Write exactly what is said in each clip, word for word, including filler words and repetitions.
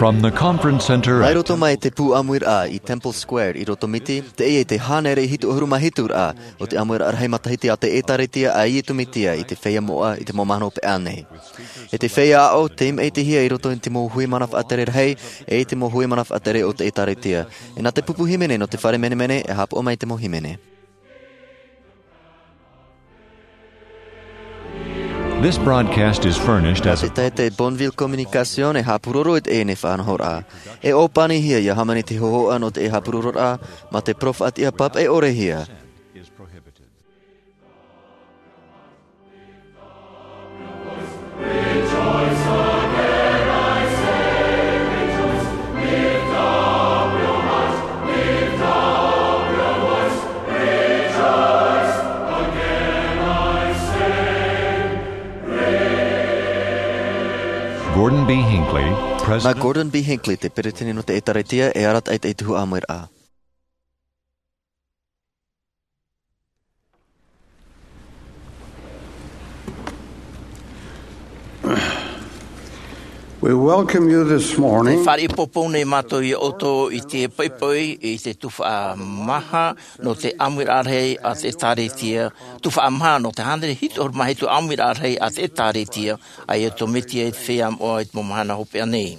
From the conference center Mai roto mai te pū ʻāmuiraʻa i Temple Square i Roto Miti, teie te hānere hitu ʻahuru mā hitu ra o te ʻāmuiraʻa rahi matahiti a te ʻĒtārētia a Iesu Mesia i te feiā moʻa i te mau mahana hopeʻa nei. E te feiā aʻo, tei maʻitihia i roto i te mau hui mana faʻatere rahi, e i te mau hui mana faʻatere o te ʻĒtārētia. E nā te pupu hīmene nō te fare menemene, e haʻapaʻo mai te mau hīmene. This broadcast is furnished as a Te taʻata Bonneville Communication e haʻapūroro i teie faʻanahoraʻa. E ʻōpanihia ia hāmani te hōhoʻa nō te haʻapūrororaʻa, mā te parau faʻatiʻa pāpaʻi ʻore hia. Gordon B. Hinckley, Nā President. Gordon B. Hinckley, te peresideni nō te ʻĒtārētia, e arataʻi i te tuhaʻa ʻāmuiraʻa. We welcome you this morning. Tē fāriʻi ʻāpōpō nei mātou ia ʻoutou i te poʻipoʻi i te tuhaʻa maha nō te ʻāmuiraʻa rahi a te ʻĒtārētia, tuhaʻa maha nō te hānere hitu ʻahuru mā hitu ʻāmuiraʻa rahi a te ʻĒtārētia a Iesu Mesia i te feiā moʻa i te mau mahana hopeʻa nei.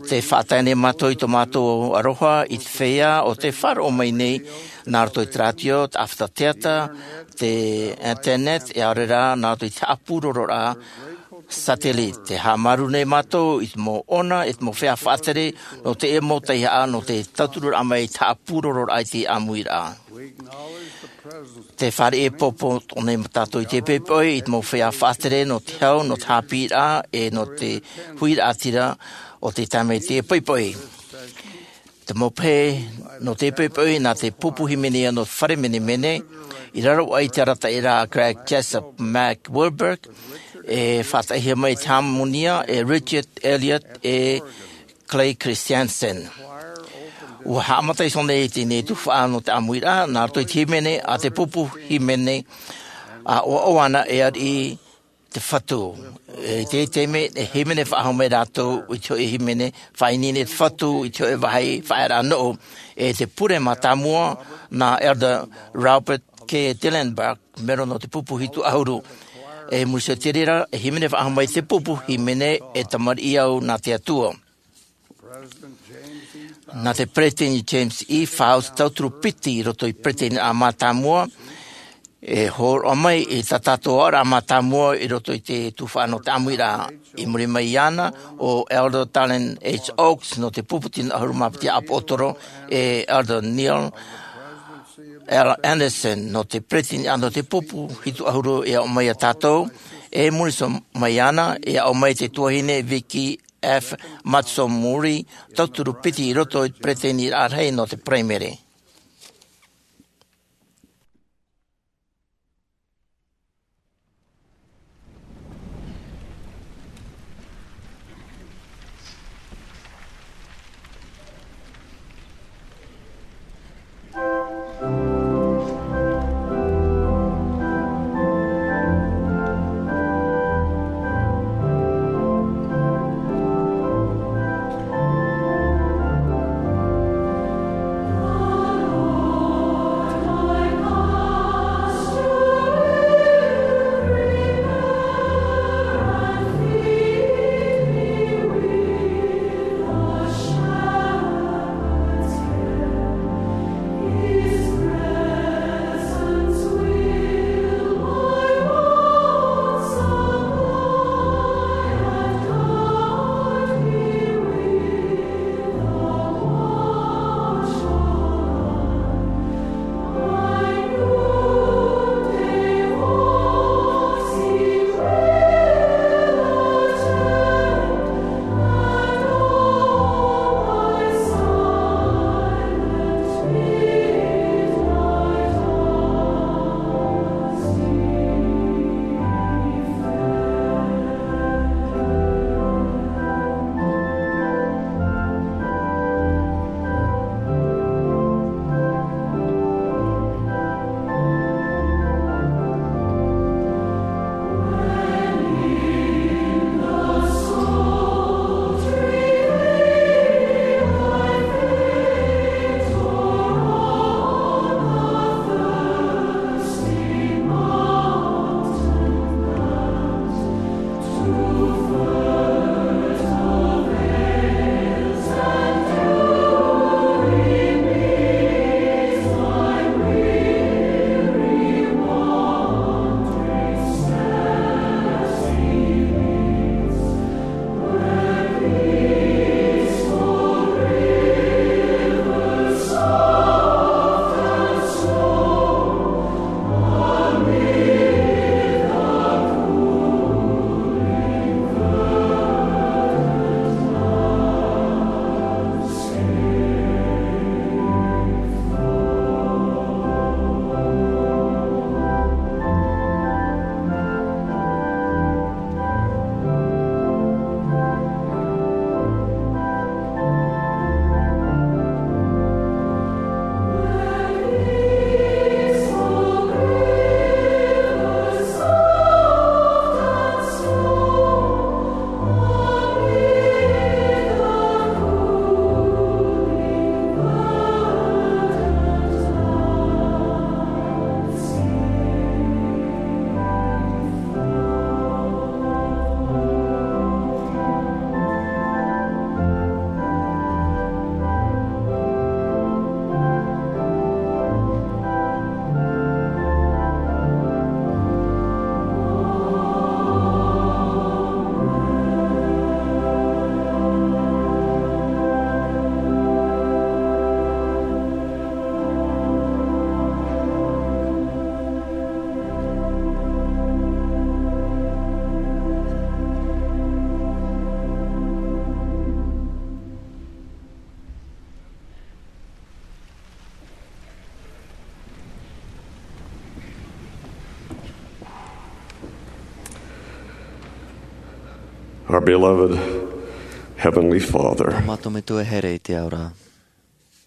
Tē faʻatae nei mātou i tō mātou aroha i te feiā o tē faʻaroʻo mai nei, nā roto i te rātio, te ʻāfata teata, te internet, e ʻaore rā nā roto i te haʻapūrororaʻa satellite. Tē haʻamāuruuru nei mātou i te mau ʻona, i te mau feiā faʻatere, nō teie mau tauihaʻa, nō te tautururaʻa mai i te haʻapūrororaʻa i te ʻāmuiraʻa. Tē fāriʻi ʻāpōpō nei mātou i te poʻipoʻi i te mau feiā faʻatere nō te hau, nō te haʻapiʻiraʻa, e nō te huiraʻatira o te taime i te poʻipoʻi. Te mau pehe nō te poʻipoʻi nā te pupu hīmene nō te fare menemene, i raro aʻe i te arataʻiraʻa a Craig Jessop Mac Wilberg, e faʻataʻahia mai i te hāmonia e Richard Elliott e Clay Christensen. ʻUa haʻamata iho nei i teie tuhaʻa nō te ʻāmuiraʻa, nā roto i te hīmene a te pupu hīmene, ʻa ʻoaʻoa ana e ariʻi te Fatu. E i teie taime, e hīmene faʻahou mai rātou i te hōʻē hīmene faʻaineine te Fatu i te hōʻē vāhi faʻaearaʻa noʻu, e te pure mātāmua nā Elder Robert K. Dillenberg, mero nō te pupu hitu ʻahuru. E muri iho i te reira, e hīmene faʻahou mai te pupu hīmene, E Tamariʻi Au Nā Te Atua. Nā te Peresideni James E. Faust, tauturu piti i roto i te peresideni mātāmua, e hōroʻa mai i tā tātou aʻoraʻa mātāmua i roto i te tuhaʻa nō te ʻāmuiraʻa. I muri mai iāna, ʻo Elder Dallin H. Oaks nō te pupu tino ʻahuru mā piti ʻāpōsetolo, e Elder Neil L. Andersen nō te peresideni nō te pupu hitu ʻahuru e aʻo mai ia tātou, e muri iho mai iāna, e aʻo mai te tuahine Vicky F. Matsumori, tauturu piti i roto i te peresideni rahi nō te Paraimere. Our beloved Heavenly Father, Tō mātou Metua here i te ao ra.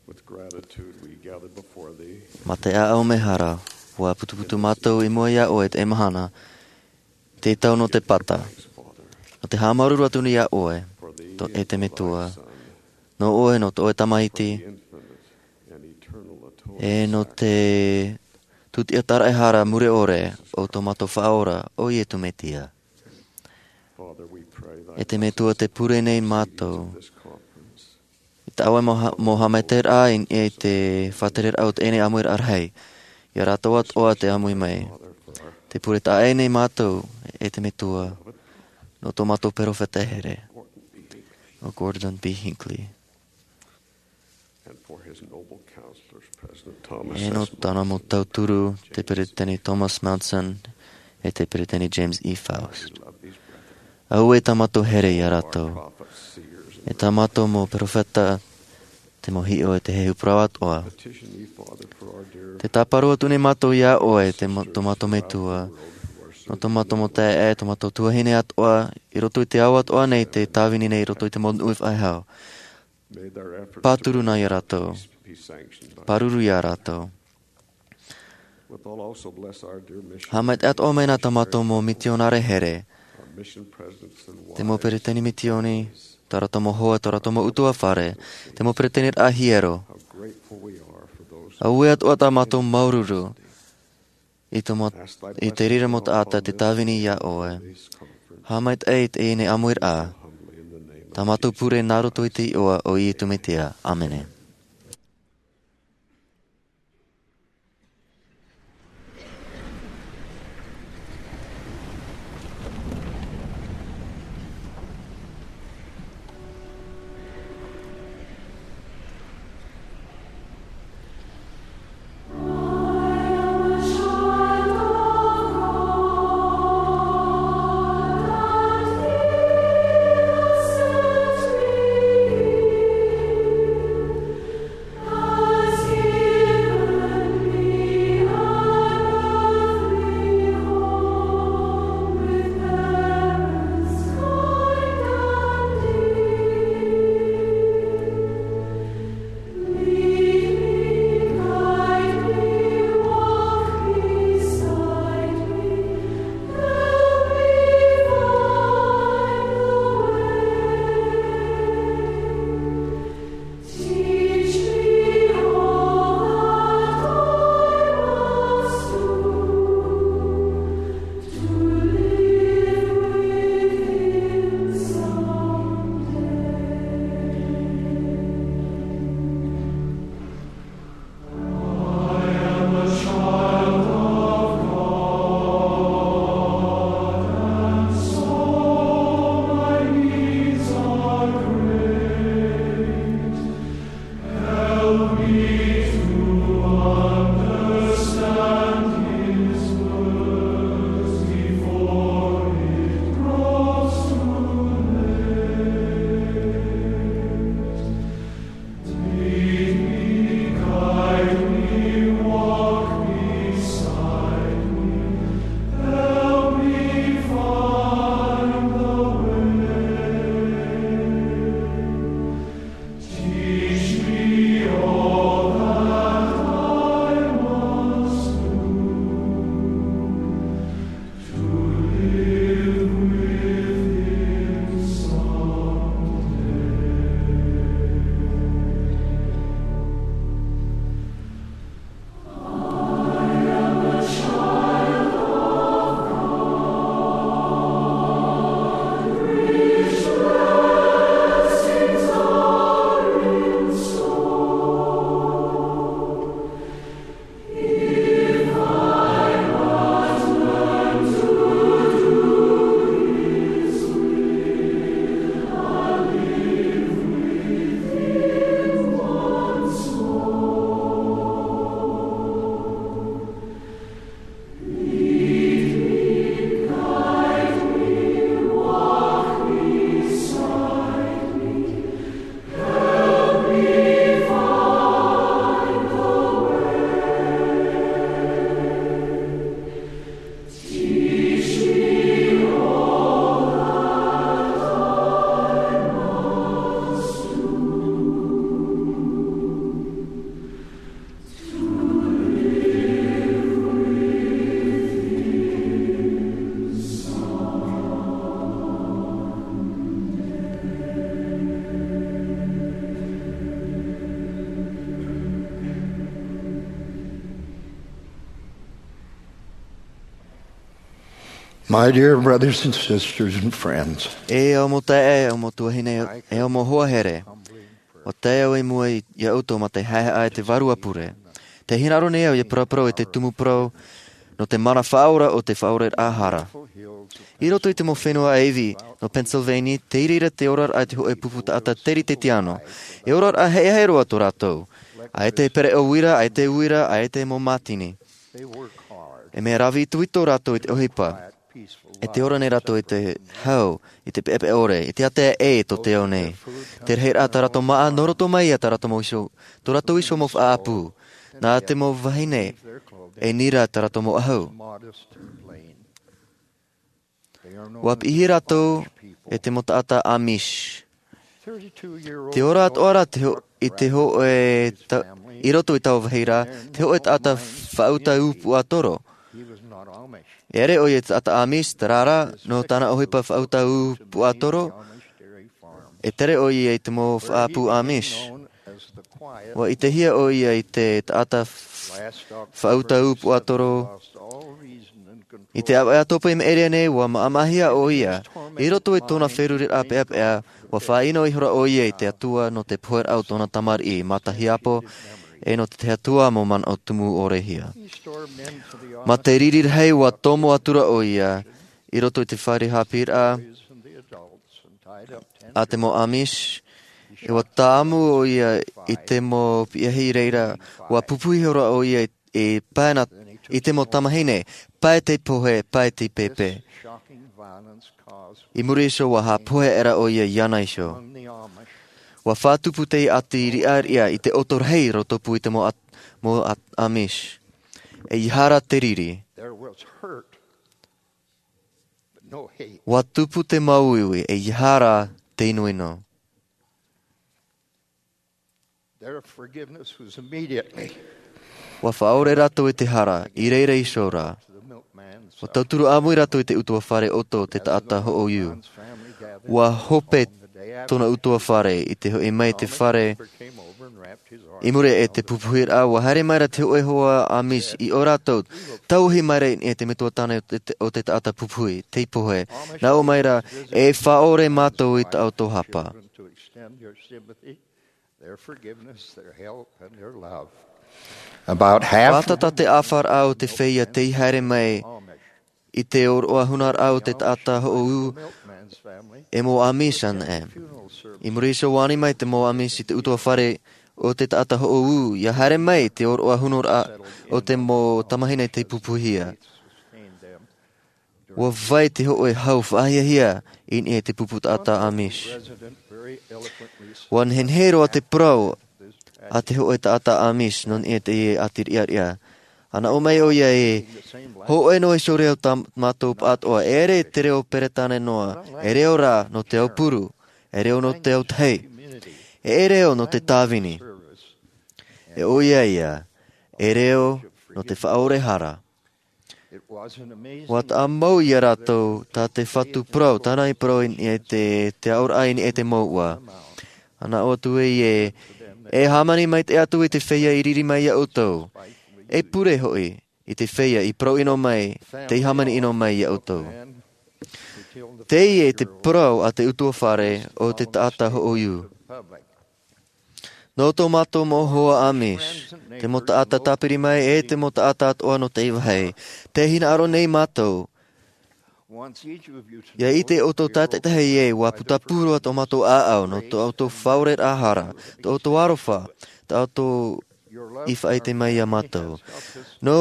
With gratitude we gather before thee. Mā te ʻāʻau mehara, ʻua putuputu mātou i mua iā ʻoe i teie mahana, te tau nō te pata. Nō te haʻamāuruuru atu nei iā ʻoe, tō, e te Metua. Nō ʻoe, nō tō ʻoe Tamaiti, e nō te tūtiʻa tāraʻehara mure ʻore o tō mātou Faʻaora, ʻo Iesu Mesia. E te Metua, tē pure nei mātou i tā ʻoe mau ha-, mau haʻamaitaʻiraʻa i, i te faʻatereraʻa o teie nei ʻāmuiraʻa rahi. Iā rātou atoʻa tē ʻāmui mai. Tē pure taʻa ʻē nei mātou, e te Metua, nō tō mātou perofeta here, ʻo Gordon B. Hinckley. And for his noble counselors, President Thomas E nō S. tāna mau tauturu, te Peretiteni Thomas Monson, e te Peretiteni James E. Faust. Auē tā mātou here iā rātou. E tā mātou mau perofeta, te mau hiʻo, e te heheu parau atoʻa. Petition ye, Father, for our dear Tē tāparu atu nei mātou iā ʻoe, te mo-, tō mātou Metua. Nō tō mātou mau taeaʻe, tō mātou tuahine atoʻa, i roto i te ao atoʻa nei, tē tāvini nei i roto i te mau nūnaʻa faʻehau. Pāturu na iā rātou. Pāruru iā rātou. Haʻamaitaʻi atoʻa mai na tā mātou mau mitionare here, te mau peretiteni mitioni, tā rātou mau hoa, tā rātou mau ʻutuāfare, te mau peretiteniraʻa hiero. Auē atoʻa tā mātou māuruuru i tō mā-, i te reira mau taʻata tē tāvini iā ʻoe. Haʻamaitaʻi i teie nei ʻāmuiraʻa. Tā mātou pure nā roto i te iʻoa o Iesu Mesia. ʻĀmene. My dear brothers and sisters and friends, E au mau taeaʻe, e au mau tuahine, e au mau hoa here. ʻUa tae au i mua iā ʻoutou mā te haʻehaʻa i te Vārua Pure. Tē hinaʻaro nei au ʻia paraparau i te tumu parau nō te mana faʻaora o te faʻaoraraʻa hara. I roto i te mau fenua ʻāivi nō Pennsylvania, tei reira te oraraʻa i te hōʻē pupu taʻata teritetia noa. E oraraʻa heʻe roa tō rātou. ʻAita e pereʻoʻo uira, ʻaita e uira, ʻaita e mau mātini. E mea rave itoito rātou i te ʻohipa, e tē ora nei rātou i te hau, i te peʻapeʻa ʻore, i te ātea ʻē tō te ao nei. Te rahiraʻa tā rātou māʻa, nō roto mai ia tā rātou mau iho, tō rātou iho mau faʻaʻapu. Nā te mau vahine, e nira tā rātou mau ʻahu. ʻUa piʻihia rātou e te mau taʻata Amish. Te ora atoʻa ra te ho-, i te hōʻē ta-, i roto i taua vāhi ra, te hōʻē taʻata faʻauta ūpuʻa toro. E ʻere ʻoia i te taʻata Amish, terā rā, nō tāna ʻohipa faʻauta ūpuʻa toro, e tere ʻoia i te mau faʻaʻapu Amish. ʻUa ʻitehia ʻoia i te taʻata f-, faʻauta ūpuʻa toro. I te ʻāvaʻe atoʻa i maʻiri aʻe nei, ʻua maʻamaʻahia ʻoia. I roto i tōna feruriraʻa peʻapeʻa, ʻua faʻaʻino ihora ʻoia i te Atua nō te poheraʻa o tōna tamariʻi, mā te hiapo, e nō te Atua mau manaʻo tumu ʻore hia. Mā te riri rahi ʻua tomo atura ʻoia, i roto i te fare haʻapiʻiraʻa a te mau Amish, e ʻua tāʻamu ʻoia i te mau piahi reira, ʻua pupu ihora ʻoia i, i pae na, i te mau tamahine, pae te pohe, pae te pepe. I muri iho ʻua haʻapohe aʻera ʻoia iāna iho. ʻUa faʻatupu te ʻati riʻariʻa i te ʻoto rahi rotopū i te mau at-, mau at-, Amish. E ʻia hara te riri. ʻUa tupu te māuiui, e ʻia hara te inoino. ʻUa faʻaore rātou i te hara, i reira iho rā. ʻUa tauturu ʻāmui rātou i te ʻutuāfare ʻoto o te taʻata hoʻouiū. ʻUa hope tōna ʻutuāfare i te hoʻi mai i te fare. I muri i te pupuhiraʻa, ʻua haere mai ra te hōʻē hoa Amish i ʻō rātou, tauihi mai ra i niʻa i te metua tāne o te, o te taʻata pupuhi, tei pohe. Nā ʻō mai ra, e faʻaore mātou i tā ʻoutou hapa. About half Pātata te ʻāfaraʻa o te feiā tei haere mai i te ʻōroʻa hunaraʻa o te taʻata hoʻouiū e mau Amish anaʻe. I muri iho ʻua ani mai te mau Amish i te ʻutuāfare o te taʻata hoʻouiū, ʻia haere mai te ʻōroʻa hunaraʻa o te mau tamahine tei pupuhia. ʻUa vai te hōʻē hau faʻahiahia i niʻa i te pupu taʻata Amish. ʻUa nehenehe roa te parau a te hōʻē taʻata Amish nō niʻa i teie ʻati riʻariʻa. ʻUa nā ʻō mai ʻoia ē, hōʻē noa iho reo tā mātou pāʻatoʻa, e ʻere te reo Peretāne noa, e reo rā nō te aupuru, e reo nō te autahi, e, e reo nō te tāvini. E ʻoia ia, e reo nō te faʻaore hara. ʻUa taʻa mau iā rātou tā te Fatu parau, tāna i parau i niʻa i te, te aʻoraʻa i niʻa i te mouʻa. ʻUa nā ʻō atu ē, e hāmani maitaʻi atu i te feiā i riri mai iā ʻoutou. E pure hoʻi i te feiā i parau ʻino mai, tei hāmani ʻino mai iā ʻoutou. Teie te parau a te ʻutuāfare o te taʻata hoʻouiū. Nō tō mātou mau hoa Amish, te mau taʻata tāpiri mai e te mau taʻata atoʻa nō teie vāhi, tē hinaʻaro nei mātou. ʻIa ʻite ʻoutou tātaʻitahi ē, ʻua putapū roa tō mātou ʻāʻau, nō tō ʻoutou faʻaoraraʻa hara, tō ʻoutou aroha, tā ʻoutou i faʻaʻite mai iā mātou. Nō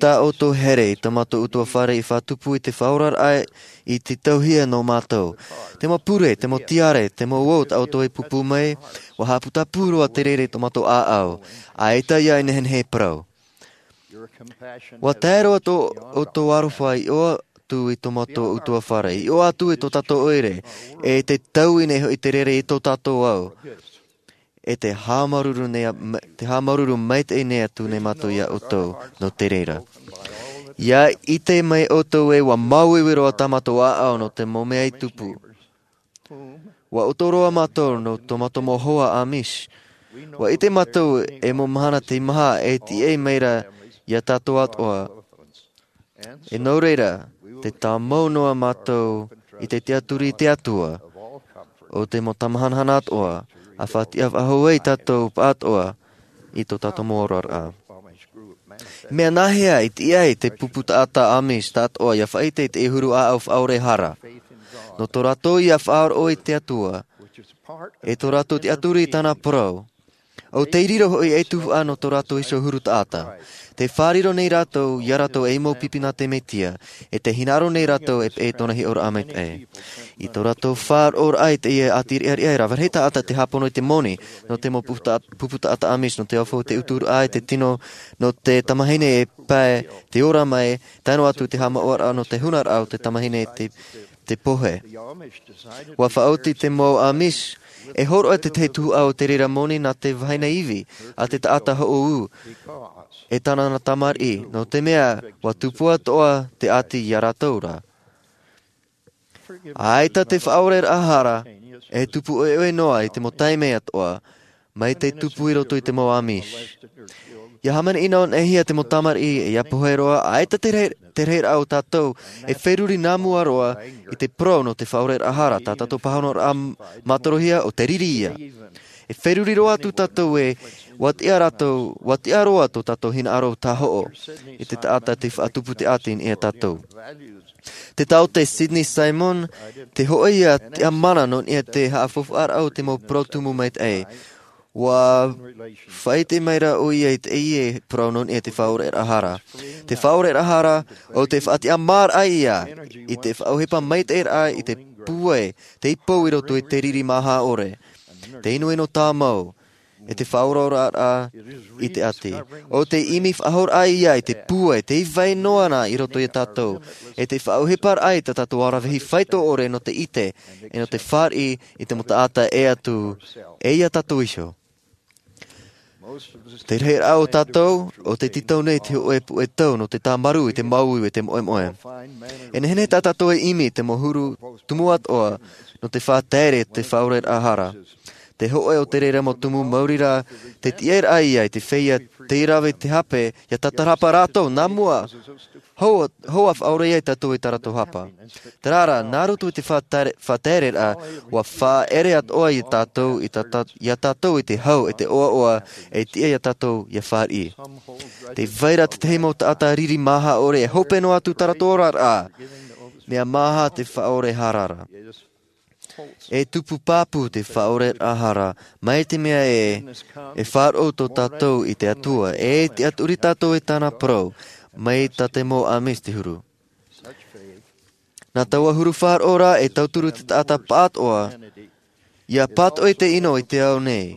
tā ʻoutou here i tā mātou ʻutuāfare i faʻatupu i te faʻaoraraʻa i te tauhia nō mātou. Te mau pure, te mau tiare, te mau uō tā ʻoutou i pūpū mai, ʻua haʻaputapū roa te reira i tō mātou ʻāʻau, ʻaita ia e nehenehe e parau. ʻUa tae roa tō ʻoutou aroha i ʻō atu i tō mātou ʻutuāfare, i ʻō atu i tō tātou ʻoire, e te taui nei hoʻi te reira i tō tātou ao. E te haʻamāuruuru nei a-, ma-, te haʻamāuruuru maitaʻi nei atu nei mātou iā ʻoutou nō te reira. ʻIa ʻite mai ʻoutou ē, ʻua māuiui roa tā mātou ʻāʻau nō te mau mea i tupu. ʻUa ʻoto roa mātou nō tō mātou mau hoa Amish. ʻUa ʻite mātou e mau mahana tei maha e tīaʻi mai ra iā tātou atoʻa. E nō reira, Te tāmau noa mātou i te tiʻaturi i te Atua, o te mau tamahanahana atoʻa, a faʻatiʻa faʻahou ai tātou pāʻatoʻa i tō tātou mau oraraʻa. Mea nāhea i tiʻa ai te pupu taʻata Amish tāʻatoʻa ia faʻaʻite i te huru ʻāʻau faʻaʻore hara? Nō tō rātou ia faʻaroʻo i te Atua, e tō rātou tiʻaturi i tāna parau. ʻO tei riro hoʻi ei tuhaʻa nō tō rātou iho huru taʻata. Te fāriro nei rātou, ia rātou ei mau pipi nā te Mesia, e te hinaʻaro nei rātou e peʻe i tōna hiʻoraʻa maitaʻi. I tō rātou faʻaroʻoraʻa i teie ʻāti riʻariʻa, e rave rahi taʻata te hāpono i te moni, nō te mau pupu taʻata Amish, nō te aofau te uturaʻa i te tino, nō te tamahine e pae, te ora mai, tae noa atu te haʻamāuʻaraʻa nō te hunaraʻa o te tamahine te, te pohe. ʻUa faʻaoti te mau Amish, e hōroʻa te tahi tuhaʻa o te reira moni nā te vahine ivi, a te taʻata hoʻoū, e tāna tamariʻi, nō te mea, ʻua tupu atoʻa te ʻāti ia rātou ra. ʻAita te faʻaʻoreraʻa hara, e tupu ʻoeʻoe noa i te mau taime atoʻa, mai te tupu i roto i te mau Amish. Ia hāmani ʻino ʻanehia te mau tamariʻi, e ia pohe roa, ʻaita te rahi, te rahiraʻa o tātou, e feruri nā mua roa, i te parau nō te faʻaʻoreraʻa hara, tā tātou pāhonoraʻa mātorohia ʻo te riri ia. E feruri roa atu tātou e, ʻua tiʻa rātou, ʻua tiʻa roa tō tātou hinaʻaro tāhoʻo, i te taʻata tei faʻatupu te ʻāti i niʻa ia tātou. Te taote Sidney Simon, te hōʻē ia tiʻamāna nō niʻa i te haʻafaufaʻaraʻa o te mau parau tumu maitaʻi. ʻUa faʻaʻite mai ra ʻoia i teie parau nō niʻa i te faʻaʻoreraʻa hara. Te faʻaʻoreraʻa hara, ʻo te faʻatiʻamāraʻa ia, i te faʻaʻohipa maitaʻiraʻa i te pūai, tei pou i roto i te riri māhā ʻore. Te inoino tāmau, e te faʻaʻoraʻoraʻa i te ʻāti. ʻO te ʻimi faʻahouraʻa ia i te pūai, tei vai noa na i roto ia tātou. E te faʻaʻohiparaʻa i tā tātou aravihi faito ʻore nō te ʻite, e nō te fāriʻi i te mau taʻata e atu, e ia tātou iho. Te rahiraʻa o tātou, ʻo te tītau nei te hōʻē puʻe tau nō te tāmarū i te māuiui e te moʻemoʻe. E nehenehe tā tātou e ʻimi te mau huru tumu atoʻa, nō te faʻatere te faʻaʻoreraʻa hara. Te hōʻē o te reira mau tumu mauri ra, te tiʻaraʻa ia i te feiā tei rave i te hape, ia tātarahapa rātou, nā mua, hou, hou ʻa faʻaʻore ai tātou i tā rātou hapa. Terā rā, nā roto i te faʻatere-, faʻatereraʻa, ʻua faʻaere atoʻa ia tātou, i tā tā-, ia tātou i te hau, e te ʻoaʻoa, e tiʻa ia tātou, ia fāriʻi. Tē vai ra te tahi mau taʻata riri māhā ʻore, e hope noa atu tā rātou oraraʻa. Mea māhā te faʻaʻore hara ra. E tupu pāpū te faʻaʻoreraʻa hara, mai te mea ē, e faʻaroʻo tō tātou i te Atua, e tiʻaturi tātou i tāna parau, mai tā te mau Amish te huru. Nā taua huru faʻaroʻo ra e tauturu te taʻata pāʻatoʻa, ia pātoʻi te ʻino i te ao nei,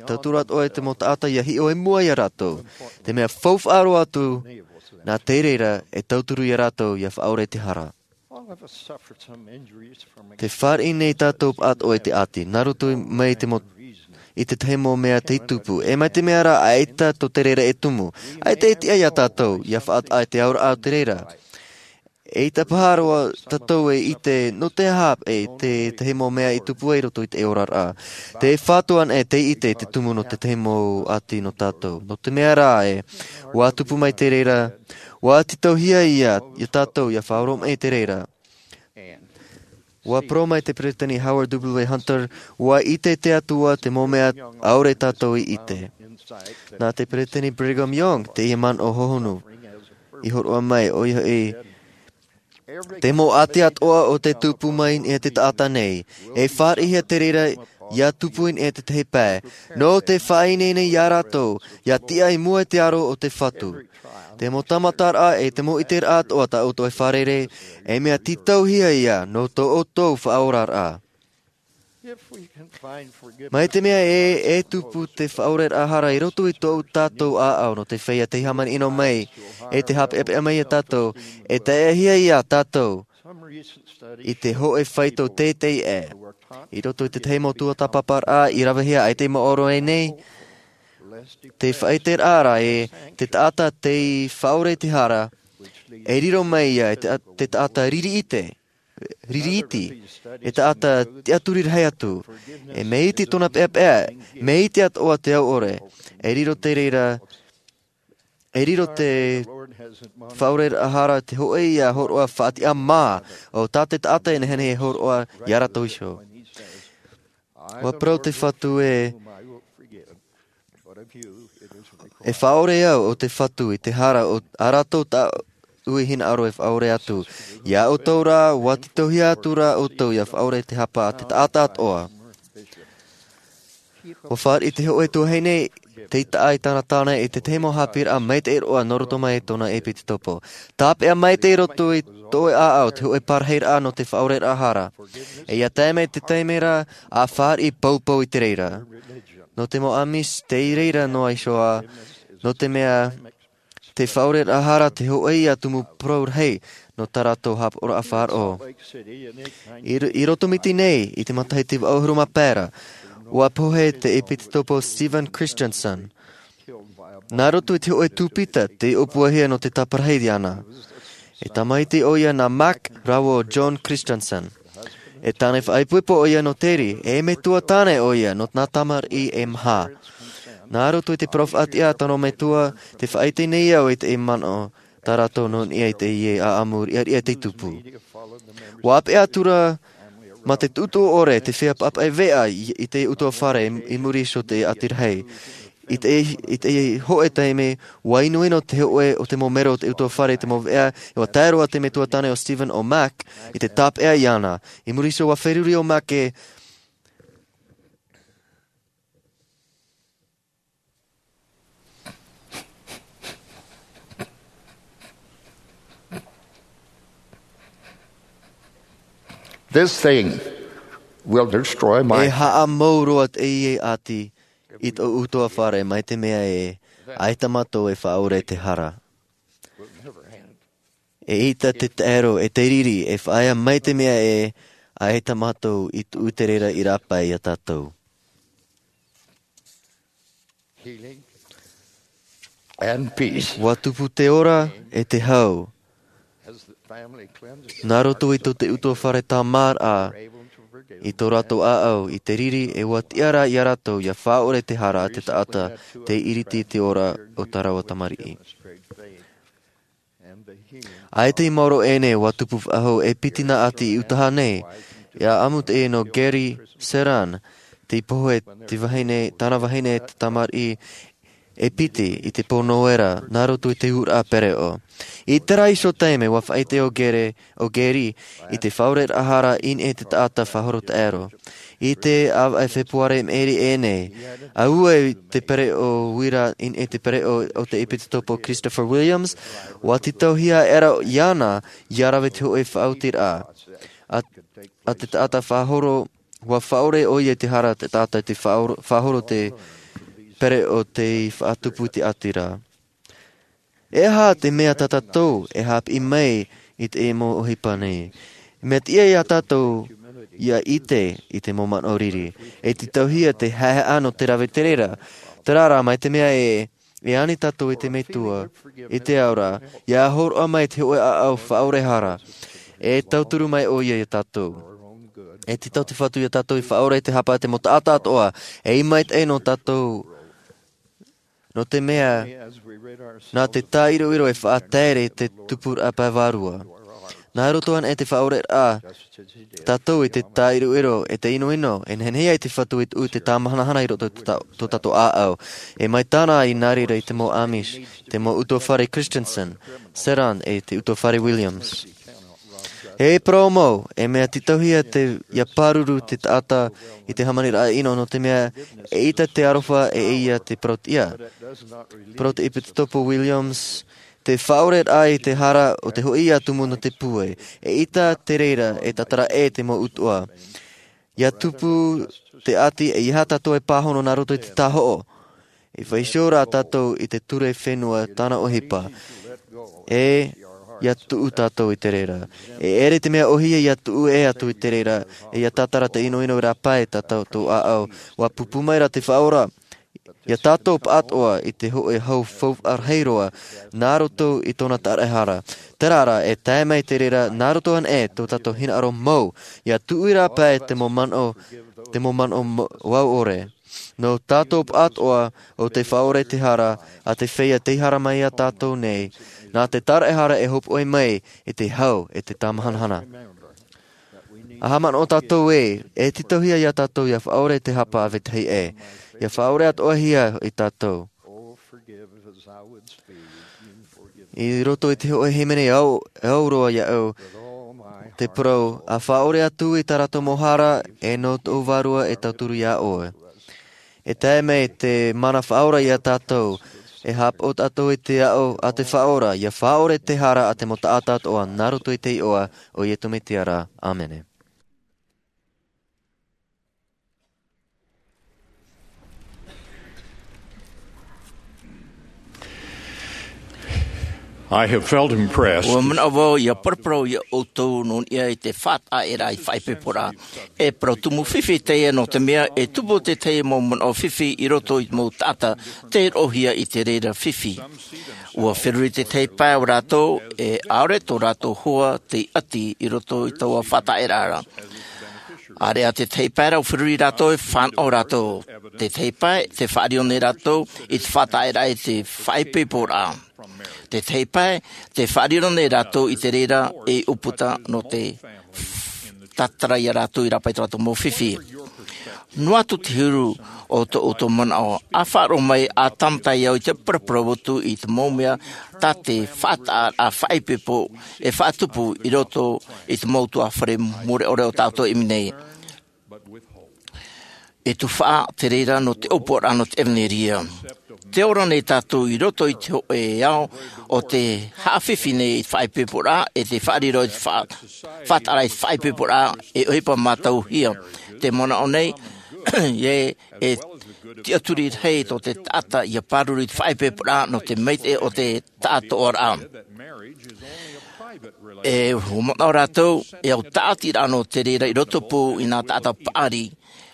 tauturu atoʻa i te mau taʻata ia hiʻo i mua ia rātou, te mea faufaʻa roa atu, nā te reira e tauturu ia rātou ia faʻaʻore te hara. Te fāriʻi nei tātou pāʻatoʻa i te ʻāti, nā roto mai te mau, i te tahi mau mea tei tupu, e mai te mea rā ʻaita tō te reira e tumu, ʻaita e tiʻa ia tātou, ia faʻataʻa i te auraʻa o te reira. Eʻita paha roa tātou e ʻite, nō te aha e te tahi mau mea i tupu ai roto i te oraraʻa. Te Fatu ana e tei ʻite i te tumu nō te tahi mau ʻāti nō tātou. Nō te mea rā e, ʻua tupu mai te reira, ʻua tītauhia ia, ia tātou, ia faʻaoromaʻi te reira. ʻUa parau mai te Peresideni Howard W. Hunter, ʻua ʻite te Atua te mau mea ʻaore tātou i ʻite. Nā te Peresideni Brigham Young, teie manaʻo hohonu. I hōroʻa mai, ʻoia hoʻi, te mau ʻāti atoʻa o te tupu mai i niʻa i te taʻata nei, e fāriʻihia te reira ia tupu i niʻa i te tahi pae. Nō te faʻaineine ia rātou, ia tiʻa i mua i te aro o te Fatu. Te mau tāmataraʻa e te mau ʻiteraʻa atoʻa tā ʻoutou e fārerei, e mea tītauhia ia nō tō ʻoutou faʻaoraraʻa. Mai te mea ē, e tupu te faʻaʻoreraʻa hara i roto i tō tātou ʻāʻau nō te feiā tei hāmani ʻino mai, e te haʻapeʻapeʻa mai ia tātou, e taeaʻehia ia tātou i te hōʻē faito teitei ē. I roto i te tahi mau tuatāpaparaʻa i ravehia ai te maoro e nei, te faʻaʻiteraʻa ra ē, te taʻata tei faʻaʻore i te hara, e riro mai ia e te, te taʻata riri iti, riri iti, e taʻata tiʻaturi rahi atu, e mea iti tōna peʻapeʻa, mea iti atoʻa te au ʻore, e riro te reira, e riro te faʻaoreraʻa hara te hoʻi ia horoʻa faʻatiʻa mā o tā te taʻata e nehenehe e horoʻa ia rātou iho. Ua parau te Fatu ē, e faʻaore au o te Fatu i te hara o a rātou taʻu i hinaʻaro e faʻaore atu. Ia ʻoutou rā, ua titauhia atu rā ʻoutou ia faʻaore te hapa a te taʻata atoʻa. Ua fāriʻi te hoʻe tuahine tei taʻa i tāna tāne i te tahi mau haʻapiʻiraʻa maitaʻi roa nō roto mai i tōna ʻepitetopo. Tāpeʻa maitaʻi roto i tō ʻoe ʻāʻau te hoʻe parahiraʻa nō te faʻaoreraʻa hara. E ia tae mai te taime ra, ʻa fāriʻi poupou i te reira. Nō te mau Amish, tei reira noa iho ā, nō te mea te faʻaoreraʻa hara te hoʻi ia tumu parau rahi nō tā rātou haʻapaʻoraʻa faʻaroʻo. I ro-, i Rotomiti nei, i te matahiti vaʻu ʻahuru mā pae ra, ua pohe te ʻepitetopo Steven Christensen. Nā roto i te hoʻe tūpita tei ʻōpuahia nō te tāparahi iāna. E tamaiti ʻoia nā Mark rāua ʻo John Christensen. E tāne faʻaipoipo ʻoia nō Terry, e metua tāne ʻoia nō nā tamariʻi e maha. Nā roto i te parau faʻatiʻa a tōna metua, tē faʻaʻite nei au i te manaʻo tā rātou nō niʻa i teie ʻāʻamu riʻariʻa tei tupu. Ua ʻāpeʻe atu ra mā te tuʻutuʻu ʻore te feiā pāpaʻi veʻa i, i te ʻutuāfare i, i muri iho i te ʻati rahi. I te, i te hoʻe taime, ua inoino te hoʻe o te mau mero o te ʻutuāfare i te mau veʻa, e ua tae roa te metua tāne ʻo Steven ʻo Mark i te tāpeʻa iāna. I muri iho ua feruri ʻo Mark ē, This thing will destroy my E haʻamou roa teie ʻati i tō ʻutuāfare mai te mea ē, ʻaita mātou e faʻaore te hara. E ʻita te taero, e te riri, e faʻaea mai te mea ē, ʻaita mātou i tuʻu i te reira i rāpae iā tātou. Healing and peace. Ua tupu te ora e te hau. As the family cleanses Nā roto i tō te ʻutuāfare tāmāraʻa, i tō rātou ʻāʻau, i te riri, e ua tiʻa rā iā rātou ia faʻaore te hara a te taʻata tei iriti i te ora o tā rāua tamariʻi. ʻAita i maoro ʻēnei, ua tupu faʻahou e piti nā ʻati i Utaha nei, i ʻāʻamu teie nō Gary Seran, tei pohe te vahine, tāna vahine te tamariʻi e piti i te pō Noera, nā roto i te ʻūraʻa pereʻo. I terā iho taime, ua faʻaʻite ʻo Gary, ʻo Gary, i te faʻaoreraʻa hara i niʻa i te taʻata faʻahoro taʻero. I te ʻāvaʻe Fepuare maʻiri ʻēnei, ʻua ua i te pereʻo uira i niʻa i te pereʻo o te ʻepitetopo Christopher Williams, ua tītauhia aʻera iāna ia rave te hoʻe faʻaotiraʻa a, a te taʻata faʻahoro, ua faʻaore ʻoia i te hara te taʻata i te faʻahoro, faʻahoro te pereʻo tei faʻatupu i te ʻati ra. E aha te mea tā tātou e haʻapiʻi mai i te mau ʻohipa nei? Mea tiʻa iā tātou ia ʻite i te mau manaʻo riri. E tītauhia te haʻehaʻa nō te rave i te reira. Terā rā, mai te mea ē, e ani tātou i te Metua, i te ao ra, ia hōroʻa mai te hoʻe ʻāʻau faʻaore hara. E tauturu mai ʻoia iā tātou. E tītau te Fatu iā tātou i faʻaore te hapa a te mau taʻata atoʻa, e i maitaʻi nō tātou. Nō te mea, nā te tāʻiroʻiro e faʻataere te tupuraʻa pae vārua. Nā roto anaʻe te faʻaoreraʻa tātou i te tāʻiroʻiro e te ʻinoʻino, e nehenehe ai te Fatu i tuʻu i te tāmahanahana i roto i tō tā-, tō tātou ʻāʻau. E mai tāna i nā reira i te mau Amish, te mau ʻutuāfare Christensen, Seran e te ʻutuāfare Williams. E parau mau, e mea tītauhia te, ia pāruru te taʻata i te hāmaniraʻa ʻino nō te mea, e ʻita te aroha e ia te parau tiʻa. Parau te ʻepitetopo Williams, te faʻaoreraʻa i te hara o te hoʻi ia tumu nō te pūai. E ʻita te reira e tātara ʻē te mau utuʻa. Ia tupu te ʻati e ʻeiaha tātou e pāhono nā roto i te tāhoʻo. E faʻaʻite rā tātou i te ture fenua tāna ʻohipa. E, ia tuʻu tātou i te reira. E ʻere te mea ʻōhie ia tuʻu ʻē atu i te reira, e ia tātara te ʻinoʻino i rāpae tā tātou ʻāʻau. Ua pūpū mai rā te Faʻaora. Ia tātou pāʻatoʻa i te hoʻe hau faufaʻa rahi roa, nā roto i tōna tāraʻehara. Terā rā, e tae mai te reira, nā roto anaʻe tō tātou hinaʻaro mau, ia tuʻu i rāpae te mau manaʻo, te mau manaʻo mo-, vau ʻore. Nō tātou pāʻatoʻa ʻo tē faʻaore te hara, a te feiā tei hara mai iā tātou nei, Nā te taraehara e hopoʻi mai i te hau e te tāmahanahana. A haʻamanaʻo tātou ē, e tītauhia iā tātou ia faʻaora i te hapa a vetahi ʻē, ia faʻaora atoʻahia i tātou. I roto i te hoʻe hīmene au, au roa iāʻu, te parau, a faʻaora atu i tā rātou mau hara, e nō tōʻu vārua e tauturu iā ʻoe. E tae mai te mana faʻaora iā tātou, e haʻapaʻo tātou i te aʻo a te faʻaora, ia faʻaora i te hara a te mau taʻata atoʻa, nā roto i te iʻoa o Iesu Mesia ra. ʻĀmene. I have felt impressed. Ua manaʻo vau ia paraparau iā ʻoutou nō niʻa i te faʻataʻa i te faʻaipoiporaʻa. E parau tumu fifi teie nō te mea e tupu te tahi mau manaʻo fifi i roto i te mau taʻata tei roʻohia i te reira fifi. Ua feruri te tahi pae o rātou, e ʻaore tō rātou hoa tei ʻati i roto i taua faʻataʻa ra. ʻAreʻa te tahi pae rā ʻua feruri rātou e fānaʻo rātou. Te tahi pae, tē faʻariro nei rātou i te faʻataʻa i te faʻaipoiporaʻa. Te tahi pae, tē faʻariro nei rātou i te reira ei ʻūputa nō te tātara iā rātou i rāpae i tō rātou mau fifi. Noa atu te huru o tō ʻoutou manaʻo, a faʻaroʻo mai, a tāmata au i te paraparau atu i te mau mea tā te faʻataʻa faʻaipoipo e faʻatupu i roto i te mau ʻutuāfare mure ʻore o tā ʻoutou e ʻimi nei. E tuhaʻa te reira nō te ʻōpuaraʻa nō te ʻevaneria. Tē ora nei tātou i roto i te hōʻē ao o te haʻafifi nei i te faʻaipoiporaʻa, e te faʻariro i te faʻa-, faʻataʻa i te faʻaipoiporaʻa, e ʻohipa mātauhia. Tē manaʻo nei, e, e tiʻaturi rahi tō te taʻata ia pāruru i te faʻaipoiporaʻa nō te maitaʻi o te taʻatoʻaraʻa. E, ʻua manaʻo rātou, e au tāʻatiraʻa nō te reira i roto pū i nā taʻata paʻari,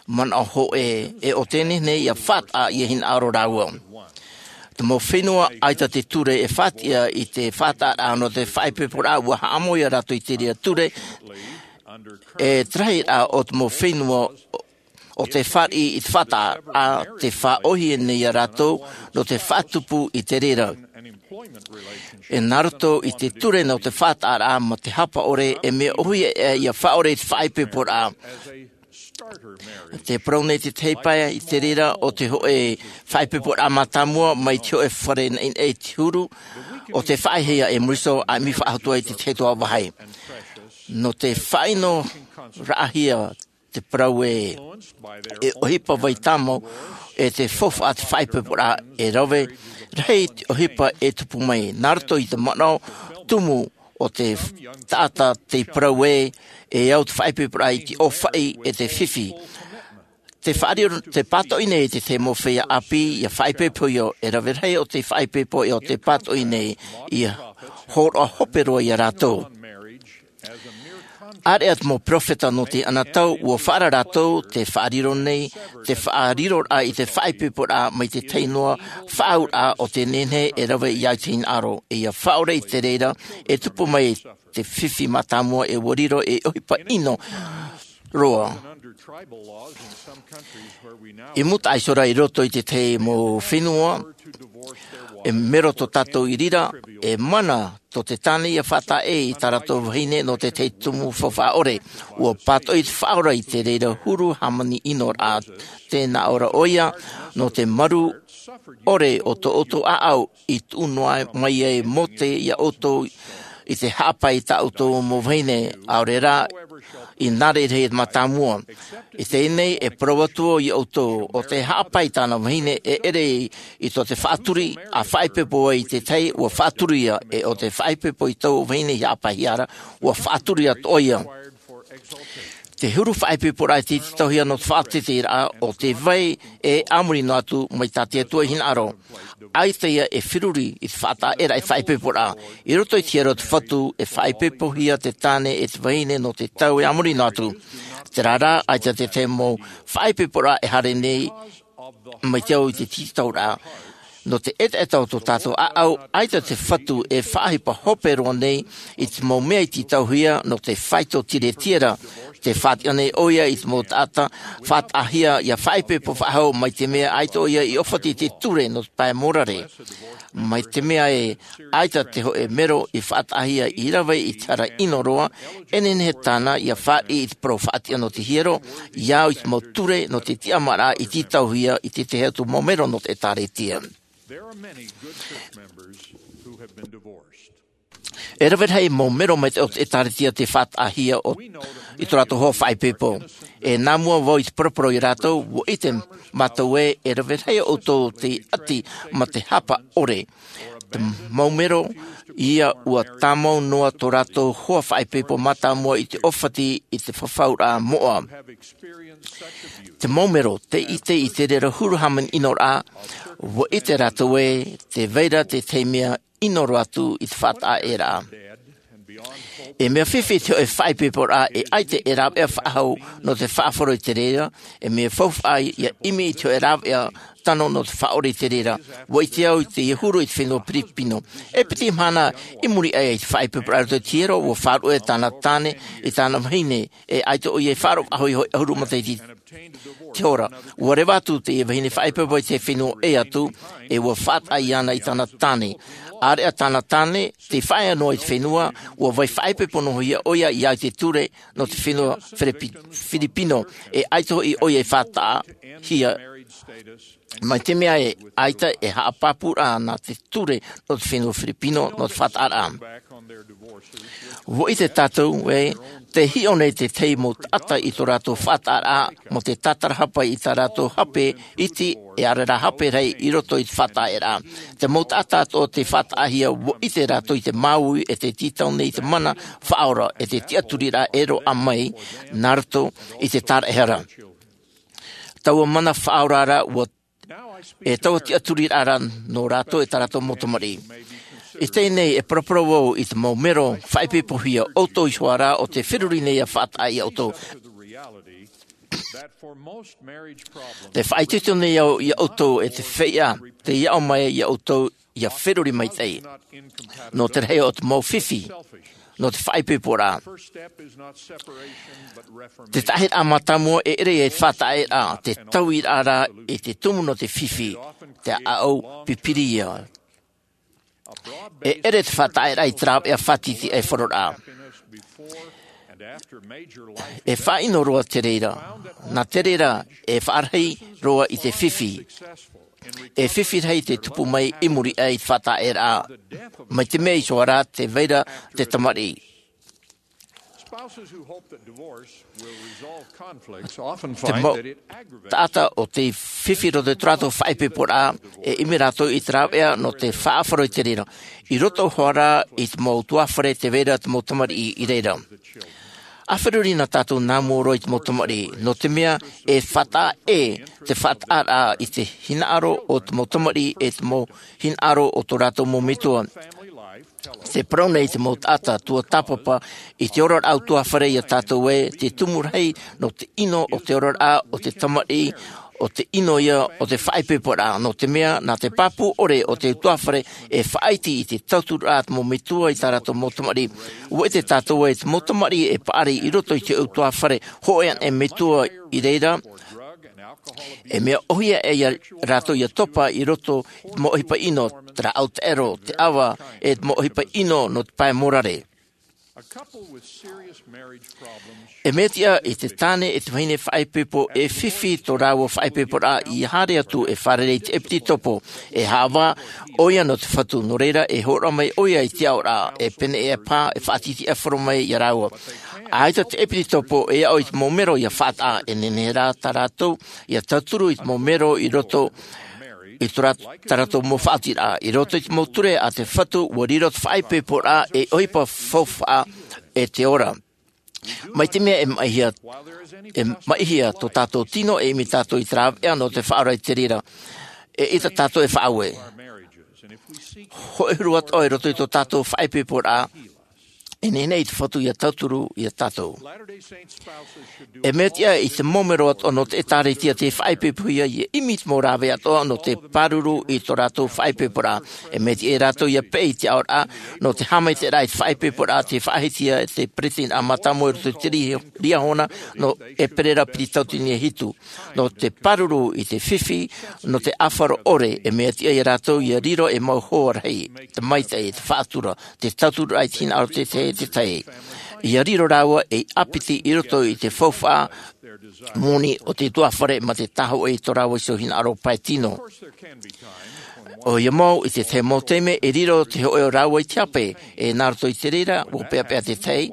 manaʻo hōʻē, e ʻo te nehenehe ia faʻataʻa ia hinaʻaro rāua. Te mau fenua ʻaita te ture e faʻatiʻa i te faʻataʻaraʻa nō te faʻaipoiporaʻa, ʻua haʻamau ia rātou i te reira ture, e te rahiraʻa o te mau fenua ʻo tē fāriʻi i te faʻataʻaraʻa, tē faʻaʻōhie nei ia rātou nō te faʻatupu i te reira. E nā roto i te ture nō te faʻataʻaraʻa mā te hapa ʻore, e mea ʻōhie ia faʻaora i te faʻaipoiporaʻa. Tē parau nei te tahi pae i te reira o te hōʻē faʻaipoiporaʻa mātāmua mai te hōʻē fare naʻinaʻi i te huru, ʻo tē faʻaʻitehia e Morrison, a ʻimi faʻahou atu ai i te tahi atoʻa vāhi. Nō te faʻaʻino raʻahia te parau ē, e ʻohipa vai tāmau, e te faufaʻa te faʻaipoiporaʻa e rave, rahi te ʻohipa e tupu mai, nā roto i te manaʻo tumu o te taʻata tei parau ē, e au te faʻaipoiporaʻa i te ʻōfaʻi e te fifi. Te faʻariro, te pātoʻi nei te tahi mau feiā ʻāpī, ia faʻaipoipo ia, e rave rahi ʻo te faʻaipoipo e ʻo te pātoʻi nei, ia hōroʻa hope roa ia rātou. ʻAreʻa te mau peropheta nō teie tau, ʻua faʻaara rātou, te faʻariro nei, te faʻariroraʻa i te faʻaipoiporaʻa mai te tahi noa, faʻaauraʻa ʻo te nehenehe e rave ia i te hinaʻaro, e ia faʻaora i te reira, e tupu mai te fifi mātāmua e ʻua riro ei ʻohipa ʻino roa. I mūtaʻa iho ra i roto i te tahi mau fenua, e mero tō tātou i reira, e mana tō te tāne ia faʻataʻa i tā rātou vahine nō te tahi tumu faufaʻa ʻore. ʻUa pātoʻi te faʻaora i te reira huru hāmani ʻino ra, tē nā ʻō ra ʻoia, nō te maru ʻore o tō ʻoutou ʻāʻau i tuʻu noa mai ai Mōte ia ʻoutou i te haʻapae i tā ʻoutou mau vahine, ʻaore rā, i nā reira e mātāmua. I teie nei, e parau atu au ia ʻoutou, ʻo tē haʻapae i tāna vahine, e ʻere i tō te faʻaturi, a faʻaipoipo ai i te tahi, ʻua faʻaturi ia, e ʻo tē faʻaipoipo i tō vahine i haʻapaehia ra, ʻua faʻaturi atoʻa ia. Te huru faʻaipoiporaʻa e tītauhia nō te faʻateiteiraʻa o te vai e a muri noa atu mai tā te Atua i hinaʻaro. ʻAita ia e feruri i te faʻataʻa e faʻaipoiporaʻa. I roto i te hiero o te Fatu, e faʻaipoipohia te tāne e te vahine nō te tau e a muri noa atu. Terā rā, ʻaita te tahi mau faʻaipoiporaʻa e haere nei mai te au i te tītauraʻa. Nō te ʻetaʻeta o tō tātou ʻāʻau, ʻaita te Fatu e faʻaʻohipa hope roa nei i te mau mea i tītauhia nō te faito tiretiera. Te faʻatiʻa nei ʻoia i te mau taʻata faʻataʻahia ia faʻaipoipo faʻahou, mai te mea ʻaita ʻoia i ʻōfati i te ture nō te pae mōrare. Mai te mea e ʻaita te hōʻē mero i faʻataʻahia i rave i te hara ʻino roa, e nehenehe tāna ia fāriʻi i te parau faʻatiʻa nō te hiero, ia au i te mau ture nō te tiʻamāraʻa i tītauhia i te tahi atu mau mero nō te ʻĒtārētia. E rave rahi mau mero maitaʻi o te ʻĒtārētia tei faʻataʻahia i tō rātou hoa faʻaipoipo. E nā mua vau i te paraparau ia rātou, ʻua ʻite mātou ē, e rave rahi ʻoutou tei ʻati mā te hapa ʻore. Te mau mero ia ʻua tāmau noa tō rātou hoa faʻaipoipo mātāmua i te ʻōfati i te fafauraʻa moʻa. Te mau mero tei ʻite i te reira huru hāmani ʻino rā, ʻua ʻite rātou ē, tē vai ra te tahi mea ʻino roa atu i te faʻataʻaeraʻa. E mea fifi te hōʻē faʻaipoiporaʻa e ʻaita e rāveʻa faʻahou nō te faʻaroʻo i te reira, e mea faufaʻa ia ʻimi i te hōʻē rāveʻa tano nō te faʻaʻore i te reira. ʻUa ʻite au i te huru i te fenua Piripino. E piti mahana i muri aʻe i te faʻaipoiporaʻa i roto i te hiero, ʻua faʻaruʻe tāna tāne i tāna vahine, e ʻaita ʻoia i faʻaroʻo faʻahou i te hōʻē ʻahuru matahiti te hora. ʻUa reva atu teie vahine faʻaipoipo i te fenua ʻē atu, e ʻua faʻataʻa iāna i tāna tāne. ʻĀreʻa tāna tāne tei faʻaea noa i te fenua, ʻua vai faʻaipoipo noa hia ʻoia ia au i te ture nō te fenua Filipi-, Filipino, e ʻaita hoʻi ʻoia i faʻataʻahia. Mai te mea e ʻaita e haʻapāpūraʻa nā te ture nō te fenua Filipino nō te faʻataʻaraʻa. ʻUa ʻite tātou ē, tē hiʻo nei te tahi mau taʻata i tō rātou faʻataʻaraʻa mō te tātarahapa i tā rātou hape iti, e ʻaore rā hape rahi i roto i te faʻataʻaeraʻa. Te mau taʻata atoʻa tei faʻataʻahia, ʻua ʻite rātou i te māuiui e tē tītau nei i te mana faʻaora, e te tiʻaturiraʻa e roaʻa mai nā roto i te tāraʻehara. Taua mana faʻaora ra ʻua, e taua tiʻaturiraʻa ra nō rātou e tā rātou mau tamariʻi. I teie nei e paraparau vau i te mau mero faʻaipoipohia, ʻoutou iho ā rā ʻo tē feruri nei ia faʻataʻa ia ʻoutou. Tē faʻaitoito nei au ia ʻoutou e te feiā tei aʻo mai ia ʻoutou ia feruri maitaʻi. Nō te rahi o te mau fifi, nō te faʻaipoiporaʻa. Te taʻahiraʻa mātāmua e ʻere ia i te faʻataʻaeraʻa, te tauiraʻa rā i te tumu nō te fifi, te ʻāʻau pipiri ia. E ʻere te faʻataʻaeraʻa i te rāveʻa fātiti e faroraʻa. E faʻaʻino roa te reira, nā te reira e faʻarahi roa i te fifi. E fifi rahi te tupu mai i muri aʻe i te faʻataʻaeraʻa. Mai te mea iho ā rā tē vai ra te tamariʻi. Te mau taʻata ʻo tē fifi roto i tō rātou faʻaipoiporaʻa, e ʻimi rātou i te rāveʻa nō te faʻaroʻo i te reira. I roto hoʻi rā i te mau ʻutuāfare tē vai ra te mau tamariʻi i reira. ʻA feruri na tātou nā mua roa i te mau tamariʻi, nō te mea e faʻataʻa ʻē te faʻataʻaraʻa i te hinaʻaro o te mau tamariʻi e te mau hinaʻaro o tō rātou mau metua. Tē parau nei te mau taʻata tuatāpapa i te oraraʻa ʻutuāfare ia tātou ē, te tumu rahi nō te ʻino o te oraraʻa o te tamariʻi, ʻo te ʻino ia o te faʻaipoiporaʻa, nō te mea nā te pāpū ʻore o te ʻutuāfare e faʻaiti i te tauturu a te mau metua i tā rātou mau tamariʻi. ʻUa ʻite tātou ē, te mau tamariʻi e paʻari i roto i te ʻutuāfare hōʻē anaʻe metua i reira, e mea ʻōhie aʻe ia rātou ia topa i roto i te mau ʻohipa ʻino, te rāʻau taʻero, te ʻava, e te mau ʻohipa ʻino nō te pae mōrare. E mea tiʻa i te tāne e te vahine faʻaipoipo e fifi tō rāua faʻaipoiporaʻa, ʻia haere atu e fārerei i te ʻepitopo, e haʻavā ʻoia nō te Fatu, nō reira e hōroʻa mai ʻoia i te aʻoraʻa, e pene e pā, e faʻatītīʻaifaro mai ia rāua. ʻAita te ʻepitopo e aʻo i te mau mero ia faʻataʻa, e nehenehe rā tā rātou ia tauturu i te mau mero i roto i tō rā-, tā rātou mau faʻaotiraʻa. I roto i te mau ture a te Fatu, ʻua riro te faʻaipoiporaʻa ei ʻohipa faufaʻa, e te ora. Mai te mea e maʻihia, e maʻihia tō tātou tino, e ʻimi tātou i te rāveʻa nō te faʻaora i te reira, eʻita tātou e faʻaue. Hōʻē huru atoʻa i roto i tō tātou faʻaipoiporaʻa, E nehenehe te Fatu ia tauturu ia tātou. E mea tiʻa i te mau mero atoʻa nō te ʻĒtārētia te faʻaipoipohia, ia ʻimi te mau rāveʻa atoʻa nō te pāruru i tō rātou faʻaipoiporaʻa. E mea tiʻa ia rātou ia peʻe i te aʻoraʻa nō te haʻamaitaʻiraʻa i te faʻaipoiporaʻa, te faʻahiahia e te peresideni mātāmua i roto i te Liahona nō ʻEperēra piti tauatini e hitu. Nō te pāruru i te fifi nō te ʻāfaro ʻore, e mea tiʻa ia rātou ia riro ei mau hoa rahi, te maitaʻi, te faʻatura, te tauturu i te hinaʻaro o te tahi e te tahi. Ia riro rāua ei ʻāpiti i roto i te faufaʻa moni o te utuāfare mā te tāhōʻē i tō rāua iho hinaʻaro pae tino. ʻOia mau, i te tahi mau taime e riro te hōʻē o rāua i te hape, e nā roto i te reira ua peʻapeʻa te tahi.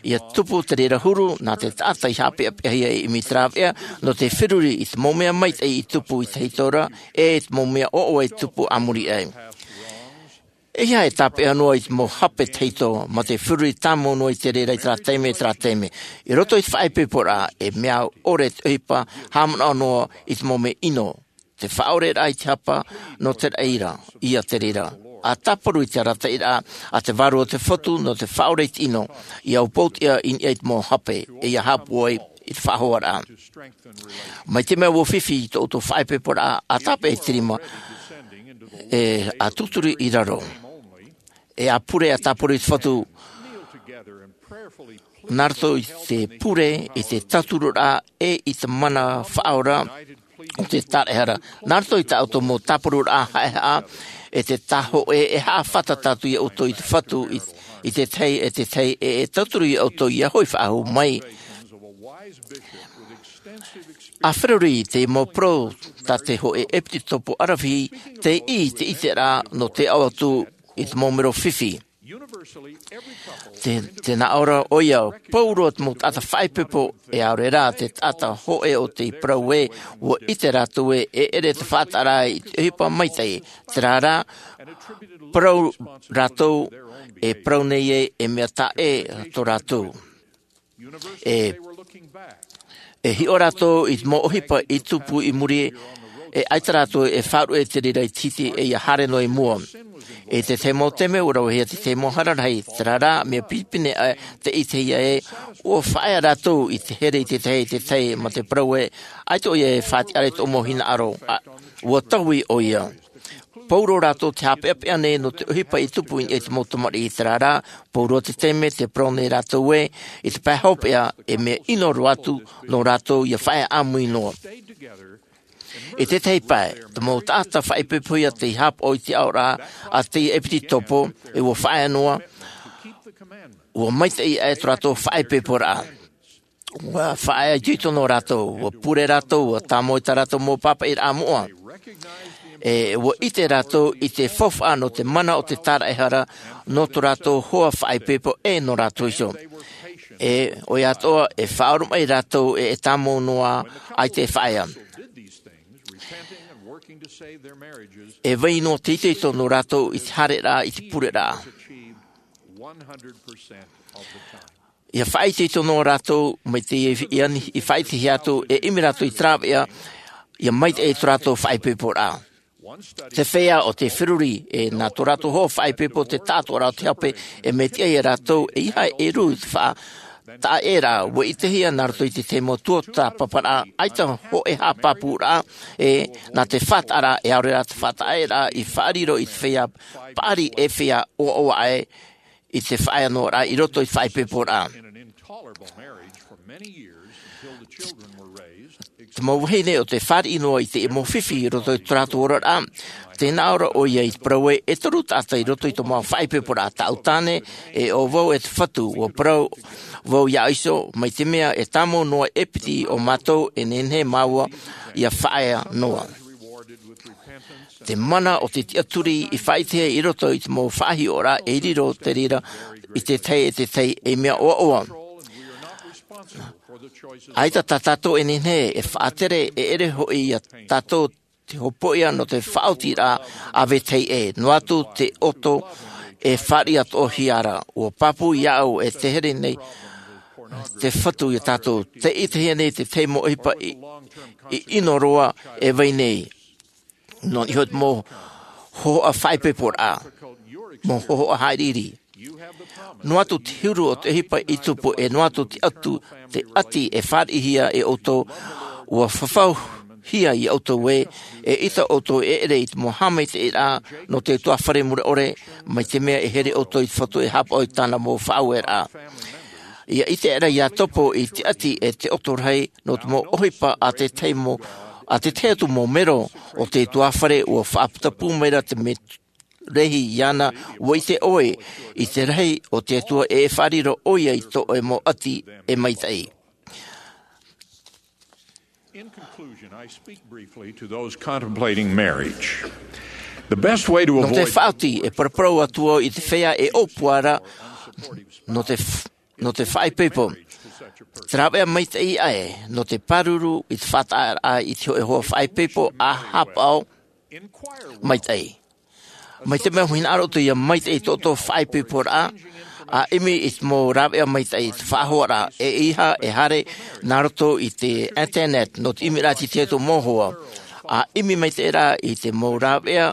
Ia tupu te reira huru nā te taʻata i haʻapeʻapeʻahia e ʻimi te rāveʻa nō te feruri i te mau mea maitaʻi i tupu i tahito ra, e i te mau mea ʻoaʻoa i tupu a muri aʻe. E ʻeiaha e tāpeʻa noa i te mau hape tahito mā te feruri tāmau noa i te reira i terā taime, i terā taime. I roto i te faʻaipoiporaʻa, e mea ʻore te ʻohipa haʻamanaʻo noa i te mau mea ʻino, te faʻaʻoreraʻa i te hapa nō te raʻi ra, ia te reira. ʻA tāparu i te arataʻiraʻa a te Vārua o te Fatu nō te faʻaʻore i te ʻino, ia aupau tiʻa i niʻa i te mau hape, e ia haʻapūai i te faʻahoaraʻa. Mai te mea ua fifi i tō ʻoutou faʻaipoiporaʻa, ʻa tāpeʻa i te rima, e ʻa tūturi i raro. E ʻa pure, ʻa tāparu i te Fatu, nā roto i te pure, i te tauturuʻraʻa, e i te mana faʻaora o te tāraʻehara. Nā roto i tā ʻoutou mau tāparuʻraʻa haʻehaʻa, e te tāhōʻē, e haʻafātata atu ia ʻoutou i te Fatu, i, i te tahi, e te tahi, e, e tauturu ia ʻoutou ia hoʻi faʻahou mai. ʻA feruri i te mau parau tā te hōʻē ʻepisekopo ʻaravihi, tei ʻī i te ʻiteraʻa nō te aʻo atu i te mau mero fifi. Te, te nā ʻō ra ʻoia, pauroa te mau taʻata faʻaipoipo, e ʻaore rā te taʻata hōʻē o te parau ē, ʻua ʻite rātou ē, e ʻere te faʻataʻaraʻa i te ʻohipa maitaʻi, terā rā, parau rātou, e parau nei ē, e mea taʻe tō rātou. E, e hiʻo rātou i te mau ʻohipa i tupu i muri, e ʻaita rātou e faʻaruʻe i te reira i te hiti, e ia haere noa i mua. I te tahi mau taime, ʻua ravehia te tahi mau hara rahi, terā rā, mea pinepine aʻe te ʻitehia ē, ʻua faʻaea rātou i te here i te tahi, i te tahi, mā te parau ē, ʻaita ʻoia e faʻatiʻaraʻa i tōʻu mau hinaʻaro, ʻa, ʻua taui ʻoia. Pauroa rātou te haʻapeʻapeʻa nei nō te ʻohipa i tupu i niʻa i te mau tamariʻi, terā rā, pauroa te taime, te parau nei rātou ē, i te pae hopeʻa, e mea ʻino roa atu nō rātou ia faʻaea ʻāmui noa. I te tahi pae, te mau taʻata faʻaipoipohia tei haʻapaʻo i te aʻoraʻa a te ʻepisekopo, e ʻua faʻaea noa, ʻua maitaʻi aʻe tō rātou faʻaipoiporaʻa. ʻUa faʻaitoito noa rātou, ʻua pure rātou, ʻua tāmau i tā rātou mau pāpaʻiraʻa moʻa. E, ʻua ʻite rātou i te faufaʻa nō te mana o te tāraʻehara, nō tō rātou hoa faʻaipoipo e nō rātou iho. E, ʻoia atoʻa, e faʻaoromaʻi rātou e, e tāmau noa ai te faʻaea. E vai noa te itoito nō rātou i te haereraʻa, i te pureraʻa. Ia faʻaitoito noa rātou, mai te ia, ia, i faʻaitehia atu, e ʻimi rātou i te rāveʻa, ia maitaʻi tō rātou faʻaipoiporaʻa. Te feiā o te feruri, e nā tō rātou hoa faʻaipoipo te taʻatoʻaraʻa o te hape, e mea tiʻa ia rātou, e ʻeiaha e rū i te faʻa-, taʻeraʻa, ʻua ʻitehia nā roto i te tahi mau tuatāpaparaʻa, ʻaita hōʻē haʻapāpūraʻa, e nā te faʻataʻaraʻa, e ʻaore rā te faʻataʻeraʻa, i faʻariro i te feiā paʻari e feiā ʻoaʻoa aʻe, i te faʻaea noa i roto i te faʻaipoiporaʻa. Te mau vahine o te fāriʻi noa i te mau fifi i roto i tō rātou oraraʻa, tē nā ʻō ra ʻoia i te parau ē, e toru taʻata i roto i tō māua faʻaipoiporaʻa, tāʻu tāne, e ʻo vau e te Fatu, ʻua parau vau iāʻu iho, mai te mea e tāmau noa e piti o mātou, e nehenehe māua ia faʻaea noa. Te mana o te tiʻaturi i faʻaʻitehia i roto i te mau faʻahiʻoraʻa e riro te reira i te tahi e te tahi ei mea ʻoaʻoa. ʻAita tā tātou e nehenehe e faʻatere, e ʻere hoʻi ia tātou te hopoiʻa nō te faʻaotiraʻa a vetahi ʻē, noa atu te ʻoto e fāriʻi atoʻahia ra. ʻUa pāpū iāʻu e te here nei te Fatu ia tātou. Tē ʻitehia nei te tahi mau ʻohipa i, i ʻino roa e vai nei. Nō niʻa iho te mau hōhoʻa faʻaipoiporaʻa, mau hōhoʻa haʻiriʻiri. Noa atu te huru o te ʻohipa i tupu, e noa atu te ʻati e fāriʻihia e ʻoutou. Ua fafauhia ia ʻoutou ē, e ʻita ʻoutou e ʻere i te mau haʻamaitaʻiraʻa nō te utuāfare mure ʻore, mai te mea e here ʻoutou i te Fatu e haʻapaʻo i tāna mau faʻaueraʻa. Ia ʻite aʻera ia topo i te ʻati e te ʻoto rahi nō te mau ʻohipa a te tahi mau, a te tahi atu mau mero o te utuāfare. Ua faʻaputapū maira te mea rahi iāna, ua ʻite ʻoe i te rahi o te Atua e faʻariro ʻoia i tō ʻoe mau ʻati e maitaʻi. In conclusion, I speak briefly to those contemplating marriage. The best way to avoid... Nō te faʻaoti, e paraparau atu au i te feiā e ʻōpua ra nō te f-, nō te faʻaipoipo. Te rāveʻa maitaʻi aʻe nō te pāruru i te faʻataʻaraʻa i te hōʻē hoa faʻaipoipo ʻa haʻapaʻo maitaʻi. Mai te mea ʻua hinaʻaro ʻoutou ia maitaʻi i tō ʻoutou faʻaipoiporaʻa, ʻa ʻimi i te mau rāveʻa maitaʻi i te faʻahoaraʻa, e ʻeiaha e haere nā roto i te internet nō te ʻimiraʻa i te tahi atu mau hoa, ʻa ʻimi maitaʻi ra i te mau rāveʻa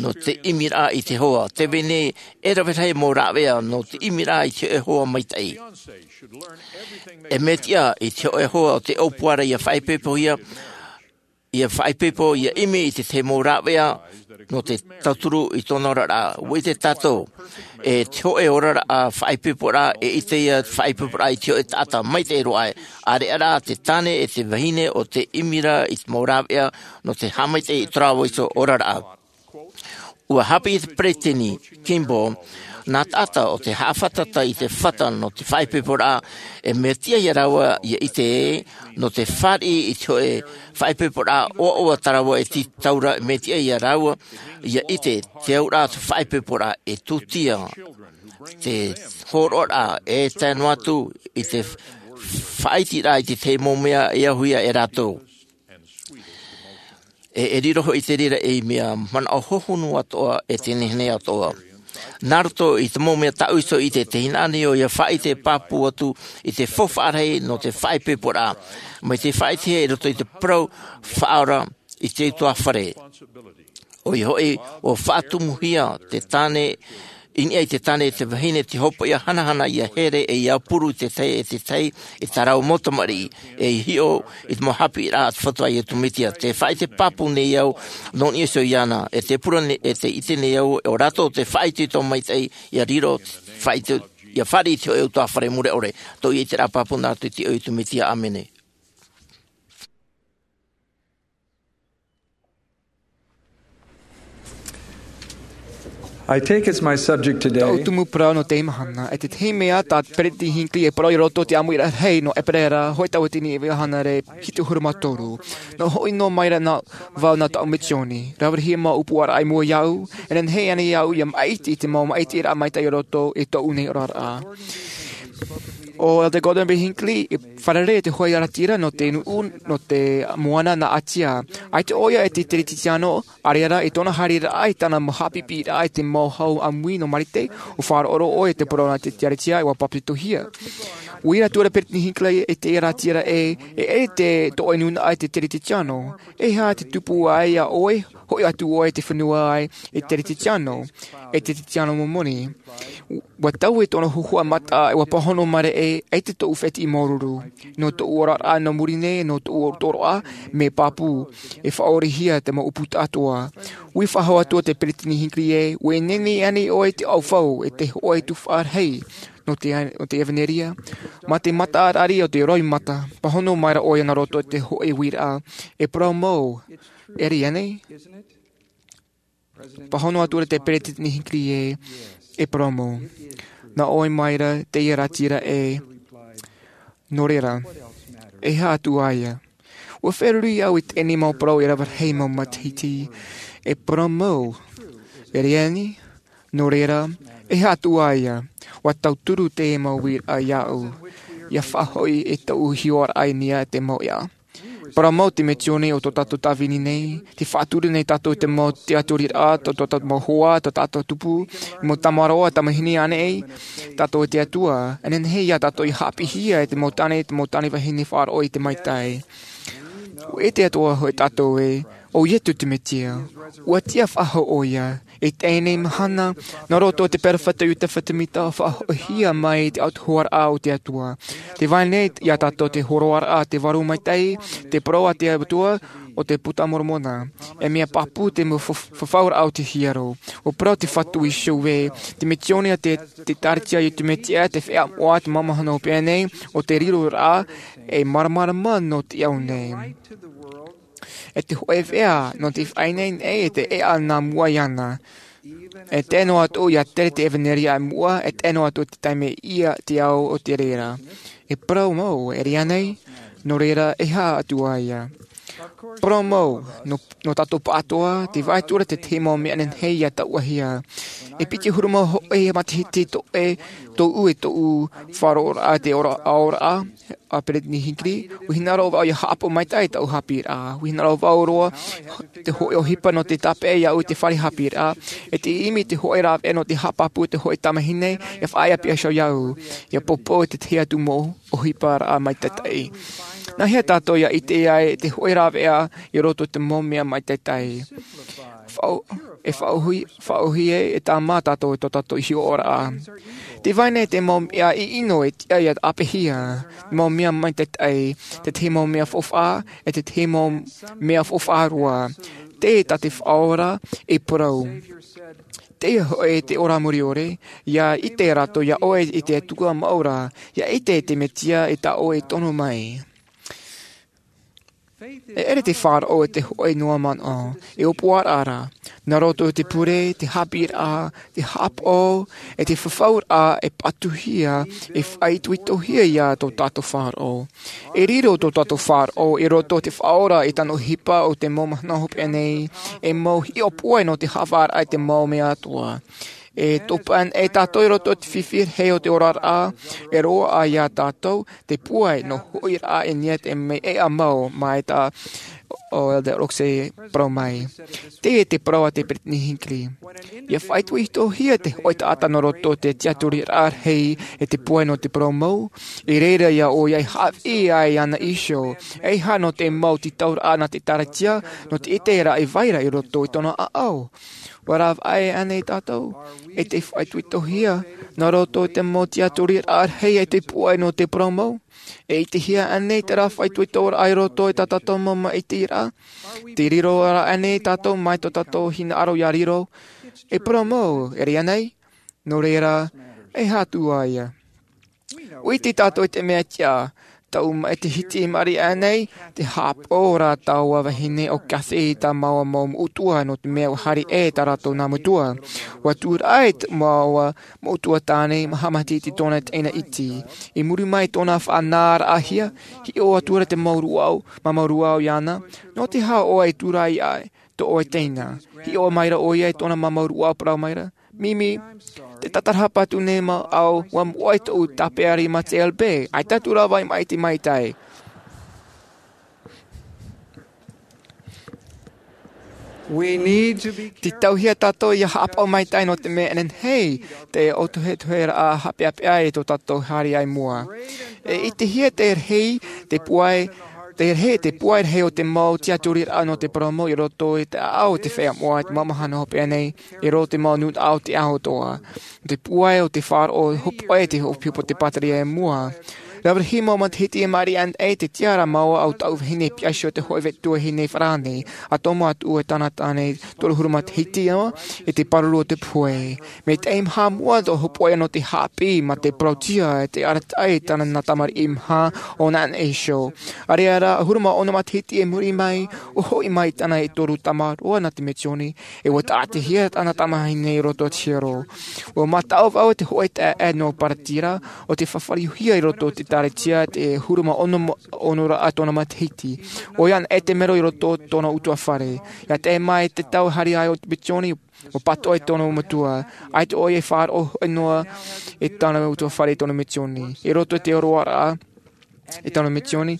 nō te ʻimiraʻa i te hoa. Tē vai nei e rave rahi mau rāveʻa nō te ʻimiraʻa i te hōʻē hoa maitaʻi. E mea tiʻa i te hōʻē hoa o te ʻōpua ra ia faʻaipoipohia, ia faʻaipoipo, ia ʻimi i te tahi mau rāveʻa nō te tauturu i tōna oraraʻa. ʻUa ʻite tātou, e te hōʻē oraraʻa faʻaipoiporaʻa, e ʻite ia faʻaipoiporaʻa i te hōʻē taʻata maitaʻi roa aʻe. ʻAreʻa rā te tāne e te vahine o te ʻimi ra i te mau rāveʻa nō te haʻamaitaʻi i tō rāua iho oraraʻa. ʻUa haʻapiʻi te Peresideni Kimball, nā taʻata o te haʻafātata i te fata nō te faʻaipoiporaʻa, e mea tiʻa ia rāua ia ʻite ē, nō te fāriʻi i te hōʻē faʻaipoiporaʻa ʻoaʻoa tā rāua e tītau ra, e mea tiʻa ia rāua ia ʻite te auraʻa o te faʻaipoiporaʻa e tūtia te hōroʻaraʻa e tae noa atu i te faʻaiteraʻa i te tahi mau mea e ahuhia e rātou. E, e riro hoʻi te reira ei mea manaʻo hohonu atoʻa e te nehenehe atoʻa. Nā roto i te mau mea tāʻu iho i te, tē hinaʻaro nei au ia faʻaʻite pāpū atu i te faufaʻa rahi nō te faʻaipoiporaʻa. Mai te faʻaʻitehia i roto i te parau Faʻaora i te utuāfare. ʻOia hoʻi, ʻua faʻatumuhia te tāne i niʻa i te tāne e te vahine te hopeʻa hanahana ia here e ia puru i te tahi e te tahi e tā rāua mau tamariʻi, e hiʻo i te mau haʻapiʻiraʻa a te Fatu a Iesu Mesia. Tē faʻaʻite pāpū nei au nō niʻa iho iāna, e tē pure nei, e tē ʻite nei au, ʻo rātou te faʻaitoito maitaʻi ia riro, faʻaito-, ia fāriʻi i te hōʻē utuāfare mure ʻore. Tōʻu ïa ʻiteraʻa pāpū nā roto i te iʻoa o Iesu Mesia. ʻĀmene. I take as my subject today. Tāʻu tumu parau nō teie mahana, e te tahi mea tā Peresideni Hinckley e parau i roto i te ʻāmuiraʻa rahi nō ʻEperēra, hōʻē tauatini e iva hānere hitu ʻahuru mā toru. Nō hoʻi noa mai ra nā vau nā tāʻu misioni. Rave rahi mau ʻōpuaraʻa i mua iāʻu, e nehenehe ānei iāʻu ia maʻiti i te mau maʻitiraʻa maitaʻi i roto i tōʻu nei oraraʻa. ʻO Elder Gordon B. Hinckley, i fārerei i te hōʻē ʻāratiraʻa nō te nuʻu, nō te moana nā Ātia. ʻAita ʻoia e te Teretitiano, ʻaore rā, i tōna haereraʻa, i tāna mau haʻapiʻiraʻa i te mau hau ʻāmui nō Marite, ʻua faʻaroʻo ʻoia i te parau nā te Ekalesia, ʻua papetitohia. ʻUa ʻite atu ra Peresideni Hinckley i te ʻāratiraʻa ē, e ʻere te, tō ʻoe nūnaʻa i te Teretitiano. E aha te tupu ai iā ʻoe, hoʻi atu ʻoe i te fenua ai, e Teretitiano, e Teretitiano Momoni. ʻUa taui tōna huaʻai mataʻa, ʻua pāhono mai ra ē, ʻaita tōʻu fētiʻi māuruuru. Nō tōʻu oraraʻa nō muri nei, nō tōʻu toroʻa, mea pāpū, e faʻaʻorehia te mau ʻōpū atoʻa. ʻUa faʻahou atu te Peresideni Hinckley ē, ʻua ineine ānei ʻoe i te ʻaufau, e te hōʻē tuhaʻa rahi, nō te, nō te ʻevanelia, mā te mataʻaraʻa o te roimata, pāhono mai ra ʻoia nā roto i te hōʻē uiraʻa, e parau mau, ʻere ānei? Pāhono atu ra te Peresideni Hinckley ē, e parau mau. Nā ʻoe mai ra te ʻāratiraʻa ē, nō reira, e aha atu ā ia? ʻUa feruri au i teie nei mau parau e rave rahi mau matahiti, e parau mau, ʻere ānei, nō reira, e aha atu ā ia? ʻUa tauturu teie mau uiraʻa iāʻu, ʻia faʻahoʻi i tōʻu hiʻoraʻa i niʻa i te mau ʻēʻa. Parau mau te misioni o tō tātou tāvini nei, tē faʻatura nei tātou i te mau tiʻaturiraʻa, tō, tō tātou mau hoa, tō tātou tupu, mau tamaroa, tamahine ānei, tātou e te Atua, e nehenehe iā tātou ʻia haʻapiʻihia e te mau tāne, te mau tāne vahine faʻaroʻo i te maitaʻi. ʻUa ʻite atoʻa hoʻi tātou ē, ʻO Iesu te Mesia, ua tiʻa faʻahou ʻoia. I teie mahana, nā roto i te peropheta Iosepha Semita, faʻahoʻihia mai te autahuʻaraʻa o te Atua. Tē vai nei iā tātou te hōroaraʻa, te vārua maitaʻi, te parau a te Atua, o te Puta Moromona. E mea pāpū te mau fa-, fafauraʻa o te hiero. ʻUa parau te Fatu i Sione, te misiōni a te, te Ekalesia a Iesu Mesia, te feiā moʻa, te mau mahana hopeʻa nei, ʻo te riroraʻa, e māramarama nō te ao nei. E te hōʻē veʻa, nō te faʻaineine, e te ʻēʻa nā mua iāna. E tae noa atu ia tere te ʻevanelia i mua, e tae noa atu te taime ia te ao o te reira. E parau mau, e riro nei, nō reira e aha atu ā ia. Parau mau, nō, nō tātou pāʻatoʻa, tē vai atu ra te tahi mau mea nehenehe ia taʻuhia. E piti ʻahuru mā hōʻē matahiti tō e, tōʻu e tōʻu faʻaroʻoraʻa te ora, aoraʻa, a Peretiteni Hinckley, ʻua hinaʻaro vau ia haʻapaʻo maitaʻi i tāʻu haʻapiʻiraʻa. ʻUa hinaʻaro vau roa te hōʻē ʻohipa nō te tāpeʻa iāʻu i te fare haʻapiʻiraʻa, e te ʻimi i te hōʻē rāveʻa nō te haʻapāpū i te hōʻē tamahine, ʻia faʻaea piha iho iāʻu, ʻia poupou i te tahi atu mau ʻohiparaʻa maitaʻi. Nā hea tātou ʻia ʻite ai i te hōʻē rāveʻa i roto i te mau mea maitaʻi? Faʻau-, e faʻauhi-, faʻauhia e tāmā tātou i tō tātou hiʻoraʻa. Tē vai nei te mau mea ʻino e tiʻa ia ʻāpeʻehia, te mau mea maitaʻi, te tahi mau mea faufaʻa, e te tahi mau mea faufaʻa roa. Tē tā te Faʻaora e parau. Teie hoʻi te ora mure ʻore, ʻia ʻite rātou iā ʻoe i te Atua mau ra, ʻia ʻite i te Mesia i tā ʻoe tono mai. E ʻere te faʻaroʻo i te hōʻē noa manaʻo, e ʻōpuaraʻa ra, nā roto i te pure, te haʻapiʻiraʻa, te haʻapaʻo, e te fafauraʻa e pātūhia, e faʻaitoitohia ia tō tātou faʻaroʻo. E riro tō tātou faʻaroʻo i roto i te Faʻaora i tāna ʻohipa o te mau mahana hopeʻa nei, e mau hiʻopoʻa nō te haʻavāraʻa i te mau mea atoʻa. E topa anaʻe tātou i roto i te fifi rahi o te oraraʻa, e roaʻa iā tātou, te pūai nō hoʻiraʻa i niʻa i te mea ʻēʻa mau, mai tā ʻo Elder Oaks e parau mai. Teie te parau a te Peretiteni Hinckley. ʻIa faʻaitoitohia te hōʻē taʻata nō roto i te tiʻaturiraʻa rahi e te pūai nō te parau mau, i reira iā ʻoe ʻia haʻapiʻi ai iāna iho, e aha nō te mau tītauraʻa nā te Ekalesia, nō te ʻiteraʻa e vai ra i roto i tōna ʻāʻau. ʻUa rāveʻa ānei tātou, e te faʻaitoitohia, nā roto i te mau tiʻaturiraʻa rahi e te pūai nō te parau mau? E ʻitehia ānei terā faʻaitoitoraʻa i roto i tā tātou mau maʻitiraʻa? Tē riro ra ānei tātou mai tō tātou hinaʻaro ʻia riro, e parau mau, e riro nei? Nō reira, e aha atu ā ia. ʻUa ʻite tātou i te mea tiʻa, tāʻu maʻitihiti i maʻiri aʻe nei, tē haʻapaʻo ra taua vahine ʻo Kathy i tā māua mau moʻotua nō te mea ʻua haere aʻe tā rātou nā metua. ʻUa tūraʻi tā māua moʻotua tāne, maha matahiti tōna teina iti. I muri mai i tōna faʻanahoraʻahia, hiʻo atu ra te mau rūʻau, māmā rūʻau iāna, nō te aha ʻoe e tūraʻi aʻe, tō ʻoe teina. Hiʻo maira ʻoia i tōna māmā rūʻau parau maira, Mimi, tē tātarahapa atu nei māʻau, ʻua moʻe tōʻu tāpeʻa rima J L B, ʻaita atu rā vāhi maʻiti maitaʻi. We need to be Tē tauhia tātou ʻia haʻapaʻo maitaʻi nō te mea nehenehe, te ʻōtohetoheraʻa haʻapeʻapeʻa i tō tātou haere i mua. E ʻitehia te rahi, te pūai, te rahi, te pūai rahi o te mau tiʻaturiraʻa nō te parau mau i roto i te ʻāʻau o te feiā moʻa i te mau mahana hopeʻa nei, i roto i te mau nūnaʻa o te ao atoʻa. Te pūai o te faʻaroʻo hōpoʻa i te hōpoipo o te pātireia i mua. Rave rahi mau matahiti i maʻiri aʻe nei, tē tiʻa ra māua ʻo tāʻu vahine piha iho, te hōʻē tuahine farāni, ʻa tomo atu e tāna tāne toru ʻahuru matahiti noa, i te pāruru o te pohe. Mai te maha mua tō hōpoʻa nō te haʻapiʻi mā te parauʻtiʻa, e te arataʻi i tāna nā tamariʻi maha ʻōna aʻe iho. ʻAreʻa rā, ʻahuru mā ono matahiti i muri mai, ʻua hoʻi mai tāna e toru tamaroa nā te misiōni, e ʻua tāʻatihia tāna tamahine i roto i te hiero. ʻUa mataʻu vau i te hōʻē taeaʻe nō Paratira, ʻo tē fafariʻihia i roto i te Ekalesia, te ʻahuru mā ono, onoraʻa tōna matahiti. ʻOia anaʻe te mero i roto i tōna ʻutuāfare. ʻIa tae mai te tau haere ai o te misiōni, ʻua pātoʻi tōna metua. ʻAita ʻoia e faʻaroʻo noa i tāna ʻutuāfare i tōna misiōni. I roto i te oroaraʻa, i tōna misiōni,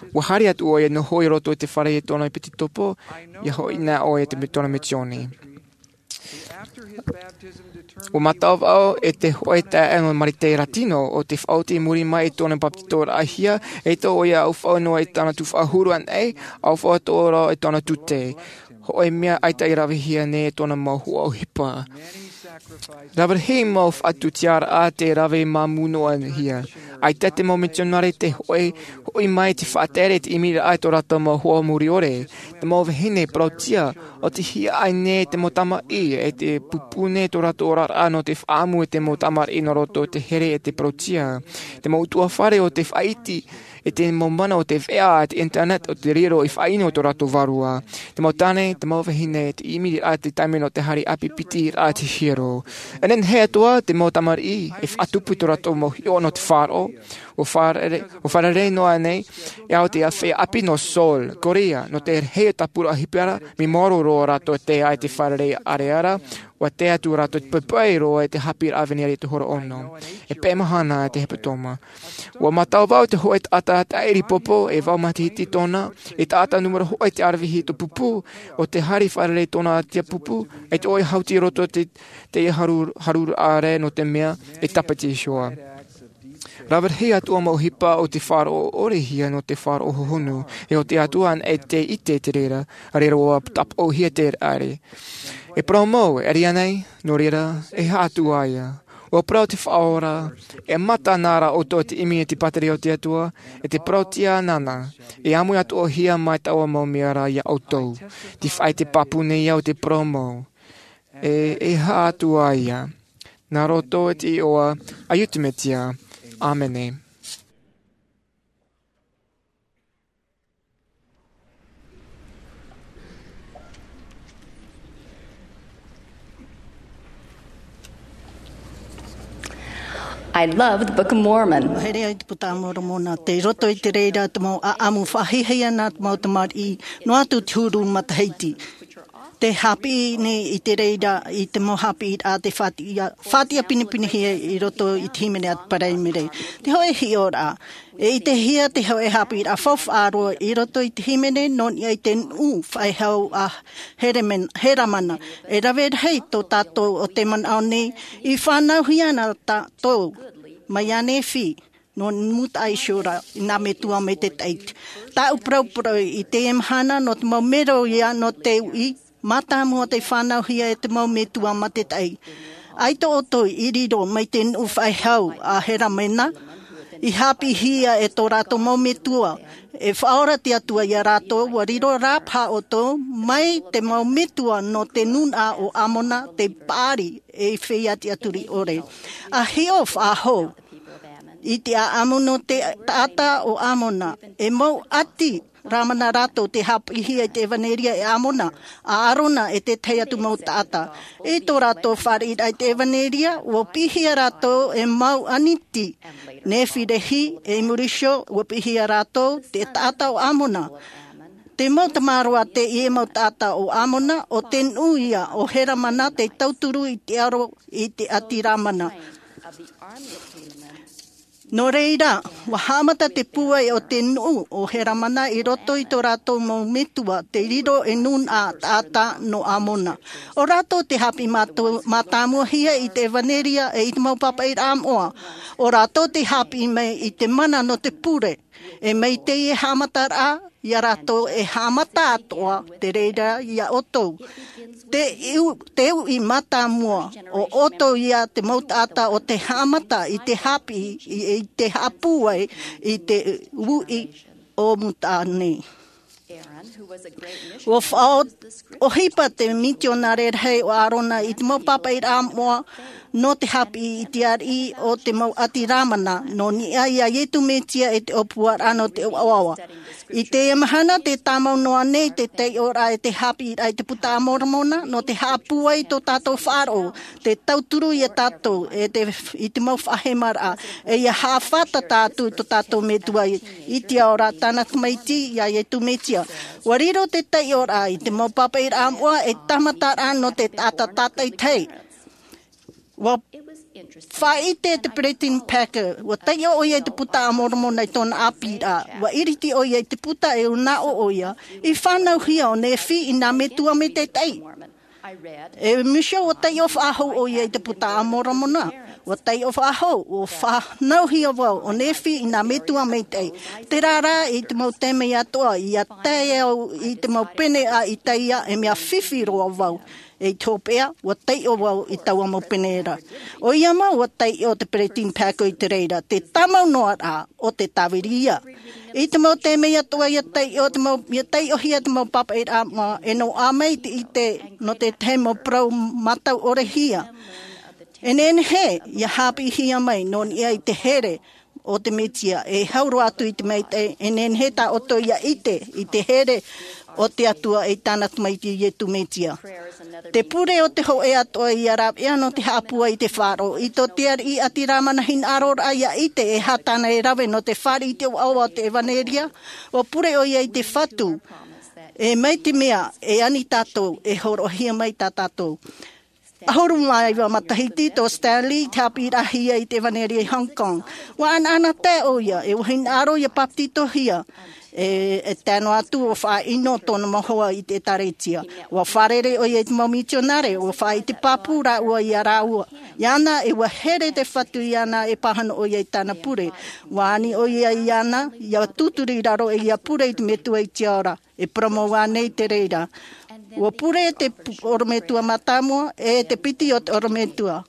ʻua haere atu ʻoia noho i roto i te fare i tōna ʻepitopo, ʻia hoʻi na ʻoia i te, tōna misiōni. Ua mātau vau e te hoʻe taeaʻe nō Marite Latino o te faʻaoti i muri mai i tōna papetitoraʻahia, e tō ʻoia ʻaufaʻa noa i tāna tuhaʻa huru anaʻe, ʻaufaʻa tō ora i tōna tute. Hoʻe mea ʻaita i ravehia nei e tōna mau huaʻohipa. Rave rahi mau faʻatusiaraʻa te rave māmū noa hia. ʻAita te mau mitionare te hoʻe, hoʻi mai te faʻatere te ʻimiraʻa i tō rātou mau hoa muriʻore. Te mau vahine parautia, ʻo te hiaʻai nei te mau tamaʻi, e te pupū nei tō rātou oraraʻa nō te faʻaʻamu e te mau tamariʻi nō roto i te here e te parautia. Te mau ʻutuāfare o te faʻaiti, e te mau mana o te veʻa, e te internet, o te riro i faʻaʻino tō rātou vārua. Te mau tāne, te mau vahine, te ʻimiraʻa te taime nō te haere ʻāpī piti raʻa te hiero. E nehenehe atoʻa, te mau tamariʻi, e faʻatupu i tō rātou mau hiʻo nō te faʻaroʻo, ʻua fārerei, ʻua fārerei noa nei, e au te feiā ʻāpī nō Seoul, Korea, nō te rahi o tāpura ʻohipa ra, mea maoro roa rātou e tae i te fārerei ʻareara, ʻua tae atu rātou te poipoi roa i te haʻapiʻiraʻa Evanelia i te hora ono. E pae mahana te hepetoma. ʻUa mātau vau te hoʻe taʻata tāʻiri popo, e vau matahiti tōna, e taʻata nūmera hōʻē te aravihi i tō pupū, ʻo te haere fārerei tōna tia pupū, e te ʻoia hauti i roto i te, te haru, haruraʻa ra nō te mea, e tāpaʻo i te Iehova. Rave rahi atoʻa mau ʻohipa o te faʻaroʻo ʻorehia nō te faʻaroʻo hohonu, e ʻo te Atua anaʻe tei ʻite i te reira, ʻaore rā ʻua tāpaʻohia te reira. E parau mau, e ʻere ānei, nō reira, e aha atu ā ia. ʻUa parau te Faʻaora, e mata na rā ʻoutou i te ʻimi e te pātireia o te Atua, e te parauʻtiʻa nāna, e ʻāmui atoʻahia mai taua mau mea ra ia ʻoutou. Tē faʻaʻite pāpū nei au i te parau mau. E, e aha atu ā ia. Nā roto i te iʻoa a Iesu Mesia. ʻĀmene. I love the Book of Mormon. Here ai te Puta a Moromona, tei roto i te reira te mau ʻāʻamu faʻahiahia nā te mau tamariʻi, noa atu te huru matahiti. Tē haʻapiʻi nei i te reira, i te mau haʻapiʻiraʻa tē faʻatiʻa, faʻatiʻa pinepinehia i roto i te hīmene a te Paraimere. Te hōʻē hiʻoraʻa, e ʻitehia te hōʻē haʻapiʻiraʻa faufaʻa roa i roto i te hīmene nō niʻa i te nuʻu faʻehau a Heremen-, Heramana. E rave rahi tō tātou ʻo tē manaʻo nei, i fānauhia na tātou mai iā Nephi, nō Mutaʻa Iseraʻela, i nā metua maitaʻi. Tāʻu parauparau i teie mahana nō te mau mero ia nō te uʻi, mātāmua tei fānauhia e te mau metua maitaʻi. ʻAita ʻoutou i riro mai te nuʻu faʻehau a Heramana, i haʻapiʻihia e tō rātou mau metua, e faʻaora te Atua iā rātou, ʻua riro rā paha ʻoutou, mai te mau metua nō te nūnaʻa o Amona, tei Paari, ei feiā tiʻaturi ʻore. ʻA hiʻo faʻahou i te ʻāʻamu nō te taʻata o Amona, e mau ʻati Ramana rātou tē haʻapiʻihia i te ʻevanelia e Amona, a Arona e te tahi atu mau taʻata. I tō rātou fāriʻiraʻa i te ʻevanelia, ʻua piʻihia rātou e mau ʻaniti, Nephi-Lehi, e i muri iho, ʻua piʻihia rātou te taʻata o Amona. Te mau tamaroa teie mau taʻata o Amona, ʻo te nuʻu ia o Heramana tei tauturu i te aro i te ʻati Ramana. Nō reira, ʻua haʻamata te pūai o te nuʻu o Heramana i roto i tō rātou mau metua, tei riro ei nūnaʻa taʻata nō Amona. ʻO rātou tē haʻapiʻi mātou-, mātāmuahia i te ʻevanelia e i te mau pāpaʻiraʻa moʻa. ʻO rātou tē haʻapiʻi mai i te mana nō te pure. E mai teie haʻamataraʻa, iā rātou e haʻamata atoʻa te reira iā ʻoutou. Te u-, te uʻi mātāmua, ʻo ʻoutou ia te mau taʻata ʻo tē haʻamata i te haʻapiʻi, i, i te haʻapūai, i te uʻi o Mutaʻa nei. ʻUa faʻaʻohipa te mitionare rahi o Arona i te mau pāpaʻiraʻa moʻa nō te haʻapiʻi i te ariʻi o te mau ʻati Ramana, nō niʻa iā Iesu Mesia e te ʻōpuaraʻa nō te ʻoaʻoa. I teie mahana tē tāmau noa nei te taiʻoraʻa e te haʻapiʻiraʻa i te Puta a Moromona, nō te haʻapūai i tō tātou faʻaroʻo, te tauturu iā tātou, e te, i te mau faʻahemaraʻa, e ʻia haʻafātata atu i tō tātou Metua i te ao ra tāna tamaiti iā Iesu Mesia. ʻUa riro te taiʻoraʻa i te mau pāpaʻiraʻa moʻa ei tāmataraʻa nō te taʻata tātaʻitahi. ʻUa faʻaʻite te Peresideni Packer, ʻua taiʻo ʻoia i te Puta a Moromona i tōna ʻāpīraʻa. ʻUa iriti ʻoia i te puta e manaʻo ʻoia, i fānauhia ʻo Nephi i nā metua maitaʻi. E Michelle, ua taiʻo faʻahou ʻoia i te Buka a Moromona. Ua taiʻo faʻahou, ua fānauhia vau ʻo Nephi i nā metua maitaʻi. Terā rā, i te mau taime atoʻa, ʻia tae au i te mau pene a Isaia, e mea fifi roa vau. E i te hopeʻa, ua taiʻo vau i taua mau pene ra. ʻOia mau, ua taiʻo te Peresideni Packer i te reira, te tāmau noa rā, ʻo te tāviri ia. I te mau taime atoʻa ʻia taiʻo te mau, ʻia taiʻohia te mau pāpaʻiraʻa moʻa, e noaʻa mai te ʻite nō te tahi mau parau mātau ʻore hia. E nehenehe, ʻia haʻapiʻihia mai, nō niʻa i te here o te Mesia, e hau roa atu i te maitaʻi, e nehenehe tā ʻoutou ʻia ʻite, i te here o te Atua e i tāna Tamaiti Iesu Mesia. Te pure o te hōʻē atoʻa ʻia rāveʻa nō te haʻapūai i te faʻaroʻo, i tō te ariʻi ʻati rā mana hinaʻaro ra ʻia ʻite, e aha tāna e rave nō te fāriʻi i te ʻoaʻoa o te ʻevanelia, ua pure ʻoia i te Fatu. E mai te mea, e ani tātou, e hōroʻahia mai tā tātou. ʻAhuru mā iva matahiti tō Stanley i te haʻapiʻiraʻahia i te ʻevanelia i Hong Kong. Ua ʻanaʻanatae ʻoia, e ua hinaʻaro ʻia bāpetizohia. E, e tae noa atu ʻo faʻaʻino tōna mau hoa i te ʻĒtārētia. Ua fārerei ʻoia i te mau mitionare, ua faʻaʻite pāpū rāua ia rāua. Iāna, e ua here te Fatu iāna e pāhono ʻoia i tāna pure. Ua ani ʻoia iāna, ʻia tūturu i raro e ʻia pure i te Metua i te ao ra. E parau mau ānei te reira? Ua pure te pu-, ʻorometua mātāmua, e te piti o te ʻorometua.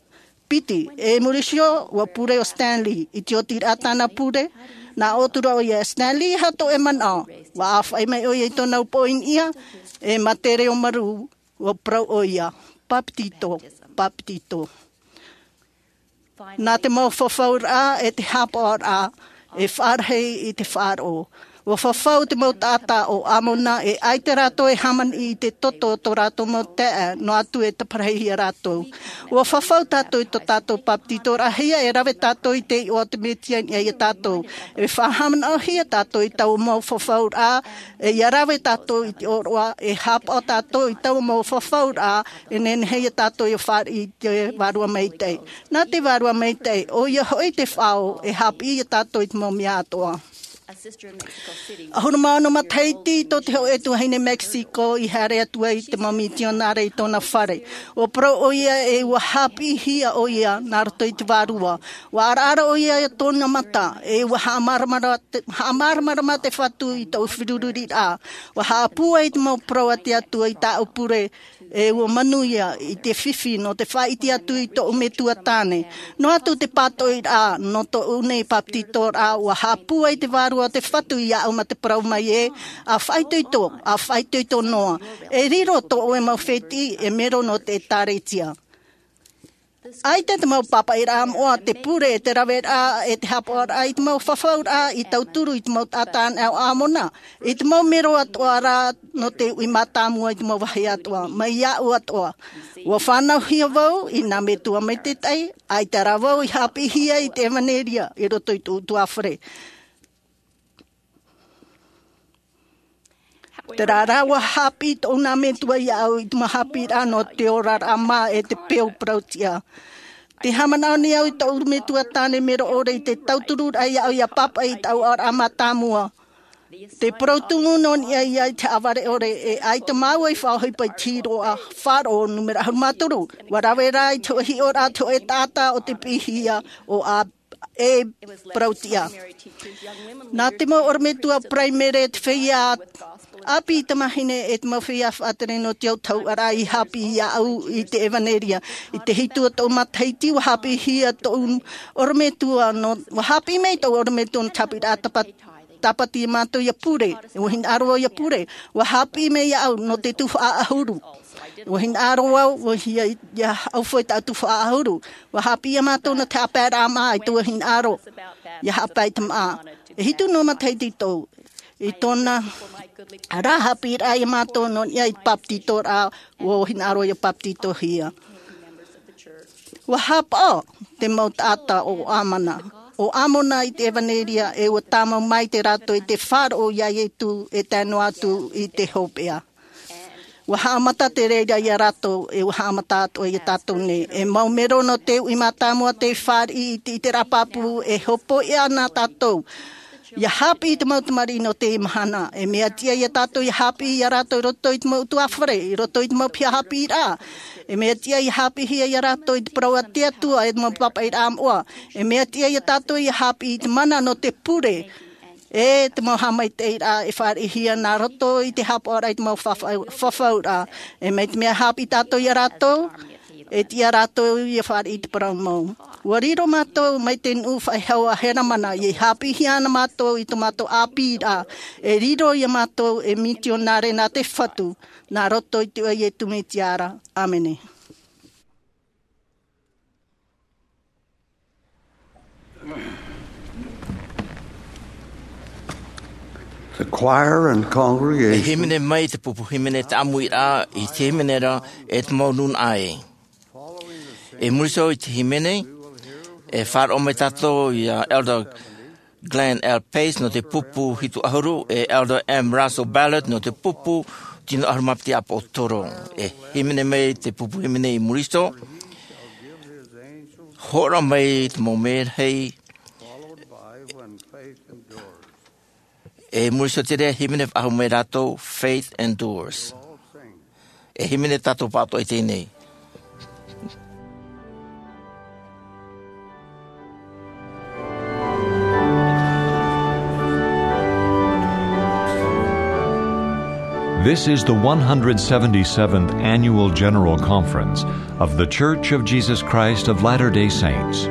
Piti, e muri iho, ua pure ʻo Stanley, i te otiraʻa tāna pure, nā ʻō atu ra ʻoia, Stanley, e aha tō ʻoe manaʻo? Ua ʻāfaʻi mai ʻoia i tōna upoʻo i niʻa, e mā te reo marū, ua parau ʻoia, bāpetizo, bāpetizo. Nā te mau fafauraʻa e te haʻapaʻoraʻa, e faʻarahi i te faʻaroʻo. Ua fafau te mau taʻata o ʻĀmona, e ʻaita rātou e hāmani i te toto o tō rātou mau taeaʻe, noa atu e taparahi ia rātou. Ua fafau tātou i tō tātou bāpetizoraʻahia, e rave tātou i te iʻoa o te Mesia i niʻa ia tātou. E faʻahaʻamanaʻohia tātou i taua mau fafauraʻa, e ʻia rave tātou i te ʻōroʻa, e haʻapaʻo tātou i taua mau fafauraʻa, e nehenehe ia tātou ʻia fāriʻi i te Vārua Maitaʻi. Nā te Vārua Maitaʻi, ʻoia hoʻi te faʻaō, e haʻapiʻi ia tātou i te mau mea atoʻa. ʻAhuru mā ono matahiti tō te hōʻē tuahine Mexico i haere atu ai te mau mitionare i tōna fare. Ua parau ʻoia e ua haʻapiʻihia ʻoia nā roto i te Vārua. Ua ʻaraʻara ʻoia i tōna mata, e ua haʻamāramarama te, haʻamāramarama te Fatu i tōʻu feruriraʻa. Ua haʻapūai te mau parau a te Atua i tāʻu pure, e ua manuia i te fifi nō te faʻaʻite atu i tōʻu metua tāne. Noa atu te pātoʻiraʻa nō tōʻu nei bāpetizoraʻa, ua haʻapūai te Vārua o te Fatu iāʻu mā te parau mai ē, ʻa faʻaitoito, ʻa faʻaitoito noa. E riro tō ʻoe mau fētiʻi, e mero nō te ʻĒtārētia. ʻAita te mau pāpaʻiraʻa moʻa, te pure, te raveraʻa, e te haʻapaʻoraʻa i te mau fafauraʻa i tauturu i te mau taʻata anaʻe o ʻĀmona, i te mau mero atoʻa rā nō te uʻi mātāmua i te mau vāhi atoʻa, mai iāʻu atoʻa. Ua fānauhia vau i nā metua maitaʻi, ʻaita rā vau i haʻapiʻihia i te ʻevanelia i roto i tōʻu ʻutuāfare. Terā rā, ua haʻapiʻi tōʻu nā metua iāʻu i te mau haʻapiʻiraʻa nō te oraraʻa mā e te peu parau-tiʻa. Tē haʻamanaʻo nei au i tōʻu metua tāne mero ʻore i te tautururaʻa iāʻu ʻia pāpaʻi i tāʻu aʻoraʻa mātāmua. Te parau tumu nō niʻa ia i te haʻavare ʻore, e ʻaita māua i faʻaʻohipa i te hīroʻa faʻaroʻo nūmera ʻahuru mā toru. Ua rave rā i te hōʻē hiʻoraʻa te hōʻē taʻata o te piʻihia ʻo ʻĀ-, e parau-tiʻa. Nā te mau ʻorometua Paraimere, te feiā ʻāpī tamāhine e te mau feiā faʻatere nō te autahuʻaraʻa i haʻapiʻi iāʻu i te ʻevanelia. I te hitu o tōʻu matahiti, ua haʻapiʻihia tōʻu ʻorometua nō, ua haʻapiʻi mai tōʻu ʻorometua nō te haʻapiʻiraʻa tāpa-, tāpati mātou ʻia pure, ua hinaʻaro au ʻia pure, ua haʻapiʻi mai iāʻu nō te tuhaʻa ʻahuru. Ua hinaʻaro au, ua hia, ʻia ʻaufau i tāʻu tuhaʻa ʻahuru. Ua haʻapiʻi ia mātou nō te haʻapaeraʻa mā, ʻaita ua hinaʻaro ʻia haʻapae i te māʻa. E hitu noa matahiti tōʻu, i tōna rā haʻapiʻiraʻa ia mātou nō niʻa i te bāpetizoraʻa, ua hinaʻaro ʻia bāpetizohia. Ua haʻapaʻo te mau taʻata o ʻĀmona, o ʻĀmona i te ʻevanelia, e ua tāmau maite rātou i te faʻaroʻo iā Iesu e tae noa atu i te hopeʻa. Ua haʻamata te reira ia rātou, e ua haʻamata atoʻa ia tātou nei. E mau mero nō te uʻi mātāmua tei fāriʻi i te, i te ʻiteraʻa pāpū, e hōpoiʻa na tātou. Ia hāpiʻi i te mau tamariʻi nō teie mahana. E mea tiʻa ia tātou ia hāpiʻi ia rātou i roto i te mau ʻutuāfare, i roto i te mau piha hāpiʻiraʻa. E mea tiʻa ia hāpiʻihia ia rātou i te parau a te Atua e te mau pāpaʻiraʻa moʻa. E mea tiʻa ia tātou ia hāpiʻi i te mana nō te pure e te mau haʻamaitaʻiraʻa e fāriʻihia nā roto i te haʻapaʻoraʻa i te mau fafa-, fafauraʻa. E mai te mea hāpiʻi tātou ia rātou, e tiʻa rātou ia fāriʻi i te parau mau. Ua riro mātou mai te nuʻu faʻehau a Heramana, ia hāpiʻihia ana mātou i tō mātou ʻāpīraʻa, e riro ia mātou ei mitionare nā te Fatu, nā roto i te iʻoa o Iesu Mesia ra. ʻĀmene. The choir and congregation. E hīmene mai te pupu hīmene te ʻāmuiraʻa i te hīmene ra e te mau nūnaʻa ē. I muri iho i te hīmene, e faʻaroʻo mai tātou ia Elder Glenn L. Pace nō te pupu hitu ʻahuru, e Elder M. Russell Ballard nō te pupu tino ʻahuru mā piti ʻāpōsetolo. E hīmene mai te pupu hīmene i muri iho, hōroʻa mai te mau mērahi, e muri iho te reira hīmene faʻahou mai rātou, Faith Endures. E hīmene tātou pāʻatoʻa i teie nei. This is the one hundred seventy-seventh Annual General Conference of The Church of Jesus Christ of Latter-day Saints.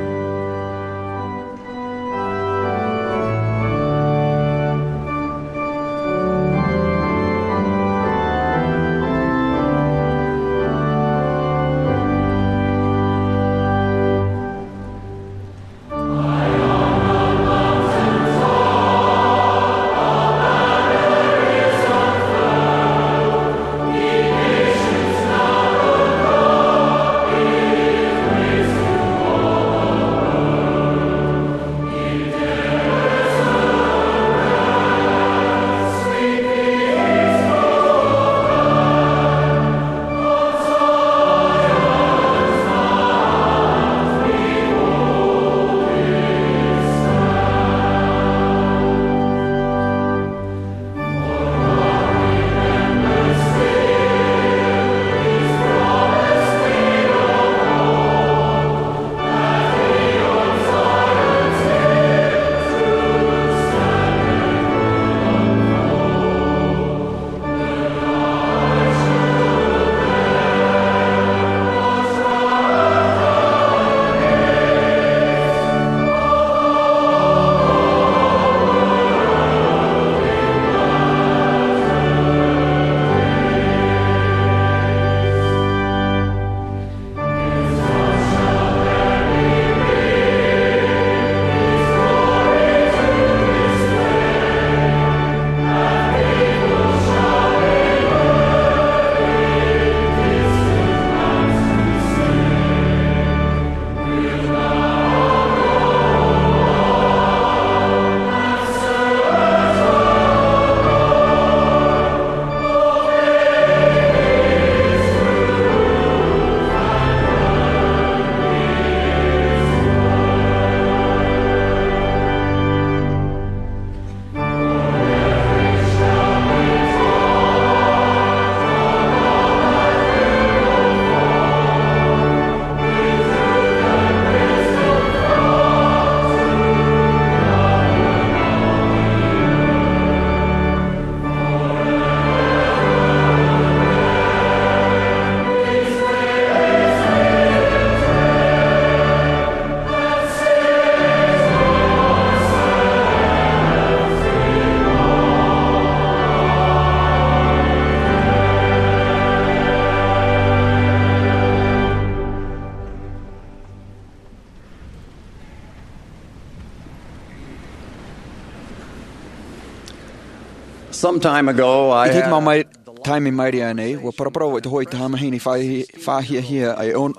Some time ago, I I te had mau mai, taime maere nei, ua paraparau au i te hoʻi i te tamahine fā-, fāhiahia e on-,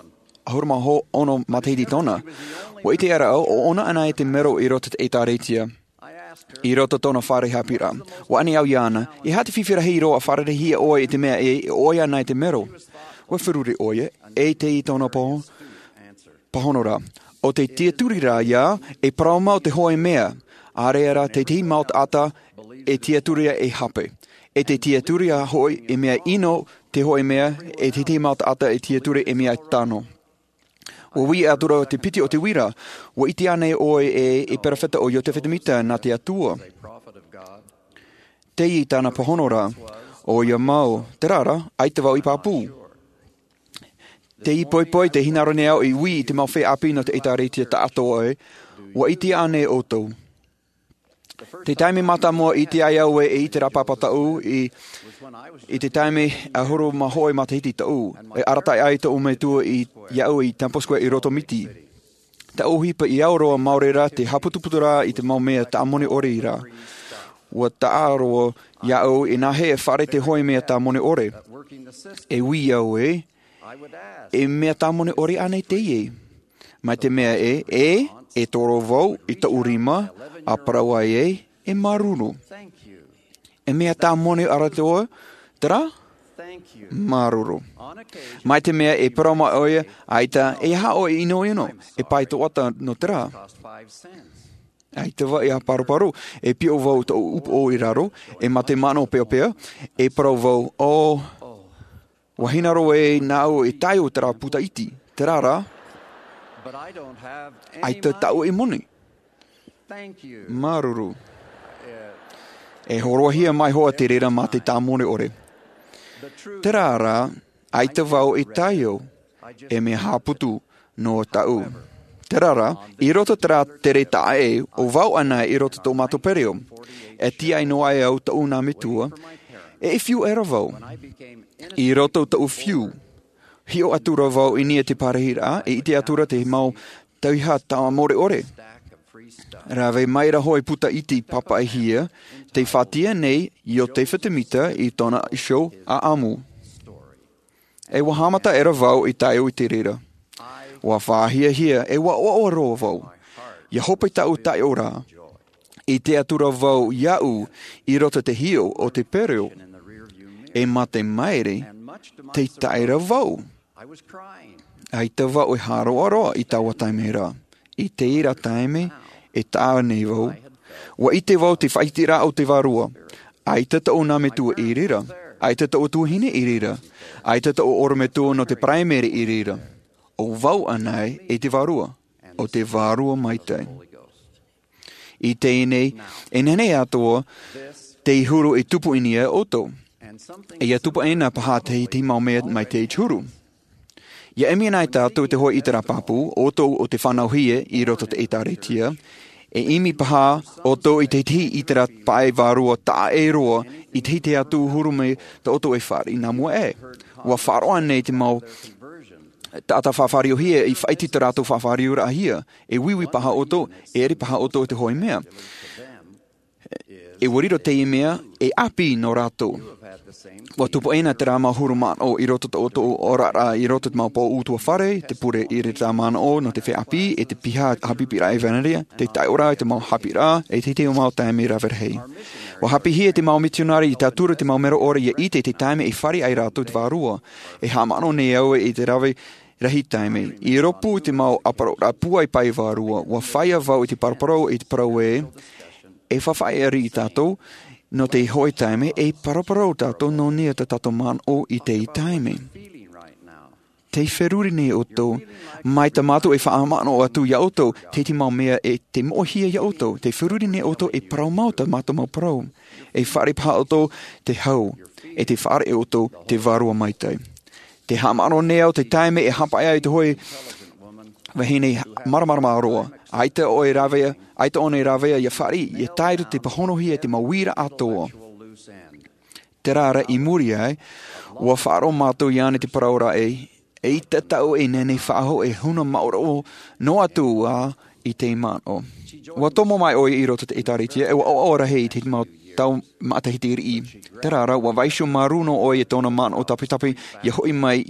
ʻahuru mā ono matahiti tōna. Ua ʻite ra au, ʻo ʻōna anaʻe te mero i roto i te ʻĒtārētia, i roto i tōna fare haʻapiʻiraʻa. Ua ani au iāna, e aha te fifi rahi roa e fārereihia ʻoe i te mea e, e ʻoia ana i te mero? Ua feruri ʻoia, e ʻite i tōna pāho-, pāhono ra. ʻO te tiʻaturi rā ia, e parau mau te hōʻē mea, ʻAreʻa rā te tahi mau taʻata e tiaturi e hape, e te tiaturi hoʻi e mea ʻino, te hoʻi mea e te tahi mau taʻata e tiaturi e mea tano. Ua ui atu ra te piti o te uira. Ua ʻite ānei ʻoe e e peropheta o iosepha semita nā te atua? Teie tāna pāhono ra. ʻOia mau, terā rā, ʻaita vau i pāpū. Te ʻipoipo i te hinaʻaro nei au i ui i te mau feiā ʻāpī nō te ʻēkālesia taʻatoʻa ē. Ua ʻite ānei ʻoutou? Te taime mātāmua i ʻite ai au ē e ʻite rā pāpā taʻu i i te taime ʻahuru mā hōʻē matahiti taʻu, e arataʻi ai tōʻu metua i iaʻu i temple square i roto miti. Taʻu ʻohipa i au roa mau reira te haputuputu rā i te mau mea tāmoni ʻore i rā. Ua taʻa roa iaʻu i nā hea e fare te hoʻi mea tāmoni ʻore. E ui au ē, e mea tāmoni ʻore ānei teie? Mai te mea ē e e toro vau i tōʻu rima a parau ai ē, e māuruuru. E mea tāmoni ʻore atoʻa, terā? Māuruuru. Mai te mea e parau mai ʻoia, ʻaita e aha ʻoe e ʻinoʻino, e pae toʻata nō terā? ʻAita vau ia paruparu. E piʻo vau tōʻu upoʻo i raro, e mā te manaʻo peapea, e parau vau, ʻo ua hinaʻaro ē nāʻu e tae o terā puta iti, terā rā. ʻAita tāʻu e moni. Māuruuru. E hōroʻahia mai hoʻi te reira mā te tāmoni ʻore. Terā rā, ʻaita vau e tae au, e mea haʻaputu nō tāʻu. Terā rā, i roto terā tere taʻa ʻē o vau ʻana i roto tō mātou pereʻoʻo, e tiaʻi noa ai au tōʻu nā metua, e fiu ʻera vau. I roto tōʻu fiu, hiʻo atu ra vau i niʻa i te parahiraʻa e ʻite atu ra te mau tauihaʻa tāmoni ʻore. Rave mai ra hoʻi puta iti papaʻihia, tei faʻatia nei iosepha semita i tōna iho ʻaʻamu. E ua haʻamata ʻera vau i tae au i te reira. Ua fāhiahia e ua ʻoaʻoa roa vau. Ia hope tāʻu taiʻoraʻa. I te atura vau iaʻu i roto i te hiʻo o te pereʻoʻo. E mate maere, tei tae ra vau. ʻAita vau e hāroʻaroʻa i taua taime ra. I te reira taime e taʻa nei vau, ua ʻite vau te faʻaiteraʻa o te vārua. ʻAita tōʻu nā metua i reira. ʻAita tōʻu tuahine i reira. ʻAita tōʻu ʻorometua nō te paraimere i reira. ʻO vau ʻana e te vārua, ʻo te vārua maitaʻi. I teie nei, e nehenehe atoʻa te huru e tupu i niʻa ia ʻoutou. E ia tupu ʻena paha te te mau mea mai te huru. Ia ʻimi ana tātou i te hoʻi ʻiteraʻa pāpū ʻoutou o te fānauhia i roto i te ʻēkālesia. E ʻimi paha ʻoutou i te ʻiteraʻa paʻi vārua taʻa ʻē roa i te huru mai tā ʻoutou e fāriʻi nā mua ē. Ua faʻaroʻo nei te mau taʻata faʻafāriohia i faʻaiti tā rātou faʻafāriuraʻahia. E uiui paha ʻoutou, e ʻere paha ʻoutou i te hoʻi mea. E ua riro teie mea e ʻāpī nō rātou. Ua tupu ʻena terā mau huru manaʻo i roto i tō ʻoutou oraraʻa i roto i te mau pō ʻutuāfare, te pure i te manaʻo nō te feiā ʻāpī, e te piha haʻapiʻiraʻa ʻevanelia, te taiʻoraʻa i te mau haʻapiʻiraʻa, e te te mau taime rave rahi. Ua haʻapiʻihia te mau mitionare i tauturu te mau mero ʻore ia ʻite te taime e fāriʻi ai rātou te vārua. E haʻamanaʻo nei au i te rave rahi taime. I rōpū i te mau ʻāparauraʻa pūai paʻi vārua, ua faʻaea vau i te paraparau i te parau ē, e faʻaʻite tātou nō te hoʻi taime e paraparau tātou nō niʻa i tā tātou manaʻo i teie taime. Tē feruri nei ʻoutou, mai tā mātou e faʻamanaʻo atu ia ʻoutou, te te mau mea e te moʻehia ia ʻoutou, tē feruri nei ʻoutou e parau mau tā mātou mau parau. E fāriʻi paha ʻoutou te hau, e tē fāriʻi ʻoutou te vārua maitaʻi. Tē haʻamanaʻo nei au te taime e haʻapaʻo ai te hoʻi vahine māramarama roa. ʻAita ʻoe e rave, ʻaita ʻōna e rave ia fāriʻi, ia tae roto i te pāhonohia i te mau uira atoʻa. Terā rā i muri aʻe, ua faʻaroʻo mātou iāna i te parau ra ē, eʻita tāʻu e nehenehe faʻahou e huna māʻoraʻa noa atu ā i te manaʻo. Ua tomo mai ʻoia i roto i te ʻēkālesia, e ua ʻoaʻoa rahi i te mau tau matahiti riʻi. Terā rā, ua vaiiho māuruuru ʻoia i tōna manaʻo tapitapi, ia hoʻi mai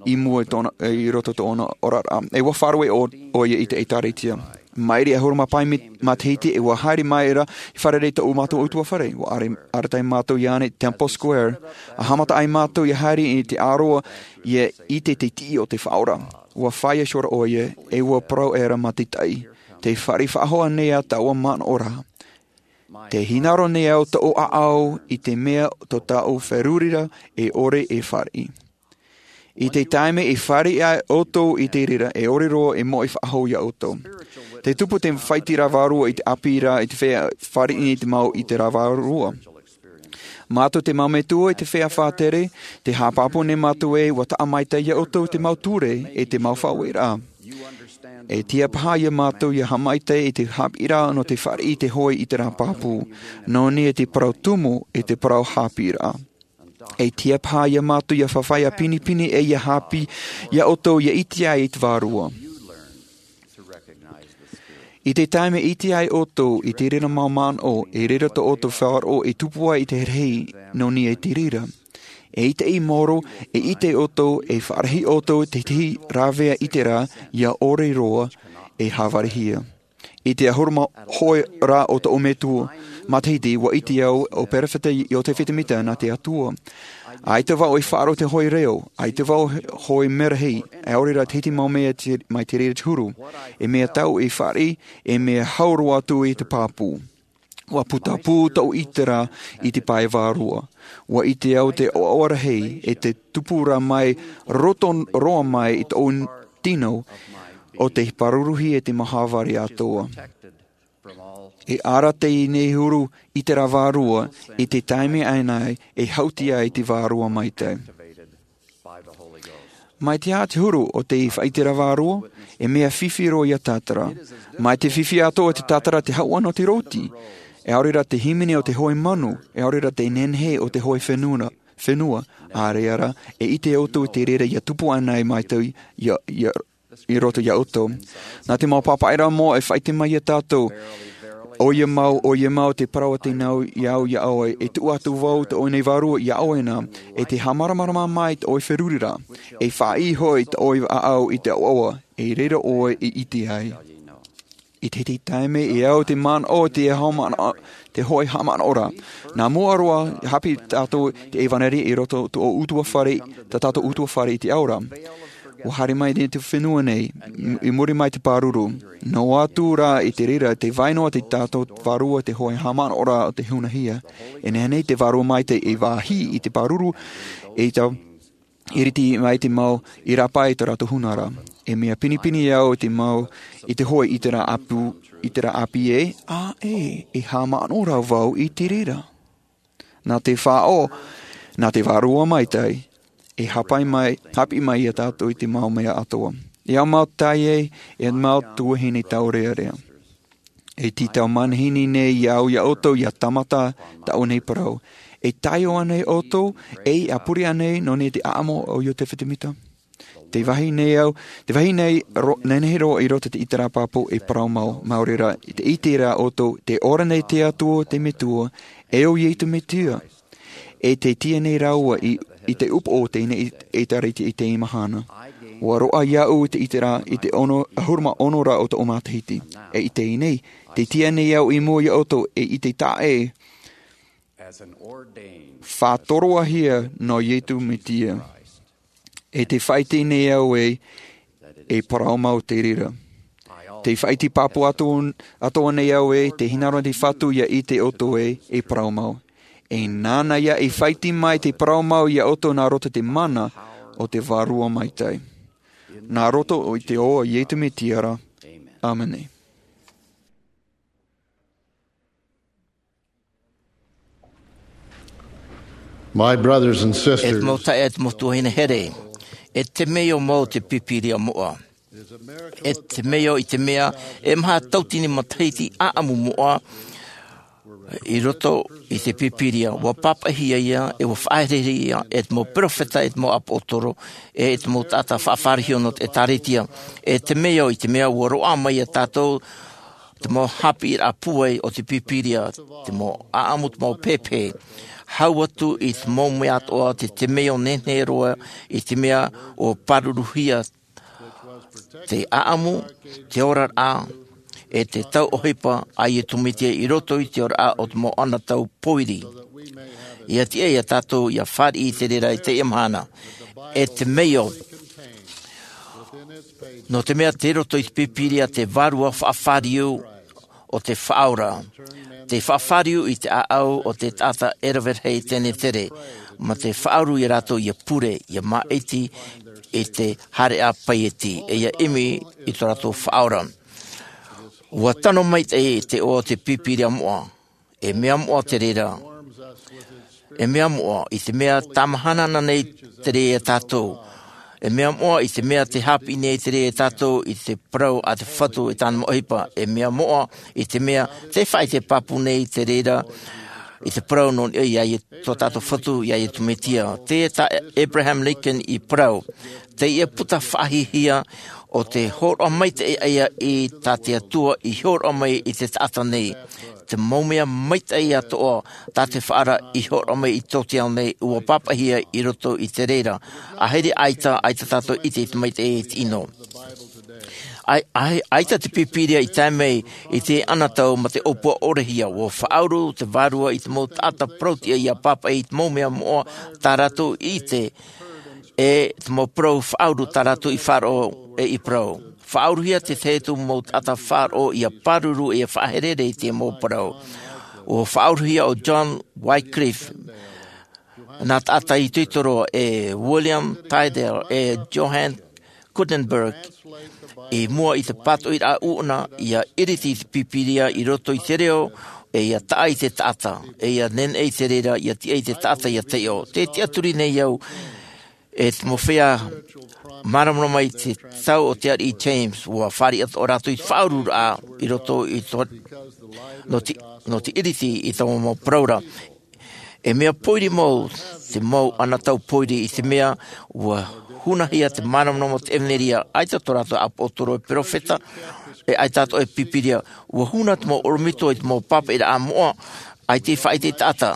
i mua i tōna, i roto i tōna oraraʻa. E ua faʻaroʻo ʻo, ʻoia i te ʻēkālesia. Maʻiri ʻahuru mā pae mi-, matahiti e ua haere mai ra i fārerei tōʻu mātou ʻutuāfare. Ua are-, arataʻi mātou iāna i Temple Square. ʻA haʻamata ai mātou ia haere i te ʻāroa, ia ʻite te tiʻi o te Faʻaora. Ua fāiʻa iho ra ʻoia, e ua parau ʻera mā te taʻi. Tē fāriʻi faʻahou nei ā taua manaʻo ra. Te hinaʻaro nei au tōʻu ʻāʻau i te mea tō tāʻu ferurira e ʻore e fāriʻi. I te taime e fāriʻi ai ʻoutou i te reira, e ʻore roa e moʻe faʻahou ia ʻoutou. Te tupu te faʻaʻiteraʻa vārua i te ʻāpī ra i te feiā fāriʻi nei te mau ʻiteraʻa vārua. Mātou te mau metua i te feiā faʻatere, te haʻapāpū nei mātou ē, ʻua taʻa maitaʻi ia ʻoutou te mau ture e te mau faʻaueraʻa. E tiʻa paha ia mātou ia haʻamaitaʻi i te haʻapiʻiraʻa nō te fāriʻi i te hōʻē ʻiteraʻa pāpū, nō niʻa i te parau tumu e te parau haʻapiʻiraʻa. E tiʻa paha ia mātou ia faʻaʻite pinepine e ia haʻapiʻi ia ʻoutou ia ʻite ai i te vārua. I te taime e ʻite ai ʻoutou i te reira mau manaʻo, e reira tō ʻoutou faʻaroʻo e tupu ai i te rahi nō niʻa i te reira. E ʻite i maoro, e ʻite ʻoutou, e faʻarahi ʻoutou i te tahi rāveʻa ʻiteraʻa ia ʻore roa e hāvarihia. I te ʻahuru mā hōʻē rā o tōʻu metua matahiti, ʻua ʻite au ʻo perofeta Iosepha Semita nā te Atua. ʻAita vau e faʻaroʻo te hōʻē reo, ʻaita vau hōʻē merahi, ʻaore rā te hiti mau mea te, mai te reira te huru. E mea tau e fāriʻi, e mea hau roa atu i te pāpū. ʻUa putapū tōʻu ʻiteraʻa i te pae vārua. ʻUa ʻite au te ʻoaʻoa rahi e te tupu ra mai roto roa mai i tōʻu tino o te pāruruhia e te mau hāvari atoʻa. E ara teie nei huru ʻiteraʻa vārua i te taime ʻānei e hauti ai te Vārua Maitaʻi. Mai te aha te huru o te faʻaʻiteraʻa vārua? E mea fifi roa ia tātara. Mai te fifi atoʻa o te tātara te hau ʻana o te roti, ʻaore rā te hīmene o te hōʻē manu, ʻaore rā te nehenehe o te hōʻē fenua, fenua, ʻaore rā, e ʻite ʻoutou i te reira ia tupu ʻānei mai te, ia, ia, i roto ia ʻoutou. Nā te mau pāpaʻiraʻa moʻa e faʻaʻite mai ia tātou, ʻoia mau, ʻoia mau te parau a te nau ia au, ia ʻoe, e tuʻu atu vau tōʻu nei vārua ia ʻoe na, e te haʻamāramarama mai tōʻu ferurira, e faʻaʻī hoʻi tōʻu ʻāʻau i te ʻoaʻoa, e reira ʻoe e ʻite ai. I te, te taime e au te manaʻo, te haʻamanaʻo, te hōʻē haʻamanaʻoraʻa. Nā mua roa, haʻapiʻi tātou te ʻevanelia i roto tō ʻutuāfare, tā tātou ʻutuāfare i te ao ra. ʻUa haere mai nei te fenua nei, i muri mai te pāruru. Noa atu rā i te reira, tē vai noa te tātou vārua te hōʻē haʻamanaʻoraʻa o te hunahia. E nehenehe te Vārua Maitaʻi e vāhi i te pāruru, e tau iriti mai te mau i rāpae i tō rātou huna ra. E mea pinepine au i te mau, i te hōʻē ʻiteraʻa ʻāpī, ʻiteraʻa ʻāpī ē, ʻae, e haʻamanaʻo ra vau i te reira. Nā te faʻaʻō, nā te Vārua Maitaʻi, e haʻapaʻo mai, haʻapiʻi mai ia tātou i te mau mea atoʻa. E au mau taeaʻe, e au mau tuahine taurearea. E tītau manihini nei ia au ia ʻoutou ia tāmata tāʻu nei parau. E taiʻo ānei ʻoutou, e ʻāpurihia ānei nō niʻa i te ʻāʻamu o Iosepha Semita? Tē vāhi nei au, tē vāhi nei ro-, nehenehe roa i roto i te ʻiteraʻa pāpū e parau mau, maori rā, i te ʻiteraʻa ʻoutou, tē ora nei te Atua, te Metua, e ʻo Iesu Mesia. E tē tiʻa nei rāua i, i te upoʻo o teie nei ʻēkālesia i teie mahana. ʻUa roaʻa iāʻu i te ʻiteraʻa, i te ono, ʻahuru mā ono rā o tōʻu matahiti. E i teie nei, tē tiʻa nei au i mua ia ʻoutou, e i te taʻa e faʻatoroahia nō Iesu Mesia. E tē faʻaʻite nei au ē, e parau mau te reira. Tē faʻaʻite pāpū atu, atoʻa nei au ē, tē hinaʻaro te Fatu ia ʻite ʻoutou ē, e parau mau. E nāna ia e faʻaʻite mai te parau mau ia ʻoutou nā roto i te mana o te Vārua Maitaʻi. Nā roto i te iʻoa o Iesu Mesia ra. ʻĀmene. My brothers and sisters, e te mau taeaʻe, e te mau tuahine here, e temeio mau te Pīpīria moʻa. E temeio i te mea, e maha tauatini matahiti ʻāʻamu moʻa i roto i te Pīpīria, ʻua pāpaʻihia ia, e ʻua faʻaherehere ia, e te mau perofeta, e te mau ʻāpōsetolo, e te mau taʻata faʻafārerei nō te ʻēkālesia. E temeio i te mea, ʻua roaʻa mai ia tātou, te mau haʻapiʻiraʻa pūai o te Pīpīria, te mau ʻāʻamu, te mau pēpē. Hau atu i te mau mea atoʻa, te temeio nehenehe roa i te mea ʻua pāruruhia te ʻāʻamu, te oraraʻa, e te tauʻohipa a Iesu Mesia i roto i te oraraʻa o te mau anotau pōiri. ʻIa tiʻa ia tātou ʻia fāriʻi i te reira i teie mahana. E temeio, nō te mea tei roto i te Pīpīria te vārua faʻafāriu o te faʻaora, te faʻafāriu i te ʻāʻau o te taʻata ʻereverahi tenetere, mā te faʻauru ia rātou ia pure, ia māʻiti i te haereʻa paieti, e ia ʻimi i tō rātou faʻaora. Ua tano maitaʻi te ʻoaʻoa o te pīpīria moʻa. E mea moʻa te reira. E mea moʻa i te mea tāmahana nei te reira ia tātou. E mea moʻa i te mea te hāpiʻi nei te reira ia tātou i te parau a te Fatu e tāna mau ʻohipa. E mea moʻa i te mea te faʻaʻite pāpū nei te reira i te parau nō niʻa iā Ie-, tō tātou Fatu iā Iesu Mesia. Teie tā Abraham Lincoln i parau. Teie puta faʻahiahia o te hōroʻa maitaʻi ia i tā te Atua i hōroʻa mai i te taʻata nei. Te mau mea maitaʻi atoʻa tā te Faʻaora i hōroʻa mai i tō te ao nei ua pāpaʻihia i roto i te reira. ʻĀhiri ʻaita, ʻaita tātou i te, i te maitaʻi i te ʻino. ʻAi-, ʻai-, ʻaita te pīpīria i tae mai i te anotau mā te ʻōpua ʻorehia, ua faʻauru te Vārua i te mau taʻata parauʻtiʻa ia pāpaʻi i te mau mea moʻa tā rātou i ʻite, e te mau parau faʻauru tā rātou i faʻaroʻo e i parau. Faʻauruhia te tahi atu mau taʻata faʻaroʻo ia pāruru e ia faʻaherere i te mau parau. Ua faʻauruhia ʻo John Wycliffe, nā taʻata itoito roa, e William Tyndale, e Johann Gutenberg, i mua i te pātoʻiraʻa ʻuʻana, ia ʻiriti i te pīpīria i roto i te reo, e ia taʻa i te taʻata, e ia neneʻi te reira, ia tiʻa i te taʻata ia taiʻo. Tē tiʻaturi nei au, e te mau feiā māramarama i te tau o te ariʻi James, ua fāriʻi atoʻa rātou i te faʻaururaʻa i roto i tō, nō te, nō te ʻiriti i tō mau parau ra. E mea pōiri mau, te mau anotau pōiri i te mea, ua hunahia te māramarama o te ʻevaneria, ʻaita tō rātou ʻāpoʻotoro e perofeta, e ʻaita atoʻa e pīpīria, ua huna te mau ʻorometua i te mau pāpaʻiraʻa moʻa, ʻaita i faʻaʻite i te taʻata.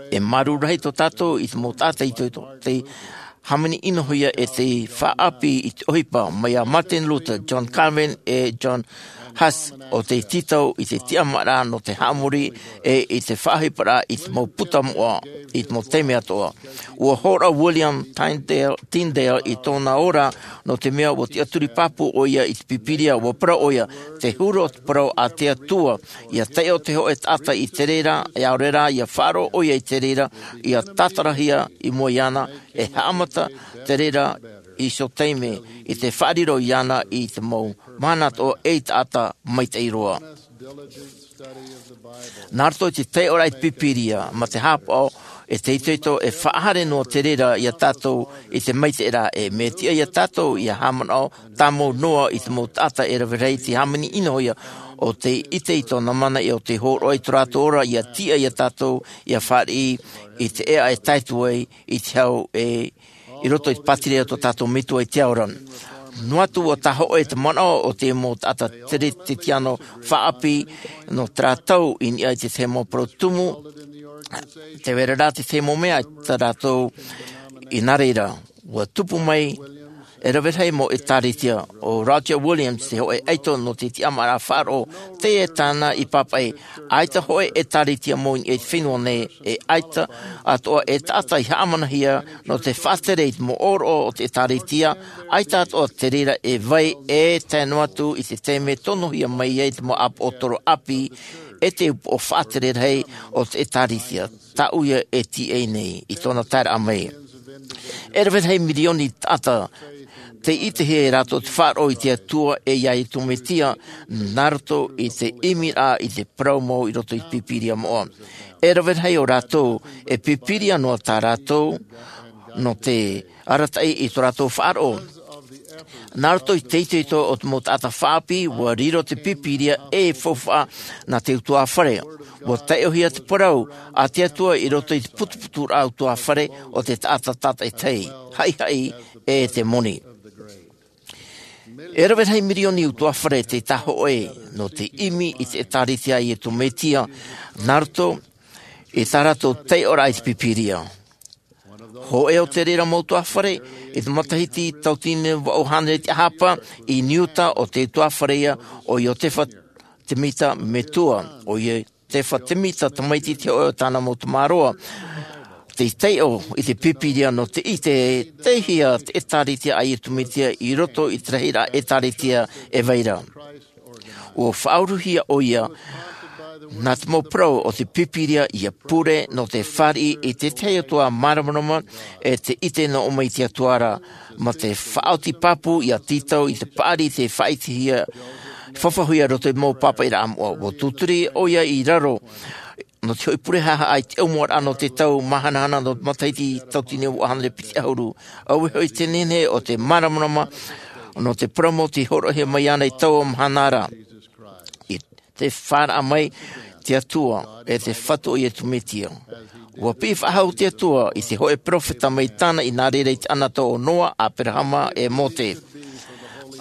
E māuruuru rahi tō tātou i te mau taʻata itoito, tei hāmani ʻinohia e tei faʻaʻāpī i te ʻohipa, mai iā Martin Luther, John Calvin, e John Huss, ʻo tei tītau i te tiʻamāraʻa nō te haʻamori, e i te faʻaʻohiparaʻa i te mau puta moʻa, i te mau taime atoʻa. Ua hōroʻa William Tyndale, Tyndale i tōna ora, nō te mea ua tiʻaturi pāpū ʻoia i te pīpīria, ua parau ʻoia, te huru o te parau a te Atua, ia taiʻo te hōʻē taʻata i te reira, e ʻaore rā, ia faʻaroʻo ʻoia i te reira, ia tātarahia i mua iāna, e haʻamata te reira i te taime, i te faʻariro iāna i te mau mahana atoʻa ei taʻata maitaʻi roa. Nā roto i te taiʻoraʻa i te pīpīria, mā te haʻapaʻo, e te itoito, e faʻahaere noa te reira iā tātou i te maitaʻi ra, e mea tiʻa iā tātou ia haʻamanaʻo tāmau noa i te mau taʻata e rave rahi tei hāmani ʻinohia, ʻo tei ʻite i tōna mana ʻia ʻo tei hōroʻa i tō rātou ora, ia tiʻa iā tātou ia fāriʻi i te ʻēʻa e tae atu ai i te hau e i roto i te pātireia o tō tātou Metua i te ao ra. Noa atu ua tāhōʻē te manaʻo o te mau taʻata Teretetiano faʻaʻāpī nō terā tau i niʻa i te tahi mau parau tumu, tē vai ra rā te tahi mau mea tā rātou i nā reira. Ua tupu mai e rave rahi mau ʻĒtārētia, ʻo Roger Williams, te hōʻē ʻaito nō te tiʻamāraʻa faʻaroʻo, teie tāna i pāpaʻi, ʻaita hōʻē ʻĒtārētia mau i niʻa i te fenua nei, e ʻaita atoʻa e taʻata i haʻamanahia nō te faʻatere i te mau ʻōroʻa o te ʻĒtārētia, ʻaita atoʻa te reira e vai e tae noa atu i te taime tonohia mai ai te mau ʻāpoʻotoro ʻāpī, e te upoʻo faʻatere rahi o te ʻĒtārētia, tā ʻoia e tīaʻi nei i tōna taeraʻa mai. E rave rahi mirioni taʻata, tei ʻitehia e rātou te faʻaroʻo i te Atua e iā Iesu Mesia, nā roto i te ʻimiraʻa i te parau mau i roto i te Pīpīria moʻa. E rave rahi o rātou, e pīpīria noa tā rātou, nō te arataʻi i tō rātou faʻaroʻo. Nā roto i te itoito o te mau taʻata faʻaʻāpī, ua riro te Pīpīria ei faufaʻa nā te ʻutuāfare. Ua taiʻohia te parau a te Atua i roto i te putuputuraʻa ʻutuāfare o te taʻata tātaʻitahi, haʻihaʻi e te moni. E rave rahi mirioni ʻutuāfare tei tāhōʻē nō te ʻimi i te ʻĒtārētia a Iesu Mesia, nā roto i tā rātou taiʻoraʻa i te Pīpīria. Hōʻē o te reira mau ʻutuāfare, i te matahiti tauatini vaʻu hānere tiʻahapa, i Niuta, ʻo te ʻutuāfare ïa ʻo Iosefa Semita Metua, ʻo Iosefa Semita tamaiti te hōʻē o tāna mau tamāroa. Tei taiʻo i te Pīpīria nō te ʻite, tei hea te ʻĒtārētia a Iesu Mesia i roto i te rahiraʻa ʻĒtārētia e vai ra. ʻUa faʻauruhia ʻoia nā te mau parau o te Pīpīria ʻia pure nō te fāriʻi i te tahi atu ā māramarama e te ʻite nō ʻō mai i te Atua ra, mā te faʻaoti pāpū ʻia tītau i te paʻari i te faʻaitihia, faʻahoʻihia roto i te mau pāpaʻiraʻa moʻa. ʻUa tūturi ʻoia i raro nō te hoʻi pure haʻahaʻa i te ʻaumuaraʻa nō te tau māhanahana nō te matahiti tauatini e vaʻu hānere piti ʻahuru. Auē hoʻi te nehenehe o te māramarama nō te parau mau tei hōroʻahia mai ana i taua mahana ra. I te fāraʻa mai te Atua e te Fatu o Iesu Mesia. ʻUa piʻi faʻahou te Atua i te hōʻē peropheta mai tāna i nā reira i te ʻanata o Noa, Aperahama e Mōse.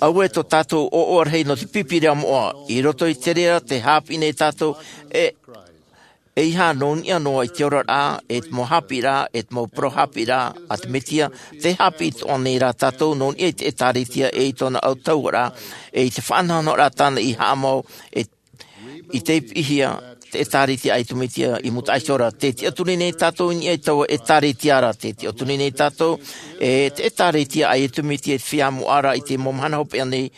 Auē tō tātou ʻoaʻoa rahi nō te Pīpīria moʻa, i roto i te reira tē haʻapiʻi nei tātou e, e ʻeiaha nō niʻa noa i te oraraʻa, e te mau haʻapiʻiraʻa, e te mau parau haʻapiʻiraʻa a te Mesia, tē haʻapiʻi atoʻa nei ra tātou nō niʻa i te ʻĒtārētia e i tōna autahuʻaraʻa, e i te faʻanahonahoraʻa tāna i haʻamau, e i te piʻihia te ʻĒtārētia a Iesu Mesia i mūtaʻa iho ra. Tē tiʻaturi nei tātou i niʻa i taua ʻĒtārētia ra, tē tiʻaturi nei tātou, e te ʻĒtārētia a Iesu Mesia i te feiā moʻa ra i te mau mahana hopeʻa nei,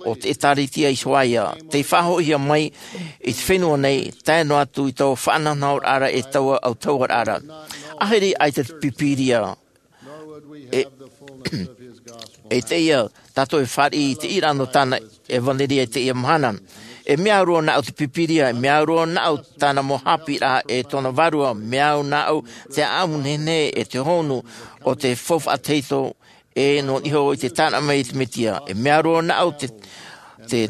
ʻo te ʻĒtārētia iho ā ia, tei faʻahoʻihia mai i te fenua nei, tae noa atu i taua faʻanahonahoraʻa ra e taua autahuʻaraʻa ra. ʻAhiri ʻaita te Pīpīria, e, e teie tātou e fāriʻi i te ʻīraʻa nō tāna ʻevanelia i teie mahana. E mea au roa nāʻu te Pīpīria, e mea au roa nāʻu tāna mau haʻapiʻiraʻa e tōna vārua, mea au nāʻu te ʻāʻamu nehenehe e te hōhonu o te faufaʻa tahito, e nō niʻa iho i te tānaʻa mai i te Mesia. E mea au roa nāʻu te, te,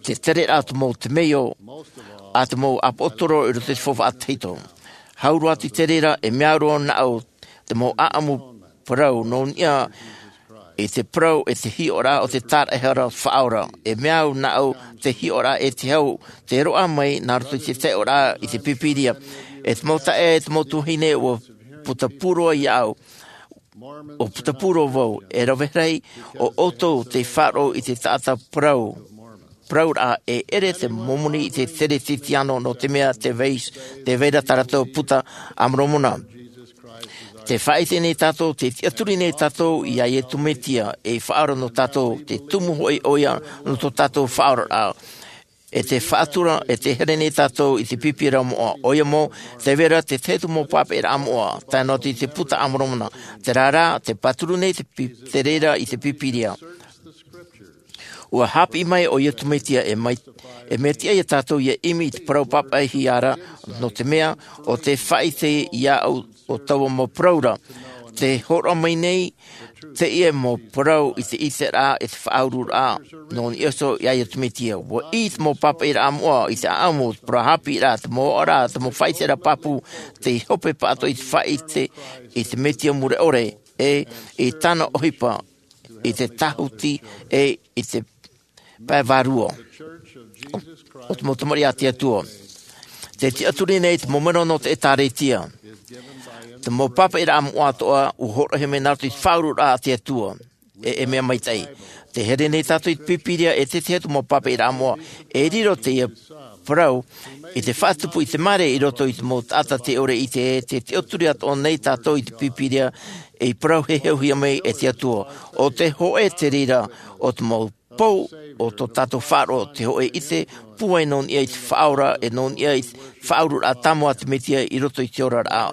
te tereraʻa o te mau temeio a te mau ʻāpōsetolo i roto i te faufaʻa tahito. Hau roa atu i te reira, e mea au roa nāʻu te mau ʻāʻamu parau nō niʻa i te parau e te hiʻoraʻa o te tāraʻehara o te Faʻaora. E mea au nāʻu te hiʻoraʻa e te hau, tē roaʻa mai nā roto i te taʻeʻoraʻa i te Pīpīria. E te mau taeaʻe, e te mau tuahine, ʻua puta pū roa iāʻu, ʻua puta pū roa vau, e rave rahi o ʻoutou tei faʻaroʻo i te taʻata parau, parauraʻa e ʻere te Mōmoni i te Teretetiano, nō te mea tē vai, tē vai ra tā rātou puta a Moromona. Tē faʻaʻite nei tātou, tē tiʻaturi nei tātou iā Iesu Mesia ei Faʻaora nō tātou, tē tumu hoʻi ʻoia nō tō tātou faʻaoraraʻa. E tē faʻatura, e tē here nei tātou i te Pīpīria moʻa, ʻoia mau, tē vai ra te tahi atu mau pāpaʻiraʻa moʻa, tae noa atu i te puta a Moromona. Terā rā, tē pāturu nei te Pī-, te reira i te Pīpīria. ʻUa haʻapiʻi mai ʻo Iesu Mesia e mai, e mea tiʻa ia tātou ʻia ʻimi i te parau pāpaʻihia ra, nō te mea, ʻo tē faʻaʻite iāʻu o taua mau parau ra. Tē hōroʻa mai nei teie mau parau i te ʻiteraʻa, i te faʻaururaʻa, nō niʻa iho iā Iesu Mesia. ʻUa ʻī te mau pāpaʻiraʻa moʻa i te ʻāʻamu, te parau haʻapiʻiraʻa, te mau ʻoaʻoraʻa, te mau faʻaʻiteraʻa pāpū, tei hope pāʻatoʻa i te faʻaʻite i te Mesia mure ʻore, e i tāna ʻohipa, i te tāhuti, e i te pae vārua o, o te mau tamariʻi a te Atua. Tē tiʻaturi nei te mau mero nō te ʻĒtārētia. Te mau pāpaʻiraʻa moʻa atoʻa, ʻua hōroʻahia mai nā roto i te faʻaururaʻa a te Atua. E, e mea maitaʻi. Tē here nei tātou i te Pīpīria e te tahi atu mau pāpaʻiraʻa moʻa. E riro teie parau i te faʻatupu i te māere i roto i te mau taʻata tē ʻore i ʻite, tē tiʻaturi atoʻa nei tātou i te Pīpīria, ei parau heheuhia mai e te Atua. ʻO te hōʻē te reira o te mau pou o tō tātou faʻaroʻo, te hōʻē ʻite pūai nō niʻa i te Faʻaora, e nō niʻa i te faʻaururaʻa tāmau a te Mesia i roto i te oraraʻa.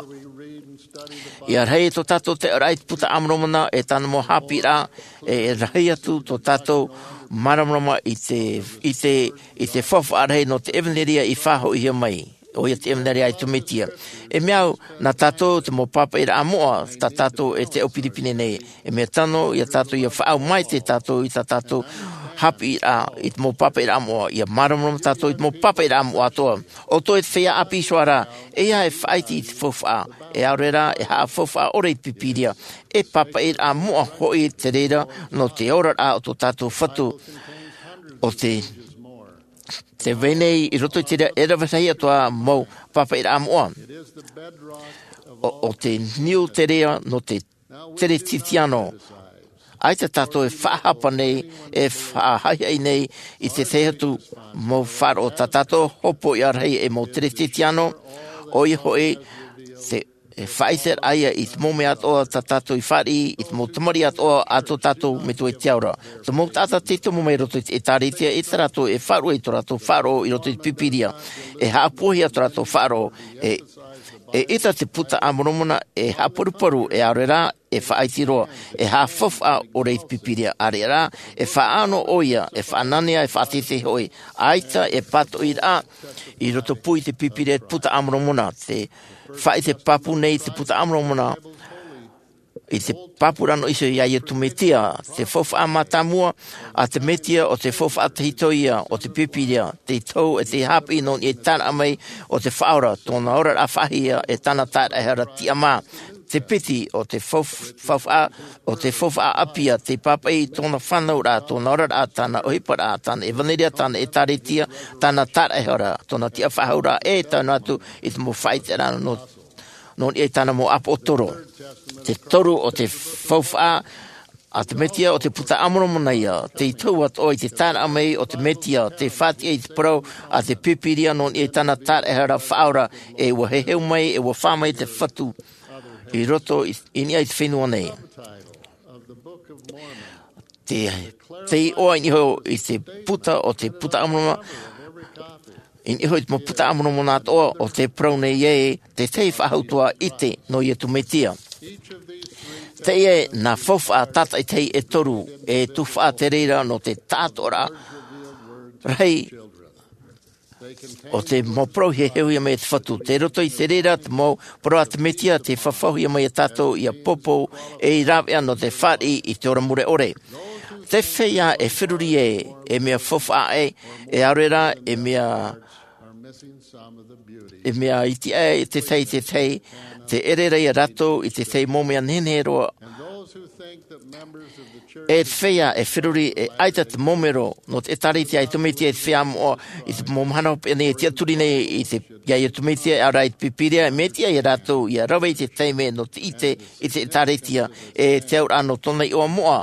ʻIa rahi tō tātou taʻeʻoraʻa i te puta a Moromona, e tāna mau haʻapiʻiraʻa, e, e rahi atu tō tātou māramarama i te, i te, i te faufaʻa rahi nō te ʻevanelia i faʻahoʻihia mai. ʻOia te ʻevanelia a Iesu Mesia. E mea au, nā tātou te mau pāpaʻiraʻa moʻa, tā tātou e te au pinepine nei. E mea tano, ia tātou ʻia faʻaau maitaʻi tātou i tā tātou haʻapiʻiraʻa, i te mau pāpaʻiraʻa moʻa, ʻia māramarama tātou i te mau pāpaʻiraʻa moʻa atoʻa. ʻO tō e te feiā ʻāpī iho ā ra, ʻeiaha e faʻaʻite i te faufaʻa, e ʻaore rā, e haʻafaufaʻa ʻore i te Pīpīria. E pāpaʻiraʻa moʻa hoʻi te reira, nō te oraraʻa o tō tātou Fatu. ʻO te Tē vai nei i roto i te reira e rave rahi atoʻa mau pāpaʻiraʻa moʻa. ʻO, ʻo te niu te reira nō te Teretetiano. ʻAita tātou e faʻahapa nei, e faʻahaʻihaʻi nei i te tahi atu mau faʻaroʻo tā tātou hopoiʻa rahi ei mau Teretetiano, ʻoia hoʻi te e faʻaʻite raʻa ia i te mau mea atoʻa tā tātou i fāriʻi, i te mau tamariʻi atoʻa a tō tātou Metua i te ao ra. Te mau taʻata tei tomo mai roto i te ʻĒtārētia, e tā rātou e faʻaruʻe i tō rātou faʻaroʻo i roto i te Pīpīria. E haʻapūaihia tō rātou faʻaroʻo, e, e ʻita te Buka a Moromona, e haʻaparuparu, e ʻaore rā, e faʻaiti roa, e haʻafaufaʻa ʻore i te Pīpīria. ʻAreʻa rā, e faʻaʻano ʻoia, e faʻananea, e faʻateitei hoʻi. ʻAita e pātoʻi raʻa i roto pū i te Pīpīria te Buka a Moromona, te faʻaʻite pāpū nei te Buka a Moromona i te pāpū rā noa iho iā Iesu Mesia, te faufaʻa mātāmua a te Mesia, ʻo te faufaʻa tahito ia o te Pīpīria, tei tohu e tei haʻapiʻi nō niʻa i te tāraʻa mai o te Faʻaora, tōna oraraʻa faʻahou, e tāna tāraʻehara tiʻamā. Te piti o te fau-, faufaʻa, o te faufaʻa ʻāpī, tei pāpaʻi i tōna fānauraʻa, tōna oraraʻa, tāna ʻohiparaʻa, tāna ʻevanelia, tāna ʻĒtārētia, tāna tāraʻehara, tōna tiʻafaʻahouraʻa, e tae noa atu i te mau faʻaʻiteraʻa nō, nō niʻa i tāna mau ʻāpōsetolo. Te toru o te faufaʻa a te Mesia, ʻo te Buka a Moromona ïa, tei tohu atoʻa i te tāraʻa mai o te Mesia, tei faʻatiʻa i te parau a te Pīpīria nō niʻa i tāna tāraʻehara faʻaora, e ʻua heheu mai, e ʻua fā mai te Fatu i roto i, i niʻa i te fenua nei. Te, te iʻoa i niʻa iho i te puta o te Buka a Moromona, i niʻa iho i te mau Buka a Moromona atoʻa, ʻo tē parau nei ē, te tahi faʻahoutua ʻite nō Iesu Mesia. Teie nā faufaʻa tātaʻitahi e toru, e tuhaʻa te reira nō te taʻatoʻaraʻa rahi o te mau parau i heheuhia mai e te Fatu. Tei roto i te reira te mau parau a te Mesia, tē fafauhia mai ia tātou ʻia poupou, ʻei rāveʻa nō te fāriʻi i te ora mure ʻore. Te feiā e feruri ē, e mea faufaʻa ē, e ʻaore rā, e mea, e mea iti ē, te tahi, te tahi, tē ʻere ra ia rātou i te tahi mau mea nehenehe roa. E te feiā e feruri, e ʻaita te mau mero nō te ʻĒtārētia a Iesu Mesia, e te feiā moʻa i te mau mahana hopeʻa nei e tiʻaturi nei i te, iā Iesu Mesia, e ʻaore rā i te Pīpīria, e mea tiʻa ia rātou ʻia rave i te taime nō te ʻite i te ʻĒtārētia, e te auraʻa nō tōna iʻoa moʻa,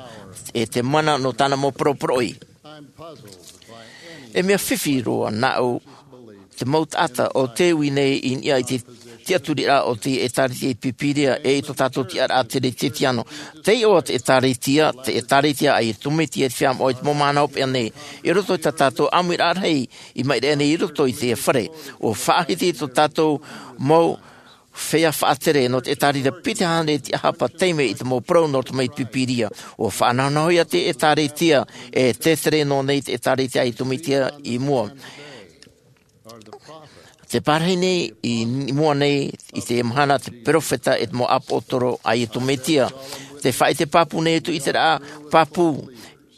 e te mana nō tāna mau poroporoʻi. E mea fifi roa nāʻu te mau taʻata ʻo tē ui nei i niʻa i te tiʻaturiraʻa o te ʻĒtārētia i te Pīpīria, e i tō tātou tiʻaraʻa teretetiano. Tei iʻoa te ʻĒtārētia, te ʻĒtārētia a Iesu Mesia, e te feiā moʻa i te mau mahana hopeʻa nei. I roto i tā tātou ʻāmuiraʻa rahi i maʻiri aʻe nei i roto i teie fare, ʻua faʻahiti tō tātou mau feiā faʻatere nō te ʻĒtārētia piti hānere tiʻahapa taime i te mau parau nō roto mai i te Pīpīria. ʻUa faʻanahonahohia te ʻĒtārētia, e tē tere noa nei te ʻĒtārētia a Iesu Mesia i mua. Tē pārahi nei i mua nei i te mahana te perofeta e te mau ʻāpōsetolo a Iesu Mesia. Tē faʻaʻite pāpū nei atu i te ʻiteraʻa pāpū,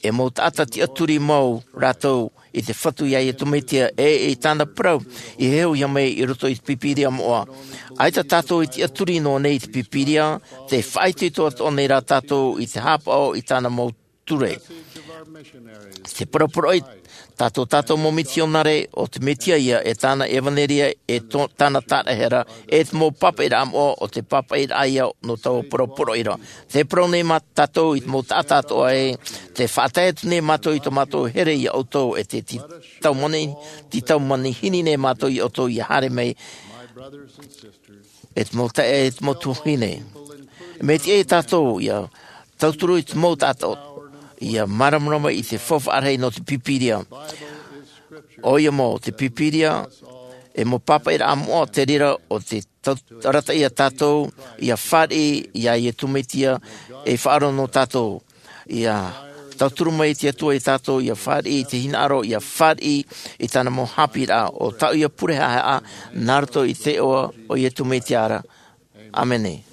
e mau taʻata tiʻaturi mau rātou i te Fatu iā Iesu Mesia, e i tāna parau i heheuhia mai i roto i te Pīpīria moʻa. ʻAita tātou e tiʻaturi noa nei i te Pīpīria, tē faʻaitoito atoʻa nei rā tātou i te haʻapaʻo i tāna mau ture. Te poroporoʻi tā tō tātou mau mitionare, ʻo te Mesia ïa, e tāna ʻevanelia, e tō, tāna tāraʻehara, e te mau pāpaʻiraʻa moʻa, ʻo te pāpaʻiraʻa ïa nō taua poroporoʻi ra. Tē parau nei mā tātou i te mau taʻata atoʻa ē, tē faʻatae atu nei mātou i tō mātou here iā ʻoutou, e te tītaumanahi, tītaumanahine nei mātou iā ʻoutou ʻia haere mai, e te mau taeaʻe, e te mau tuahine. Mea tiʻa ia tātou ʻia tauturu i te mau taʻata, ʻia māramarama i te faufaʻa rahi nō te Pīpīria. ʻOia mau, te Pīpīria, e mau pāpaʻiraʻa moʻa te reira ʻo tē tau-, arataʻi ia tātou ʻia fāriʻi iā Iesu Mesia, e faʻaroʻo nō tātou. ʻIa tauturu mai te Atua ia tātou ʻia fāriʻi i te hinaʻaro, ʻia fāriʻi i tāna mau haʻapiʻiraʻa, ʻo tāʻu ia pure haʻehaʻa, nā roto i te iʻoa o Iesu Mesia ra. ʻĀmene.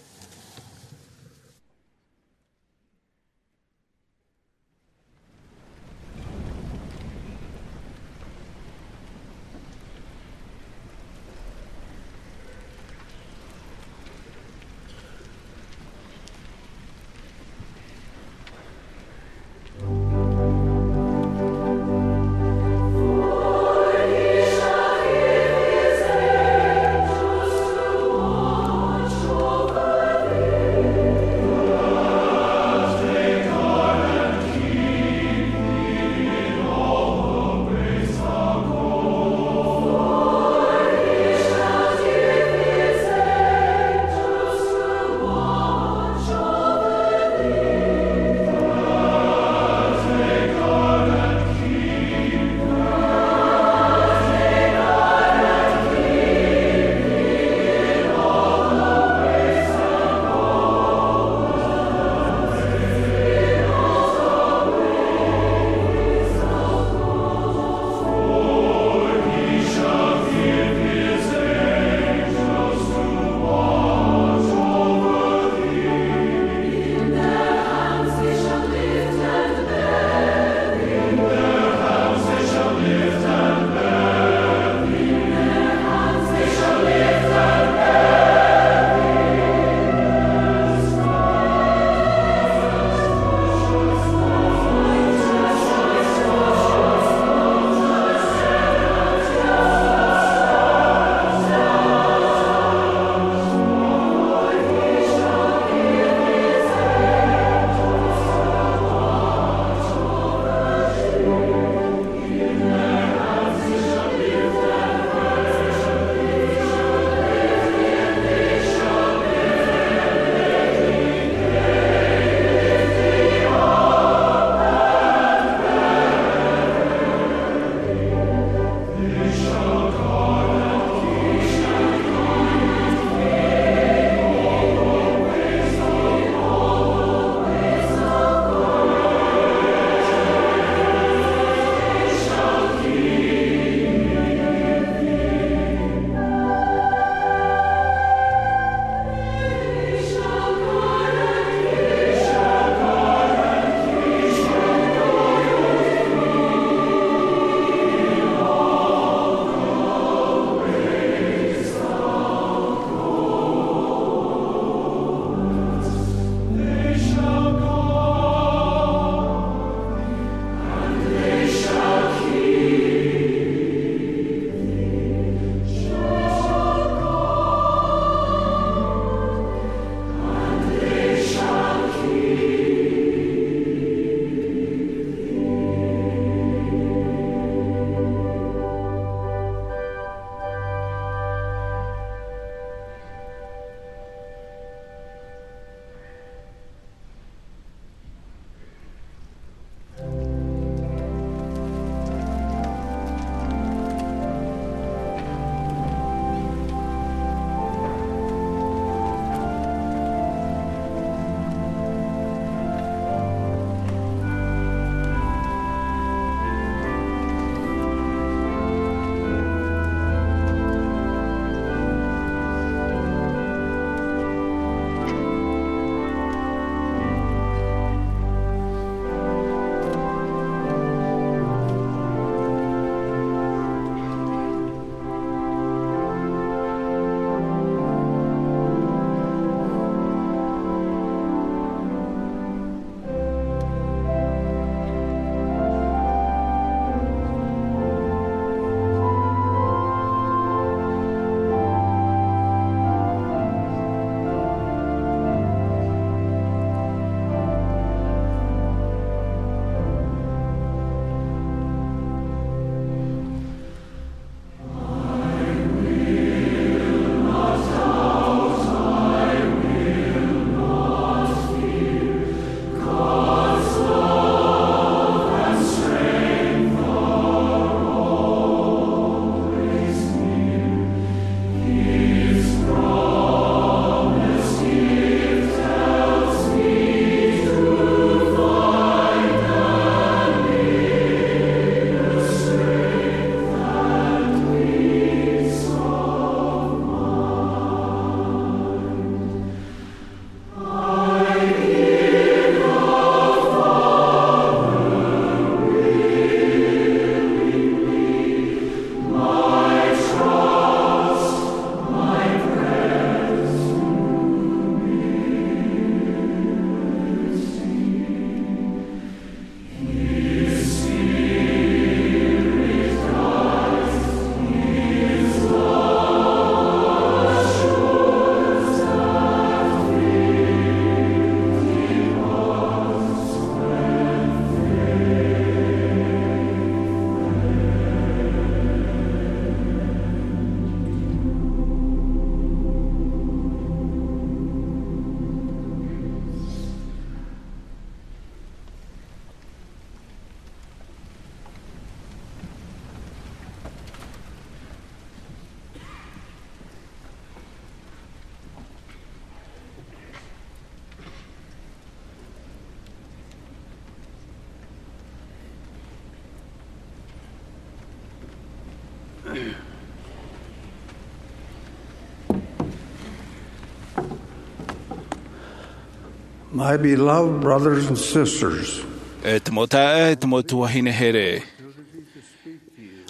My beloved brothers and sisters, E te mau taeaʻe, e te mau tuahine here.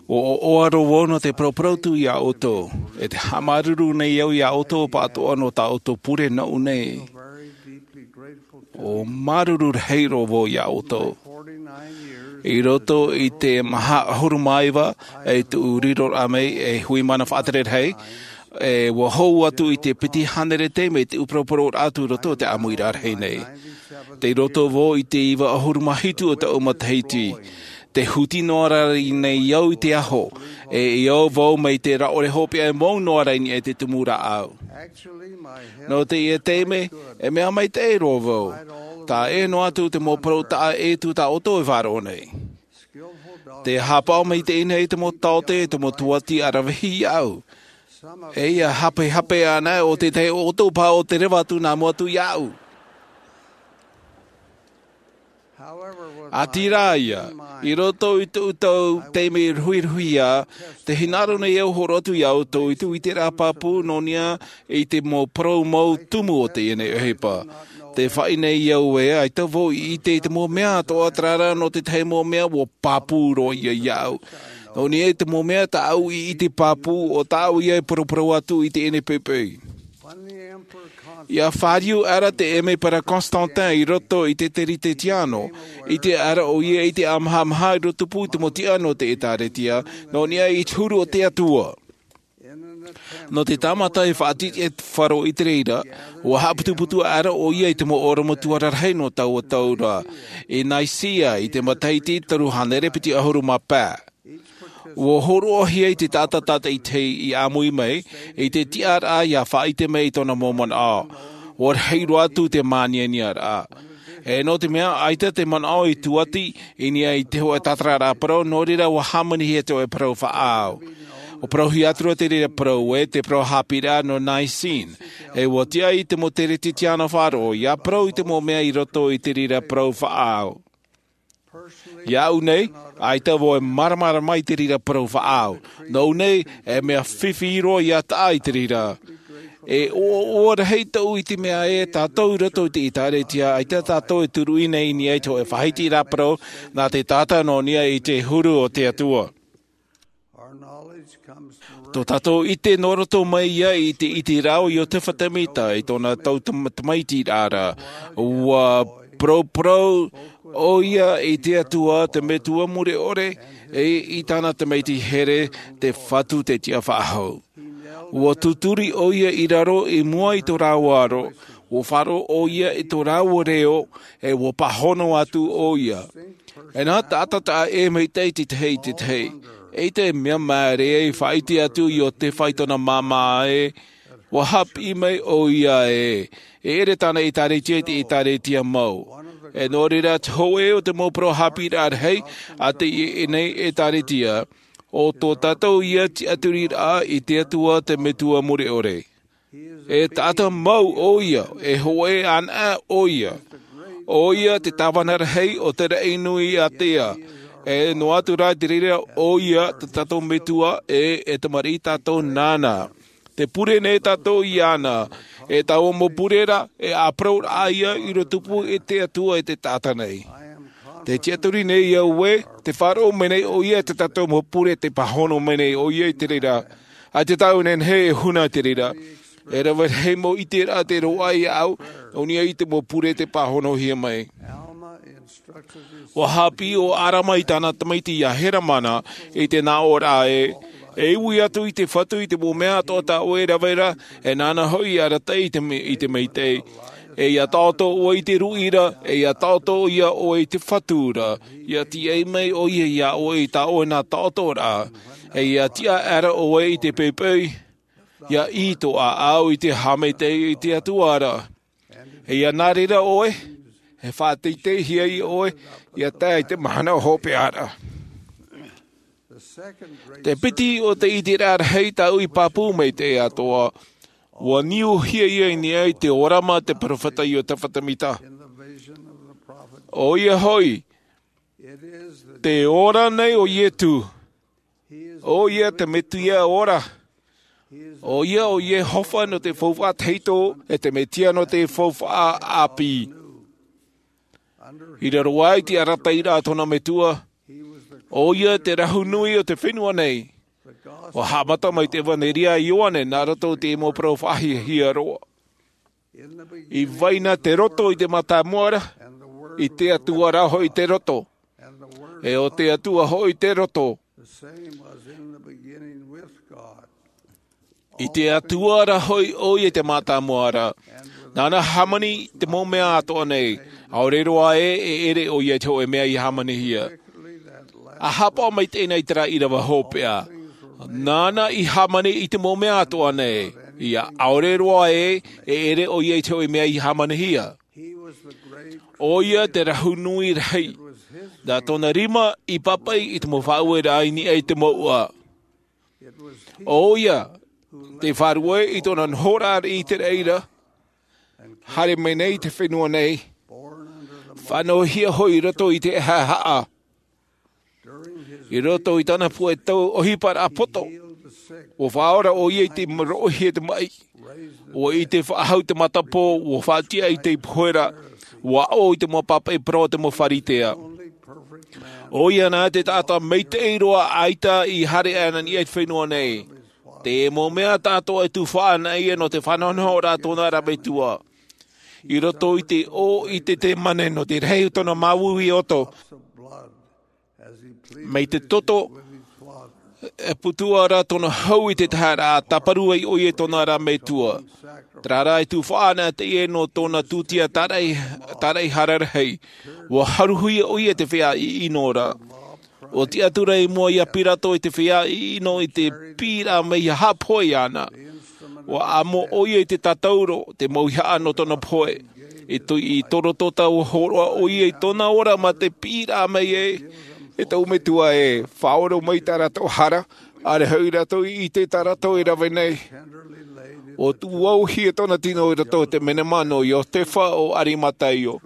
ʻUa ʻoaʻoa roa vau nō te paraparau atu iā ʻoutou. E te haʻamāuruuru nei au iā ʻoutou pāʻatoʻa nō tā ʻoutou pure nōʻu nei. ʻUa māuruuru rahi roa vau iā ʻoutou. I roto i te maha ʻahuru mā iva, e tuʻu riroraʻa mai e hui mana faʻatere rahi, e ʻua hou atu i te piti hānere taime i te ʻū paraparau atu i roto i te ʻāmuiraʻa rahi nei. Tei roto vau i te iva ʻahuru mā hitu o taʻu matahiti. Tē huti noa ra nei au i te aho, e i au vau mai te rāʻore hopeʻa e mau noa ra i niʻa i te tumu rāʻau. Nō teie taime, e mea maitaʻi roa vau. Taʻa ʻē noa atu te mau parau taʻa ʻē atu tā ʻoutou e faʻaroʻo nei. Tē haʻapaʻo maitaʻi nei te mau taote, te mau tūʻati ʻaravihi iāʻu. E ʻia hapehape ana ʻo te tahi o ʻoutou paha ʻo tē reva atu nā mua atu iāʻu. ʻĀtīrā ïa, i roto i tōʻu taime ruhiruhia, tē hinaʻaro nei au e hōroʻa atu iā ʻoutou i te ʻiteraʻa pāpū nō niʻa i te mau parau mau tumu o teie nei ʻohipa. Tē faʻaʻī nei au ē, ʻaita vau i ʻite i te mau mea atoʻa, terā rā nō te tahi mau mea ʻua pāpū roa ïa iāʻu. Nō niʻa i te mau mea tāʻu i ʻite pāpū, ʻo tāʻu ïa e paraparau atu i teie nei poʻipoʻi. ʻIa fāriu aʻera te ʻēmepera Constantin i roto i te Teretetiano, ʻite aʻera ʻoia i te ʻāmahamaha i rotopū i te mau tiʻa nō te ʻĒtārētia, nō niʻa i te huru o te Atua. Nō te tāmata e faʻatiʻa e te faro i te reira, ʻua haʻaputuputu aʻera ʻoia i te mau ʻorometua rarahi nō taua tau ra, i Nicaea, i te matahiti toru hānere piti ʻahuru mā pae. ʻUa hōroʻahia e te taʻata tātaʻitahi i ʻāmui mai, i te tiʻaraʻa ʻia faʻaʻite mai i tōna mau manaʻo. ʻUa rahi roa atu te mānianiaraʻa. E nō te mea, ʻaita te manaʻo i tūʻati i niʻa i te hōʻē tātararaʻa parau, nō reira ʻua hāmanihia te hōʻē parau faʻaau. ʻUa parauhia atu ra te reira parau ē, te parau haʻapiʻiraʻa nō Nicene. E ʻua tiʻa i te mau Teretetiano faʻaroʻo, ʻia parau i te mau mea i roto i te reira parau faʻaau. Iāʻu nei, ʻaita vau e māramarama i te reira parau faʻaau. Nōʻu nei, e mea fifi roa ʻia taʻa i te reira. E ʻoaʻoa rahi tōʻu i te mea ē, tātou i roto i te ʻĒtārētia, ʻaita tātou e turuʻi nei i niʻa i te hōʻē faʻahitiraʻa parau, nā te taʻata nō niʻa i te huru o te Atua. Tō tātou ʻite nō roto mai ïa i te ʻiteraʻa o Iotefa Temita i tōna tau tam-, tamaitiraʻa ra. ʻUa paraparau ʻoia i te Atua te Metua mure ʻore, e i tāna tamaiti here te Fatu te Tiʻafaʻahou. ʻUa tuturi ʻoia i raro i mua i tō rāua aro, ʻua faʻaroʻo ʻoia i tō rāua reo, e ʻua pāhono atu ʻoia. E nā taʻata taʻa ʻē maitaʻi te tahi i te tahi. Eʻita e mea māere ai e faʻaʻite atu Iotefa i tōna māmā ē, ʻua haʻapiʻi mai ʻoia ē, e ʻere tāna ʻĒtārētia i te ʻĒtārētia mau. E nō reira te hōʻē o te mau parau haʻapiʻiraʻa rahi, a teie nei ʻĒtārētia, ʻo tō tātou ïa tiʻaturiraʻa i te Atua te Metua mure ʻore. E taʻata mau ʻoia, e hōʻē anaʻe ʻoia. ʻOia te tāvana rahi o te raʻi nui ātea. E noa atu rā i te reira ʻoia te tātou Metua, e, e tamariʻi tātou nāna. Tē pure nei tātou iāna. E taua mau pure ra, e ʻāparauraʻa ïa i rotopū i te Atua e te taʻata nei. Tē tiʻaturi nei au ē, tē faʻaroʻo mai nei ʻoia i tā tātou mau pure, tē pāhono mai nei ʻoia i te reira. ʻAita tāʻu e nehenehe e huna i te reira. E rave rahi mau ʻiteraʻa tei roaʻa iāʻu, nō niʻa i te mau pure tei pāhonohia mai. ʻUa haʻapiʻi ʻo Alama i tāna tamaiti ia Helamana i te nāʻōraʻa ē, e ui atu i te Fatu i te mau mea atoʻa tā ʻoe e rave ra, e nāna hoʻi e arataʻi i te me-, i te maitaʻi. E ia taʻoto ʻoe i te ruʻi ra, e ia taʻoto ïa ʻoe i te Fatu ra, ia tīaʻi mai ʻoia iā ʻoe i tā ʻoe nā taʻotoraʻa, e ia tiʻa aʻera ʻoe i te poʻipoʻi, ia ʻī tō ʻāʻau i te haʻamaitaʻi i te Atua ra. E ia nā reira ʻoe, e faʻateiteihia ʻoe, ia tae i te mahana hopeʻa ra. Te piti o te ʻiteraʻa rahi tāʻu i pāpū mai te atoʻa, ʻua niuhia ïa i niʻa i te ʻōrama te peropheta Iotefa Temita. ʻOia hoʻi, te ora nei o Ietu. ʻOia te Mesia ora. ʻOia ʻo Iehova nō te faufaʻa tahito, e te Mesia nō te faufaʻa ʻāpī. I raro aʻe i te arataʻiraʻa a tōna metua, ʻo ia te rahu nui o te fenua nei. ʻUa haʻamata mai te ʻevanelia a Ioane nā roto i te mau parau faʻahiahia roa. I vai na te roto i te mātāmua ra, i te Atua rā hoʻi te roto, e ʻo te Atua hoʻi te roto. I te Atua rā hoʻi ʻo ia i te mātāmua ra. Nāna hāmani i te mau mea atoʻa nei, ʻaore roa ē, e ʻere ʻo ia i te hōʻē mea i hāmanihia. ʻA haʻapaʻo maitaʻi na i terā ʻīrava hopeʻa. Nāna i hāmani i te mau mea atoʻa nei, ʻia ʻaore roa ē, e ʻere ʻo ia i te hōʻē mea i hāmanihia. ʻO ia te rahu nui rahi. Nā tōna rima i pāpaʻi i te mau faʻaueraʻa i niʻa i te mouʻa. ʻO ia te faʻaruʻe i tōna nohoraʻa i te reira, haere mai nei i te fenua nei, faʻanahohia hoʻi i roto i te haʻahaʻa. I roto i tāna puʻe tau ʻohiparaʻa poto, ʻua faʻaora ʻo ia i te roʻohia te maʻi, ʻua ʻite faʻahou te matapō, ʻua faʻatiʻa i te pohe ra, ʻua ʻaʻo i te mau pāpaʻi parau a te mau Pharisea. ʻO ia nā te taʻata maitaʻi roa ʻaita i haere aʻe i niʻa i te fenua nei. Te mau mea atoʻa e tufaʻa na ia nō te faʻanahonahoraʻa a tōna ra metua. I roto i te ʻō i te temane nō te rahi o tōna māuiui ʻoto. Mai te toto, e putu ra tōna hau i te tahi ra, tāparu ai ʻo ia i tōna ra metua. Terā rā e tufaʻa na te ʻē nō tōna tūtia tāraʻi, tāraʻi hara rahi. ʻUa haruhia ʻo ia te feiā ʻiʻino ra. ʻUa tiʻaturi i mua ia Pirato i te feiā ʻiʻino i te piʻiraʻa mai ia haʻapohe iāna. ʻUa amo ʻo ia i te tātauro, te mauihaʻa nō tōna pohe. I te, i te rototā ʻua hōroʻa ʻo ia i tōna ora mā te piʻiraʻa mai ē, e tōʻu metua ē, faʻaora mai tā rātou hara, ʻaore hoʻi rātou i ʻite tā rātou e rave nei. ʻUa tuʻuauhia tōna tino i roto i te menema nō Iotefa o Arimataio.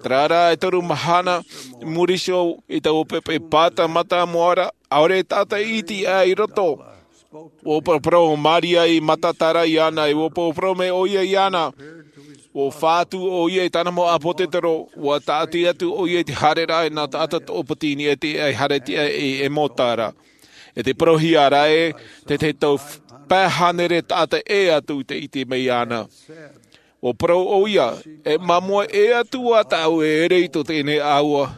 Terā rā e toru mahana i muri iho i taua poʻipoʻi pāta mātāmua ra, ʻaore taʻata iti aʻe i roto. ʻUa paraparau ʻo Maria i Magadala iāna, ʻua paraparau mai ʻo ia iāna. ʻUa fā atu ʻo ia i tāna mau ʻāpōsetolo, ʻua tāʻati atu ʻo ia i te haereraʻa nā taʻata toʻopiti i niʻa i te haereraʻa i Emauta ra. E te parauhia ra ē, te, te tau pae hānere taʻata ʻē atu i te iti mai iāna. ʻUa parau ʻo ia, e māmua ʻē atu ā tāʻu e ʻere i tō teie nei ʻāua.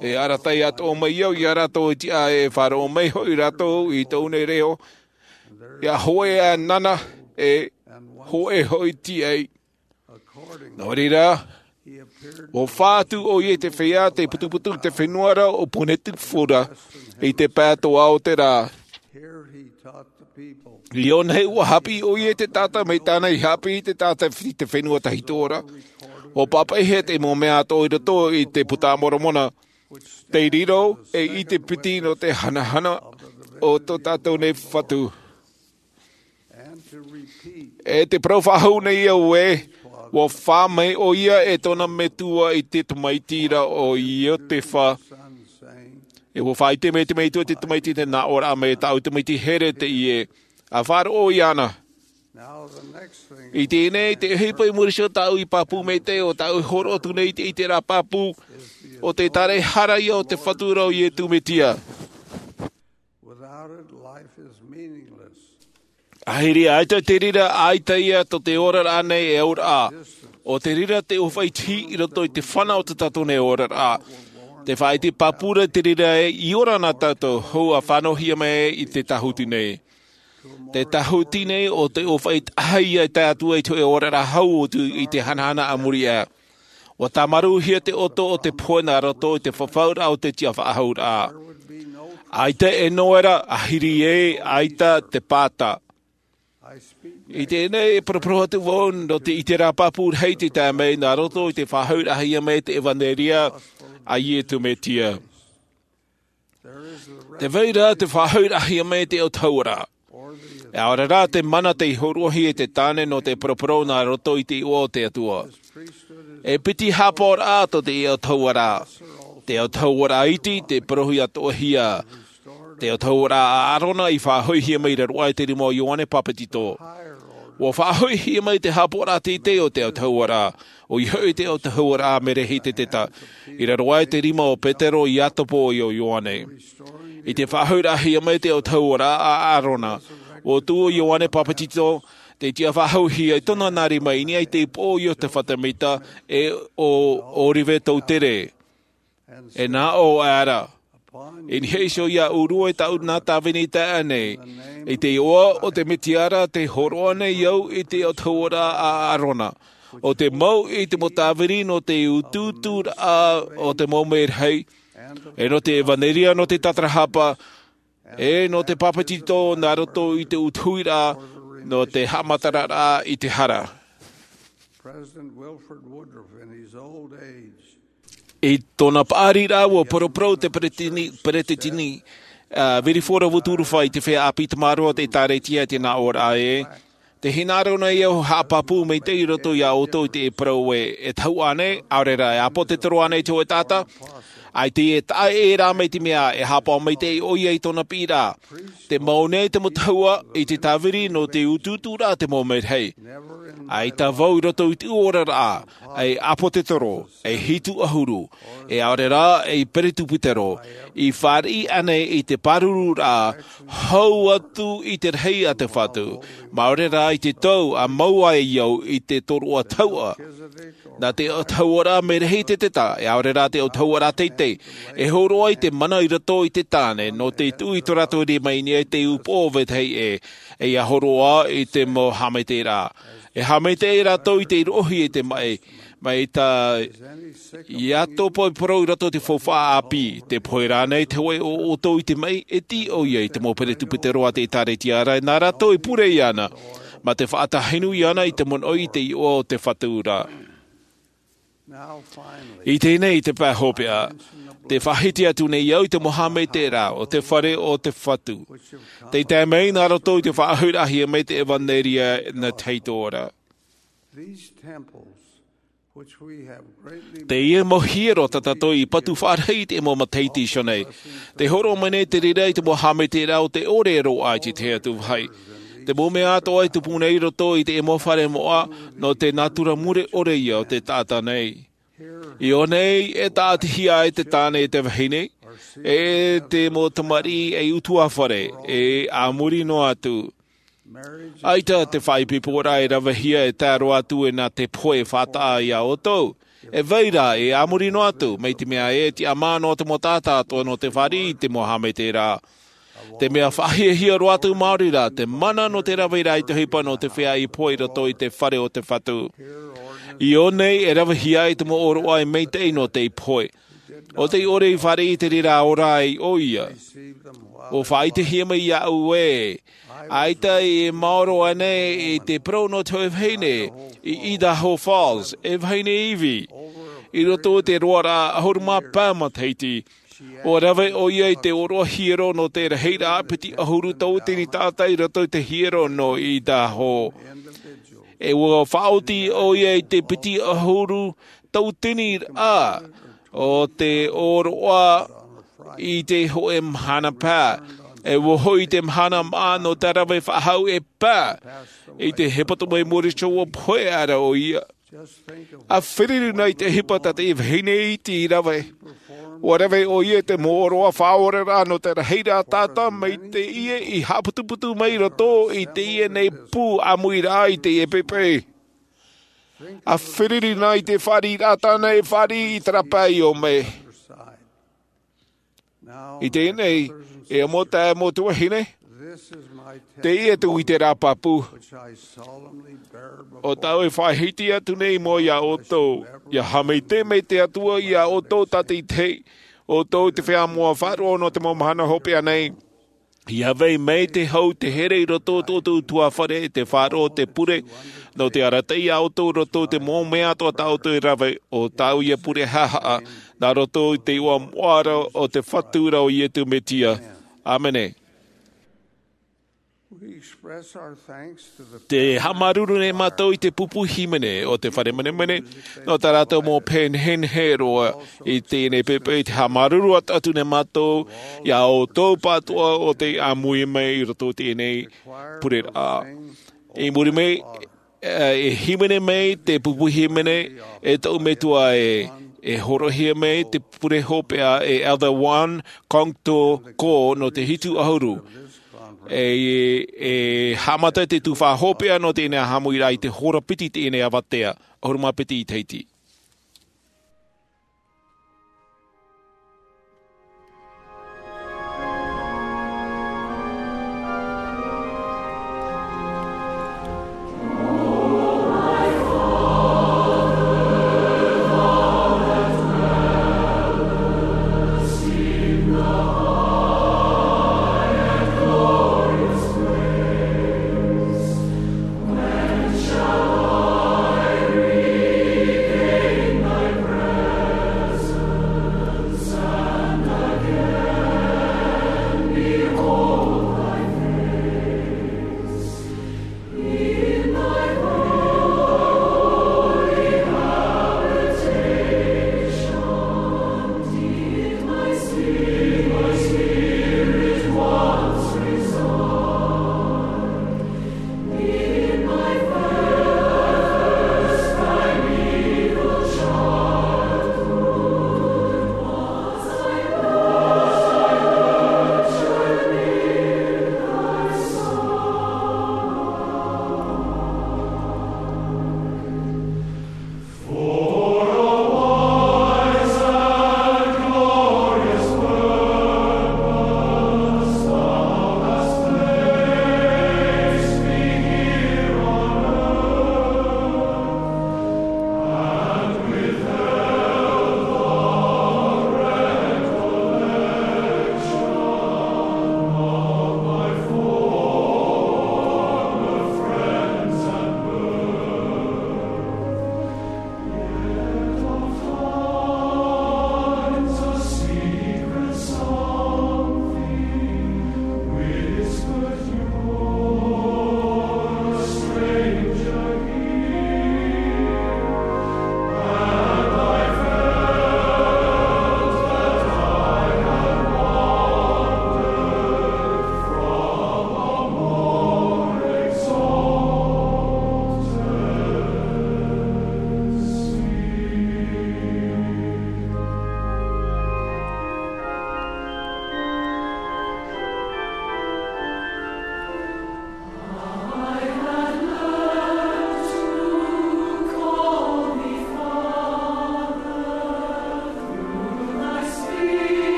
E arataʻi atoʻa mai au ia rātou i te ʻā e faʻaroʻo mai hoʻi rātou i tōʻu nei reo. ʻIa hōʻē ā nāna, e hōʻē hoʻi tiʻa. Nō reira, ʻua fā atu ʻo ia i te feiā tei putuputu i te fenua ra ʻo Ponetifu ra, i te pae atoʻa o te rā. I ʻō nei ʻua haʻapiʻi ʻo ia i te taʻata mai tāna i haʻapiʻi i te taʻata i te fenua tahito ra. ʻUa pāpaʻihia te mau mea atoʻa i roto i te Puta a Moromona. Tei riro e ʻite piti nō te hanahana o tō tātou nei Fatu. E te parau faʻahou nei au ē, ʻua fā mai ʻo ia e tōna metua i te tamaiti ra ʻo Iotefa. E ʻua faʻaʻite mai te metua i te tamaiti, tē nā ʻō ra mai, tāʻu tamaiti here teie. ʻA faʻaroʻo iāna. I teie nei, te ʻohipa i muri iho tāʻu i pāpū maitaʻi, ʻo tāʻu i hōroʻa atu nei i te, i terā pāpū, ʻo te tāraʻehara ïa o te Fatu ra ʻo Iesu Mesia. Without it, life is meaningless. ʻAhiri ā, ʻaita te reira, ʻaita ïa tō te oraraʻa nei e auraʻa. ʻO te reira te ʻōfaʻi tihi i roto i te fana o tō tātou nei oraraʻa. Te faʻaʻite pāpū ra te reira ē, i ora na tātou, hou ʻa faʻanahohia mai i te tāhuti nei. Te tāhuti nei ʻo te ʻōfaʻi tahi ïa e tae atu ai i te hōʻē oraraʻa hau atu i te hanahana a muri aʻe. ʻUa tāmarūhia te ʻoto o te pohe nā roto i te fafauraʻa o te tiʻafaʻahouraʻa. ʻAita e noera, ʻahiri ē, ʻaita te pāta. I teie nei e paraparau atu vau nō te, i terā pāpū rahi tei tae mai nā roto i te faʻahouraʻahia mai te ʻevanelia a Iesu Mesia. Tē vai ra te faʻahouraʻahia mai te autahuʻaraʻa. ʻAore rā te mana tei hōroʻahia e te tāne nō te paraparau nā roto i te iʻoa o te Atua. E piti haʻapaʻoraʻa tō te autahuʻaraʻa. Te autahuʻaraʻa iti, tei parauhia atoʻahia. Te autahuʻaraʻa a ʻĀrona i faʻahoʻihia mai i raro aʻe i te rima o Ioane Papetito. Ua faʻahoʻihia mai te haʻapaʻoraʻa teitei o te autahuʻaraʻa, ʻoia hoʻi te autahuʻaraʻa merehiteta, i raro aʻe i te rima o Petero, Iakobo, ʻe ʻo Ioane. I te faʻahoʻiraʻahia mai te autahuʻaraʻa a ʻĀrona, ua tuʻu ʻo Ioane Papetito, tei tiʻa faʻahouhia i tōna nā rima i niʻa i te upoʻo o Iotefa Semita, ʻe ʻo Ōlive Toutere. E nā ʻō aʻera, i niʻa iho ia ʻōrua i tāʻu nā tāvini taeaʻe nei, i te iʻoa o te Mesia ra tē hōroʻa nei au i te autahuʻaraʻa a ʻĀrona, ʻo te mau i te mau tāvini nō te utuuturaʻa o te mau merahi, ʻe nō te ʻevanelia nō te tātarahapa, ʻe nō te papetito nā roto i te utuhiraʻa nō te haʻamataraʻa i te hara. President Wilford Woodruff, in his old age, I tōna paʻari ra ua poroporo te peretiteni, peretiteni, ā, Wilford Woodruff i te feiā ʻāpī tamaroa o te ʻĒtārētia i te nā ʻōraʻa ē, tē hinaʻaro nei au haʻapāpū maitaʻi i roto iā ʻoutou i te parau ē, e tahuʻa ānei, ʻaore rā, e ʻāpōsetolo ānei te hōʻē taʻata, ʻaita e taʻa ʻē rā mai te mea, e haʻapaʻo maitaʻi ʻoia i tōna piʻiraʻa. Tē mau nei te mau tahuʻa i te tāvini nō te utuuturaʻa te mau merahi. ʻAita vau i roto i te oraraʻa, ei ʻāpōsetolo, ei hitu ʻahuru, ʻe ʻaore rā, ei peretiteni, i fāriʻi ānei i te pārururaʻa, hau atu i te rahi a te Fatu, māuruuru rā i te tau a mau ai au i te tōroʻa tahuʻa. Nā te autahuʻaraʻa merehiteta, ʻe ʻaore rā te autahuʻaraʻa teitei, e hōroʻa i te mana i roto i te tāne, nō te tuʻu i tō rātou rima i niʻa i te upoʻo o vetahi ʻē, ʻe ʻia hōroʻa i te mau haʻamaitaʻiraʻa. E haʻamaitaʻi rātou i te roʻohia i te maʻi, mai tā Iakobo i parau i roto i te faufaʻa ʻāpī, tē pohe ra ānei te hōʻē o ʻoutou i te maʻi, e tiʻa ʻoia i te mau peretiteni a te ʻĒtārētia ra, nā rātou e pure iāna, mā te faʻatahi nui iāna i te monoʻi i te iʻoa o te Fatu ra. I teie nei te pae hopeʻa, tē faʻahiti atu nei au i te mau haʻamaitaʻiraʻa o te fare o te Fatu. Tē tae mai nā roto i te faʻahoʻiraʻahia mai te ʻevanelia nā te Fatu ra. These temples, which we have greatly Teie mau hiero tā tātou i patu faʻarahi i te mau matahiti iho nei. Tē hōroʻa mai nei te reira i te mau haʻamaitaʻiraʻa o te ʻore e roaʻa i te tahi atu vāhi. Te mau mea atoʻa e tupu nei i roto i te mau fare moʻa, nō te nātura mure ʻore ïa o te taʻata nei. I ʻō nei e tāʻatihia ai te tāne e te vahine, e te mau tamariʻi ei ʻutuāfare, e a muri noa atu. ʻAita te faʻaipoiporaʻa e ravehia e tae roa atu e nā te pohe e faʻataʻa iā ʻoutou. E vai ra, e a muri noa atu, mai te mea e tiʻamā noa te mau taʻata atoʻa nō te fāriʻi i te mau haʻamaitaʻiraʻa. Te mea faʻahiahia roa atu maori rā, te mana nō te rave ra i te ʻohipa nō te feiā i pohe i roto i te fare o te Fatu. I ʻō nei e ravehia ai te mau ʻōroʻa e maitaʻi nō tei pohe. ʻO tei ʻore i fāriʻi i te reira ora ai ʻoia. ʻUa faʻaʻitehia mai iāʻu ē, ʻaita e maoro ānei i te parau nō te hōʻē vahine, i Idaho Falls, e vahine ivi. I roto i te roaraʻa ʻahuru mā pae matahiti, ʻua rave ʻoia i te ʻōroʻa hiero nō te rahiraʻa piti ʻahuru tauatini taʻata i roto i te hiero nō Idaho. E ʻua faʻaoti ʻoia i te piti ʻahuru tauatini rā o te ʻōroʻa i te hōʻē mahana paʻi. E ʻua hoʻi te mahana māʻa nō te rave faʻahou e paʻi. I te hepetoma i muri iho ʻua pohe aʻera ʻoia. ʻA feruri na i te ʻohipa tā te vahine iti i rave. ʻUa rave ʻoia i te mau ʻōroʻa faʻaoraraʻa nō te rahiraʻa taʻata mai teie i haʻaputuputu mai i roto i teie nei pū ʻāmuiraʻa i teie poʻipoʻi. ʻA feruri na i te fāriʻiraʻa tāna e fāriʻi i terā pae i ʻō mai. I teie nei, e ʻāmui tae mau tuahine, teie tōʻu ʻite pāpū. ʻO tāʻu e faʻahiti atu nei mau iā ʻoutou, ʻia haʻamaitaʻi mai te Atua iā ʻoutou tātaʻitahi, ʻoutou te feiā moʻa faʻaroʻo nō te mau mahana hopeʻa nei. ʻIa vai mai te hau te here i roto o tō ʻoutou ʻutuāfare, te faʻaroʻo, te pure, nō te arataʻi iā ʻoutou i roto i te mau mea atoʻa tā ʻoutou e rave, ʻo tāʻu ïa pure haʻahaʻa, nā roto i te iʻoa moʻa ra o te Fatu ra ʻo Iesu Mesia. ʻĀmene. We express our thanks to the Te haʻamāuruuru nei mātou i te pupu hīmene o te fare menemene, nō tā rātou mau pēneinehe roa i teie nei poʻipoʻi. Te haʻamāuruuru atu nei mātou iā ʻoutou pāʻatoʻa o tei ʻāmui mai i roto i teie nei pureraʻa. I muri mai, e hīmene mai te pupu hīmene, e tōʻu metua e e horoʻahia mai te pure hopeʻa e Elder Juan Congto Ko nō te hitu ʻahuru. E e haʻamata te tufa hopeʻa nō teie nei haʻamoʻiraʻa i te hora piti i teie nei avatea, ʻahuru mā piti i tahiti.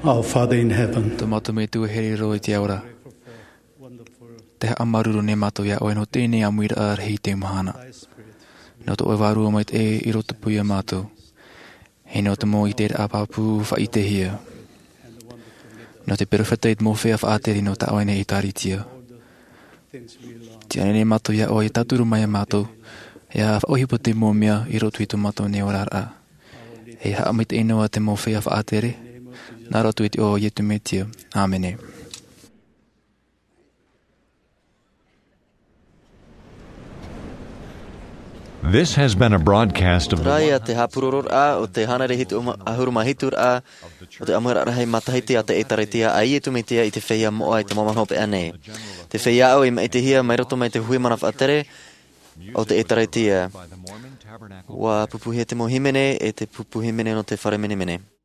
Our Father in heaven, tō mātou Metua e here roa i te ao ra, te haʻamāuruuru nei mātou iā ʻoe nō teie nei ʻāmuiraʻa rahi i teie mahana. Nō tō ʻoe Vārua Maitaʻi i rotopū iā mātou. E nō te mau ʻiteraʻa pāpū faʻaʻitehia. Nō te perofeta i te mau feiā faʻatere nō tā ʻoe nei ʻĒtārētia. Tē ani nei mātou iā ʻoe e tauturu mai iā mātou, ʻia faʻaʻohipa te mau mea i roto i tō mātou nei oraraʻa. E haʻamaitaʻi noa te mau feiā faʻatere, nā roto i te iʻoa o Iesu Mesia. ʻĀmene. This has been a broadcast of the Terā ia te haʻapurororaʻa o te hānere hitu ma-, ʻahuru mā hitu raʻa o te ʻāmuiraʻa rahi matahiti a te ʻĒtārētia a Iesu Mesia i te feiā moʻa i te mau mahana hopeʻa nei. Te feiā ʻāʻau i maʻitihia mai roto mai te hui mana faʻatere o te ʻĒtārētia. ʻUa pupuhia te mau hīmene e te pupu hīmene nō te fare menemene.